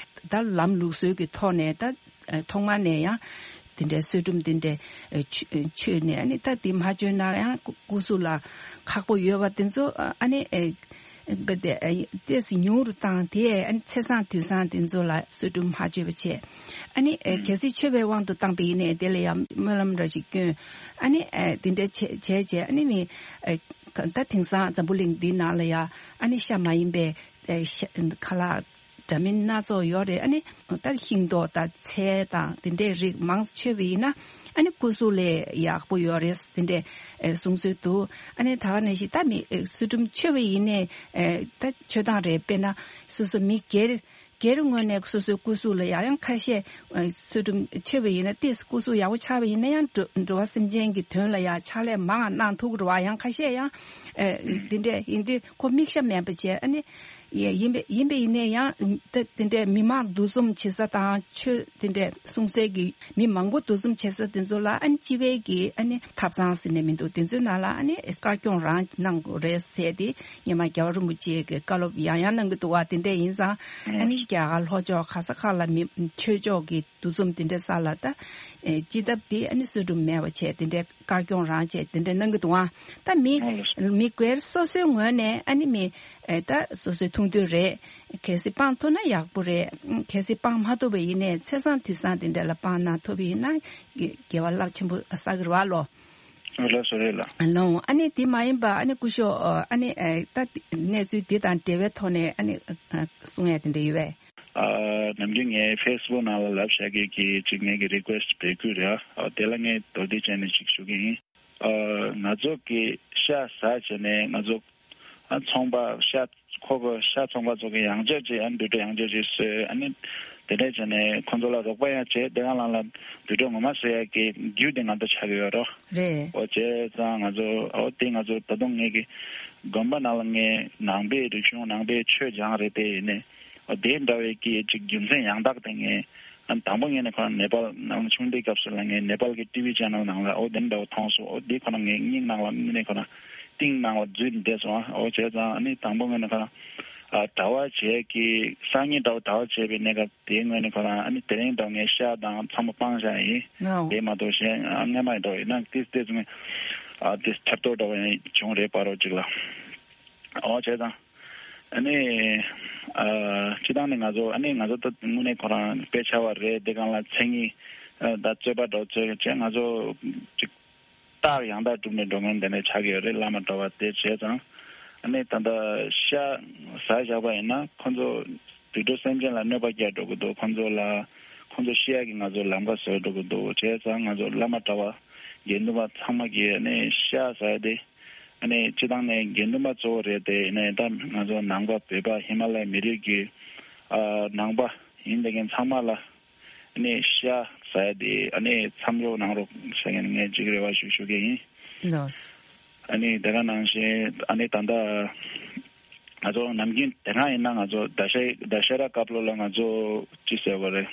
ད་ལམ་ལུགས་སྲོལ་གྱི་ཐོག་ནས་ད་ཨ་ཐོག་མ་ནས་ཡང་དེ་འདྲའི་གསོལ་སྒྲུབ་དེ་འདྲའི་ཨ་མཆོད་མཆོད་ནས། ཨ་ནི་ད་དེ་མ་མཆོད་ན་ཡང་སྐུ་སྐུ་གཟུགས་ལ་ཁག་པོ་ཡོད་པ་དེ་ཚོ་ཨ་ནི་ཨ་ཏོག་ཙམ་ཉུང་རུ་བཏང་། དེ་ཨ་ནི་ཚེས་བཟང་དུས་བཟང་དེ་ཚོ་ལ་གསོལ་སྒྲུབ་མ་མཆོད་པ་བྱས། ཨ་ནི་ཨ་གལ་སྲིད་མཆོད་པའི་དབང་དུ་བཏང་པ་ཡིན་ནའི་དེ་ལ་ཡང་སྨོན་ལམ་འདྲ་ཞིག་བསྐྱོན། ཨ་ནི་ཨ་དེ་འདྲ་བྱས་བྱས་བྱས། ཨ་ནི་མི་ཨ་ད་དེང་སང་འཛམ་བུ་གླིང་འདི་ནང་ལ་ཡང་ཨ་ནི་ཤ་མ་ཡིན་པའི་ཨ་ཤ་ཁ་ལག་འདྲ་མིན་སྣ་ཚོགས་ཡོད་རེད། ཨ་ནི་ད་ཤིང་ཏོག་དང་ཚལ་དང་དེ་འདྲའི་རིགས་མང་ཙམ་མཆོད་པ་ཡིན་ན་ཨ་ནི་སྐུ་གཟུགས་ལ་ཡག་པོ་ཡོད་རེད། དེ་འདྲའི་ཨ་གསུང་སྲོལ་འདུག། ཨ་ནི་ད་ག་ནང་བཞིན་ད་མི་ཨ་གསོལ་སྒྲུབ་མཆོད་པ་ཡིན་ནའི་ཨ་ད་མཆོད་སྟངས་རེད། དཔེར་ན་སོ་སོ་མི་སྒེར་སྒེར་ངོས་ནས་སོ་སོའི་སྐུ་གཟུགས་ལ་ཡང་ཡང་ཁ་ཤས་ཨ་གསོལ་སྒྲུབ་མཆོད་པ་ཡིན་ན། ཏོག་ཙམ་སྐུ་གཟུགས་ཡག་པོ་ཆགས་པ་ཡིན་ན་ཡང་འགྲོ་འགྲོ་བ་སེམས་ཅན་གྱི་དོན་ལ་ཡང་ཕྱག་ལས་མང་བ་གནང་ཐུབ་ཀྱི་རེད་བ། ཡང་ཁ་ཤས་ཡང་ཨ་འདི་འདྲས་ཡིན་དུས་ཁོ་མིག་ཤ་མེད་པ་བྱས། ཨ་ནི་ཡ་ཡིན་པ་ཡིན་པ་ཡིན་ནའི་ཡང་ད་དེ་འདྲས་མི་མང་འདུ་འཛོམས་བྱེད་ས་དང་ཆོས་དེ་འདྲས་གསུང་སའི་གི་མི་མང་པོ་འདུ་འཛོམས་བྱེད་ས་དེ་ཚོ་ལ་ཨ་ནི་སྤྱི་པའི་གི་ཨ་ནི་ཐབ་ཚང་ཟེར་ནས་མི་འདུག། དེ་ཚོའི་ནང་ལ་ཨ་ནི་དཀར་སྐྱོང་རང་གནང་དགོས་རེད་ཟེར་ཏེ། སྔོན་མ་རྒྱལ་བ་རིན་པོ་ཆེ་གི་བཀའ་སློབ་ཡང་ཡང་གནང་གི་འདུག་བ། དེ་འདྲས་ཡིན་ཙང་ཨ་ནི་རྒྱ་གར་ལྷོ་ཕྱོགས་ག་ས་ག་ལ་མི་ཆོས་ཕྱོགས་ཀྱི་འདུ་འཛོམས་དེ་འདྲས་ས་ལ་ད་ཨེ་སྤྱི་ཐབ་དེ་ཨ་ནི་གསོལ་སྒྲུབ་མེད་པ་བྱས། དེ་འདྲས་དཀར་སྐྱོང་རང་བྱས་དེ་འདྲས་གནང་གི་འདུག་ཨ། ད་མི་མི་སྒེར་སོ་སོའི་ངོས་ནས་ཨ་ནི་མི་ཨེ་ད་སོ་སོའི་ཐུགས་འདུན་རེད། གལ་སྲིད་སྤང་ཐུབ་ན་ཡག་པོ་རེད། གལ་སྲིད་སྤང་མ་ཐུབ་པ་ཡིན་ནའི་ཚེས་བཟང་དུས་བཟང་དེ་འདྲས་ལ་སྤང་གནང་ཐུབ་པ་ཡིན་ན་དགེ་དགེ་བ་རླབས་ཆེན་པོ་བསགས་ཀྱི་རེད་བ་ལོ། ལགས་སོ། རེད་ལགས། ལོ། ཨ་ནི་དེ་མ་ཡིན་པ་ཨ་ནི་སྐུ་ཞབས་ཨ་ནི་ཨེ་ད་གནས་ཚུལ་འདི་དང་འབྲེལ་བའི་ཐོག་ནས་ཨ་ནི་ཨ་གསུང་ཡ་དེ་འདྲ་ཡོད་པས། ཨ་ནམ་རྒྱུན་ངས་ཕེ་སི་བུག་ནང་ལ་ལབ་བཞག་གི་གི་ཅིག་ངས་གི་རི་ཀུ་ཨེ་སི་ཊི་འབོད་སྐུལ་རེད། ཨ་དེ་ལ་ངས་མདོར་བསྡུས་བྱས་ནས་ཅིག་ཞུ་གི་ཡིན། ཨ་ང་ཚོ་གི་ཤ་ཟ་བྱས་ནས་ང་ཚོ་ཨ་ཚོང་པ་ཤ་ཁོ་གི་ཤ་ཚོང་པ་ཚོ་གི་ཡང་བསྐྱར་ཅིག་ཨ་དུད་འགྲོ་ཡང་བསྐྱར་ཅིག་བཟོས། ཨ་ནི་དེ་འདྲས་བྱས་ནས་ཁོ་ཚོ་ལ་རོགས་པ་ཡང་བྱས། དེ་ག་ལང་ལ་དུད་འགྲོ་ངོ་མ་བཟོ་ཡ་གི་རྒྱུ་དེ་ང་ཚོ་ཆགས་ཀྱི་ཡོད་རོ། རེད། འོ་བྱས་ཙང་ང་ཚོ་འོ་དེ་ང་ཚོ་ད་དུང་ངས་གི་དགོན་པ་ནང་ལ་ངས་ནང་པའི་རིག་གཞུང་ནང་པའི་ཆོས་སྦྱངས་རེད། དེ་ཡིན་ནས་འོ་དེ་འདྲ་བའི་གི་ཅིག་རྒྱུ་མཚན་ཡང་དག་དེ་ངས་ཨ་དང་པོ་ངས་ནས་ཁོ་རང་ནེ་པཱལ་ནང་ཆུང་དུས་སྐབས་སུ་ལ་ངས་ནེ་པཱལ་གི་ཊི་ཝི་ཆེ་ནལ་ནང་ལ་འོ་དེ་འདྲ་བ་མཐོང་སོང་། འོ་དེ་ཁོ་རང་ངས་སྙིང་ནང་ལ་ངས་ནས་ཁོ་རང་གཏིང་ནང་ལ་འཛུལ་བསྡད་སོང་། འོ་བྱས་ཙང་ཨ་ནི་དང་པོ་ངས་ནས་ཁོ་རང་ཨ་གྲྭ་པ་བྱས་ཀྱི་སང་ཉིན་འདྲ་བོ་གྲྭ་པ་བྱས་པའི་གནས་སྐབས་དེའི་སྔོན་ནས་ཁོ་རང་ཨ་ནི་དེ་རིང་འདྲ་བོ་ངས་ཤ་དང་ཚང་མ་སྤངས་བཞག་ཡིན། ཨོ། དེ་མ་གཏོགས་གཞན་ཨ་སྔ་མ་ཡིན་འདྲ་བོ་ཡིན་ན་ཏིས་ཏིས་ངས་ཨ་ཏིས་ཐར་ཐོར་འདྲ་བོ་ཡང་བྱུང་རེད་པ་རོ་ཅིག་ལ། འོ་བྱས་ཙང་ཨ་ནི་ཨ་སྤྱི་བཏང་ནས་ང་ཚོ་ཨ་ནི་ང་ཚོ་ད་དངོས་གནས་ཁོ་རང་དཔེ་ཆ་བ་རེད། དེ་སྒང་ལ་མཚན་ཉིད་ཨ་ད་རྩོད་པ་འདྲ་བོ་རྩོད་བྱས་ང་ཚོ་ཅིག་རྟགས་ཡང་དག་གྲུབ་ནས་འགྲོ་མཁན་དེ་འདྲ་ཆགས་ཀྱི་ཡོད་རེད། བླ་མ་གྲྭ་པ་དེ་བྱས་ཙང་ཨ་ནི་ད་ལྟ་ཤ་ཟ་བཞག་པ་ཡིན་ན་ཁོ་ཚོ་དུད་འགྲོ་སེམས་ཅན་ལ་གནོད་པ་བསྐྱལ་འགྲོ་གི་འདུག། ཁོ་ཚོ་ལ་ཁོ་ཚོ་ཤི་ཡག་གི་ང་ཚོ་ལམ་ཁ་བཟོས་འགྲོ་གི་འདུག། བྱས་ཙང་ང་ཚོ་བླ་མ་གྲྭ་པ་དགེ་འདུན་པ་ཚང་མ་གིས་ཨ་ནི་ཤ་ཟ་ཡ་དེ་ཨ་ནི་སྤྱི་བཏང་ནས་དགེ་འདུན་པ་གཙོ་བོ་རེད། དེ་ཡིན་ནའི་ད་ང་ཚོ་ནང་པ་བོད་པ་ཧི་མ་ལ་ཡའི་མི་རིགས་ཀྱི་ཨ་ནང་པ་ཡིན་བསྡད་མཁན་ཚང་མ་ལ་ཨ་ནི་ཤ་ཟ་ཡ་དེ་ཨ་ནི་མཚམས་འཇོག་གནང་རོགས་ཟེར་མཁན་ངས་ཅིག་རེ་བ་ཞུ་ཞུ་གི་ཡིན། ལགས། ཨ་ནི་དེ་ག་ནང་བཞིན་ཨ་ནི་ད་ལྟ་ང་ཚོ་ནམ་རྒྱུན་དེ་སྔ་ཡིན་ན་ང་ཚོ་ད་ཤ་ད་ཤ་ར་སྐབས་ལོ་ལ་ང་ཚོ་ཅི་ཟེར་བ་རེད།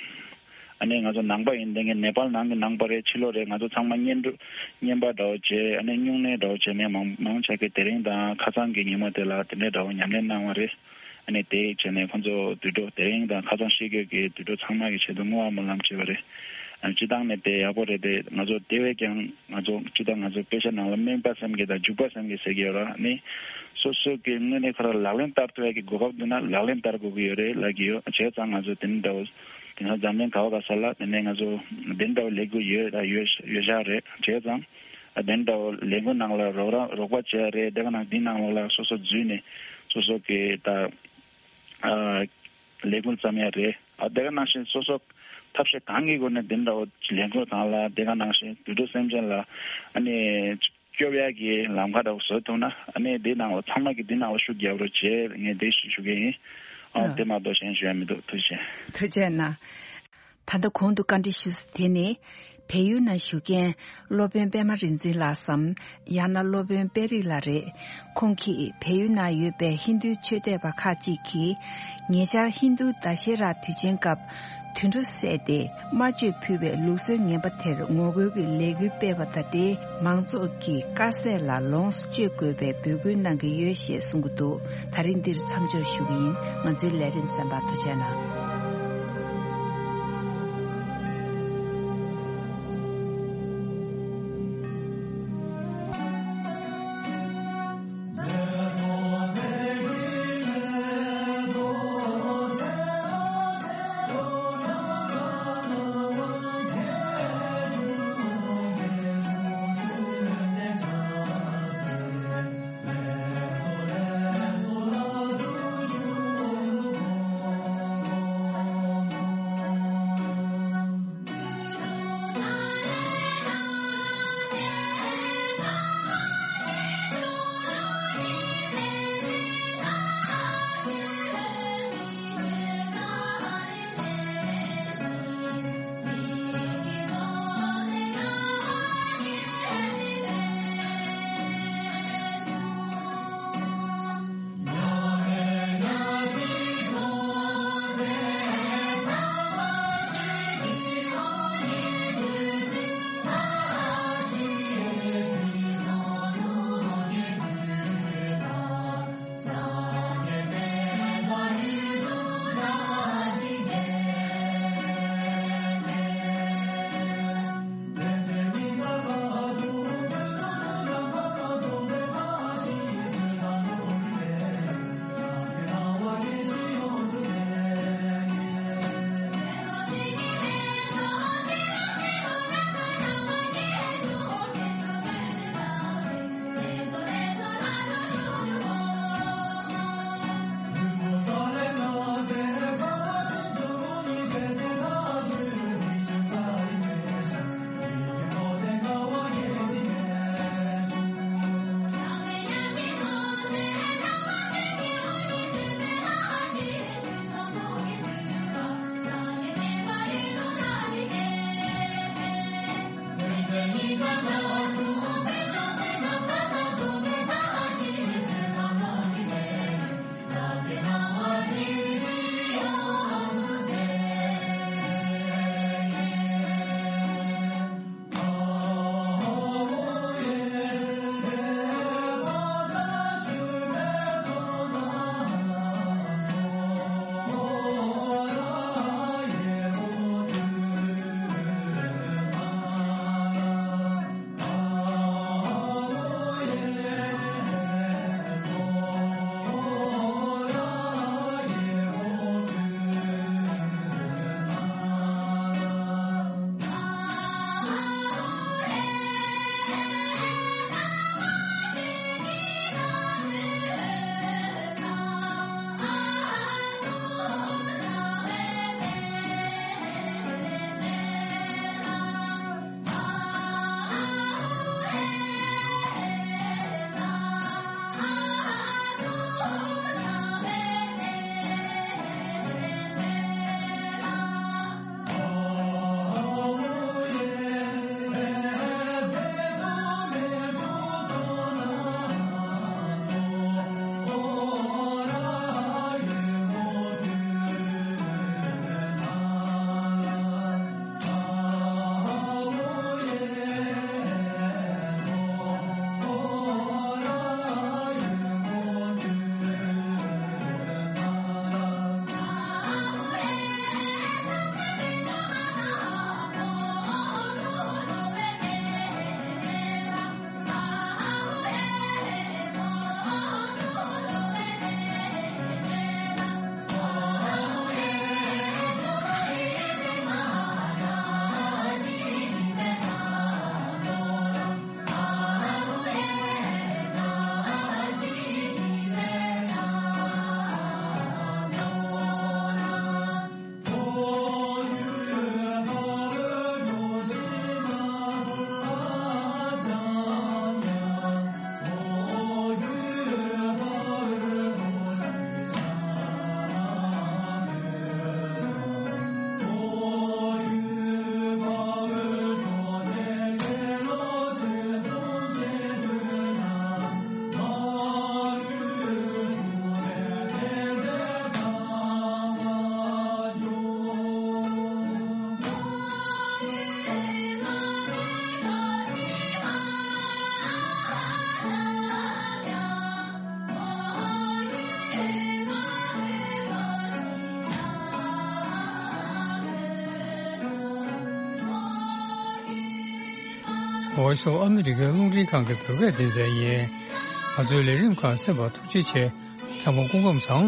ཨ་ནི་ང་ཚོ་ནང་པ་ཡིན་བསྡད་མཁན་ནེ་པཱལ་ནང་གི་ནང་པ་རེད། ཕྱི་ལོགས་རེད། ང་ཚོ་ཚང་མ་བསྙེན་སྒྲུབ་བསྙེན་པ་འདྲ་བོ་བྱས། ཨ་ནི་སྨྱུང་གནས་འདྲ་བོ་བྱས་ནས་མང་མང་ཆེ་གི་དེ་རིང་དང་ཁ་སང་གི་ཉིན་མོ་དེ་ལ་དེ་འདྲའི་འདྲ་བོ་ཉམས་ལེན་གནང་བ་རེད། ཨ་ནི་དེ་བྱས་ནས་ཁོང་ཚོ་དུད་འགྲོ་དེ་རིང་དང་ཁ་སང་ཤི་དགོས་ཀྱི་དུད་འགྲོ་ཚང་མ་གི་ཆེད་དུ་བསྔོ་བ་སྨོན་ལམ་བྱས་པ་རེད། ཨ་ནི་སྤྱི་བཏང་ནས་དེ་ཡག་པོ་རེད། དེ་ང་ཚོ་དེ་བས་ཀྱང་ང་ཚོ་སྤྱི་བཏང་ང་ཚོ་དཔེ་ཆ་ནང་ལ་སྨན་པ་སེམས་ཀྱི་དང་འཇུག་པ་སེམས་ཀྱི་ཟེར་གྱི་ཡོད་ར། ཨ་ནི་སོ་སོ་གི་དངོས་གནས་ཁོ་རང་ལག་ལེན་བསྟར་ཐུབ་ཡག་གི་གོ་སྐབས་འདུག་ན་ལག་ལེན་བསྟར་དགོས་ཀྱི་ཡོད་རེད་ལབ་ཀྱི་ཡོད། བྱས་ཙང་ང་ཚོ་དེ་འདྲ་བོ་དེ་ང་འཛམ་གླིང་ག་བ་ག་ས་ལ་དེ་ནས་ང་ཚོ་དེ་འདྲ་བོ་ལས་འགུལ་ཡོད་ད་ཡོད་ཡོད་བཞག་རེད། བྱས་ཙང་ཨ་དེ་འདྲ་བོ་ལས་འགུལ་ནང་ལ་རོགས་རམ་རོགས་པ་བྱས་རེད། དེ་ག་ནང་འདི་ནང་ལོགས་ལ་སོ་སོ་འཛུལ་ནས་སོ་སོ་གི་ད་ཨ་ལས་འགུལ་བརྩམས་ཡ་རེད། ཨ་དེ་ག་ནང་བཞིན་སོ་སོ་ཐབས་ཤེས་གང་གི་སྒོ་ནས་དེ་འདྲ་བོ་ལས་འགུལ་གང་ལ་དེ་ག་ནང་བཞིན་དུད་འགྲོ་སེམས་ཅན་ལ་ཨ་ནི་སྐྱོབ་ཡ་གི་ལམ་ཁ་འདྲ་བོ་བཟོ་ཐུབ་ན་ཨ་ནི་འདི་ནང་ལ་ཚང་མ་གི་འདི་ནང་ལ་ཤུགས་རྒྱབ་རོགས་བྱེད་ངས་འདི་ཞུ་ཞུ་གི་ཡིན། ཨ་ཨ་དེ་མ་གཏོགས་གཞན་ཞུ་ཡ་མི་འདུག། ཐུགས་རྗེ་ཆེ། ཐུགས་རྗེ་གནང་། ད་ལྟ་གོང་དུ་བཀའ་འདྲི་ཞུས་ཟིན་དེ་ནི། བལ་ཡུལ་ནང་བཞུགས་མཁན་སློབ་དཔོན་པད་མ་རིག་འཛིན་ལགས་སམ། ཡང་ན་སློབ་དཔོན་དཔལ་རིགས་ལགས་རེད། ཁོང་གིས་བལ་ཡུལ་ནང་ཡོད་པའི་ཧིན་རྡུའི་ཆོས་དད་པ་ཁག་ཅིག་གིས། ཉེ་ཆར་ཧིན་རྡུ་ད་ཤེ་ར་དུས་ཆེན་སྐབས། དུད་འགྲོ་བསད་དེ་དམར་མཆོད་ཕུལ་བའི་ལུགས་སྲོལ་ངན་པ་དེར་ངོ་རྒོལ་གྱི་ལས་འགུལ་སྤེལ་བ་དང་འབྲེལ། མང་ཚོགས་ཀྱིས་དཀར་ཟས་ལ་ལོངས་སུ་སྤྱོད་དགོས་པའི་འབོད་སྐུལ་གནང་གི་ཡོད་ཞེས་གསུང་གི་འདུག། ད་རིང་འདིར་མཚམས་འཇོག་ཞུ་གི་ཡིན། ང་ཚོའི་ལས་རིམ་གསན་པར་ཐུགས་རྗེ་གནང་། Voice of America རླུང་འཕྲིན་ཁང་གི་བོད་སྐད་སྡེ་ཚན་ཡིན། ང་ཚོའི་ལས་རིམ་ཁག་གསན་པར་ཐུགས་རྗེ་ཆེ། ཚང་མ་སྐུ་ཁམས་བཟང་།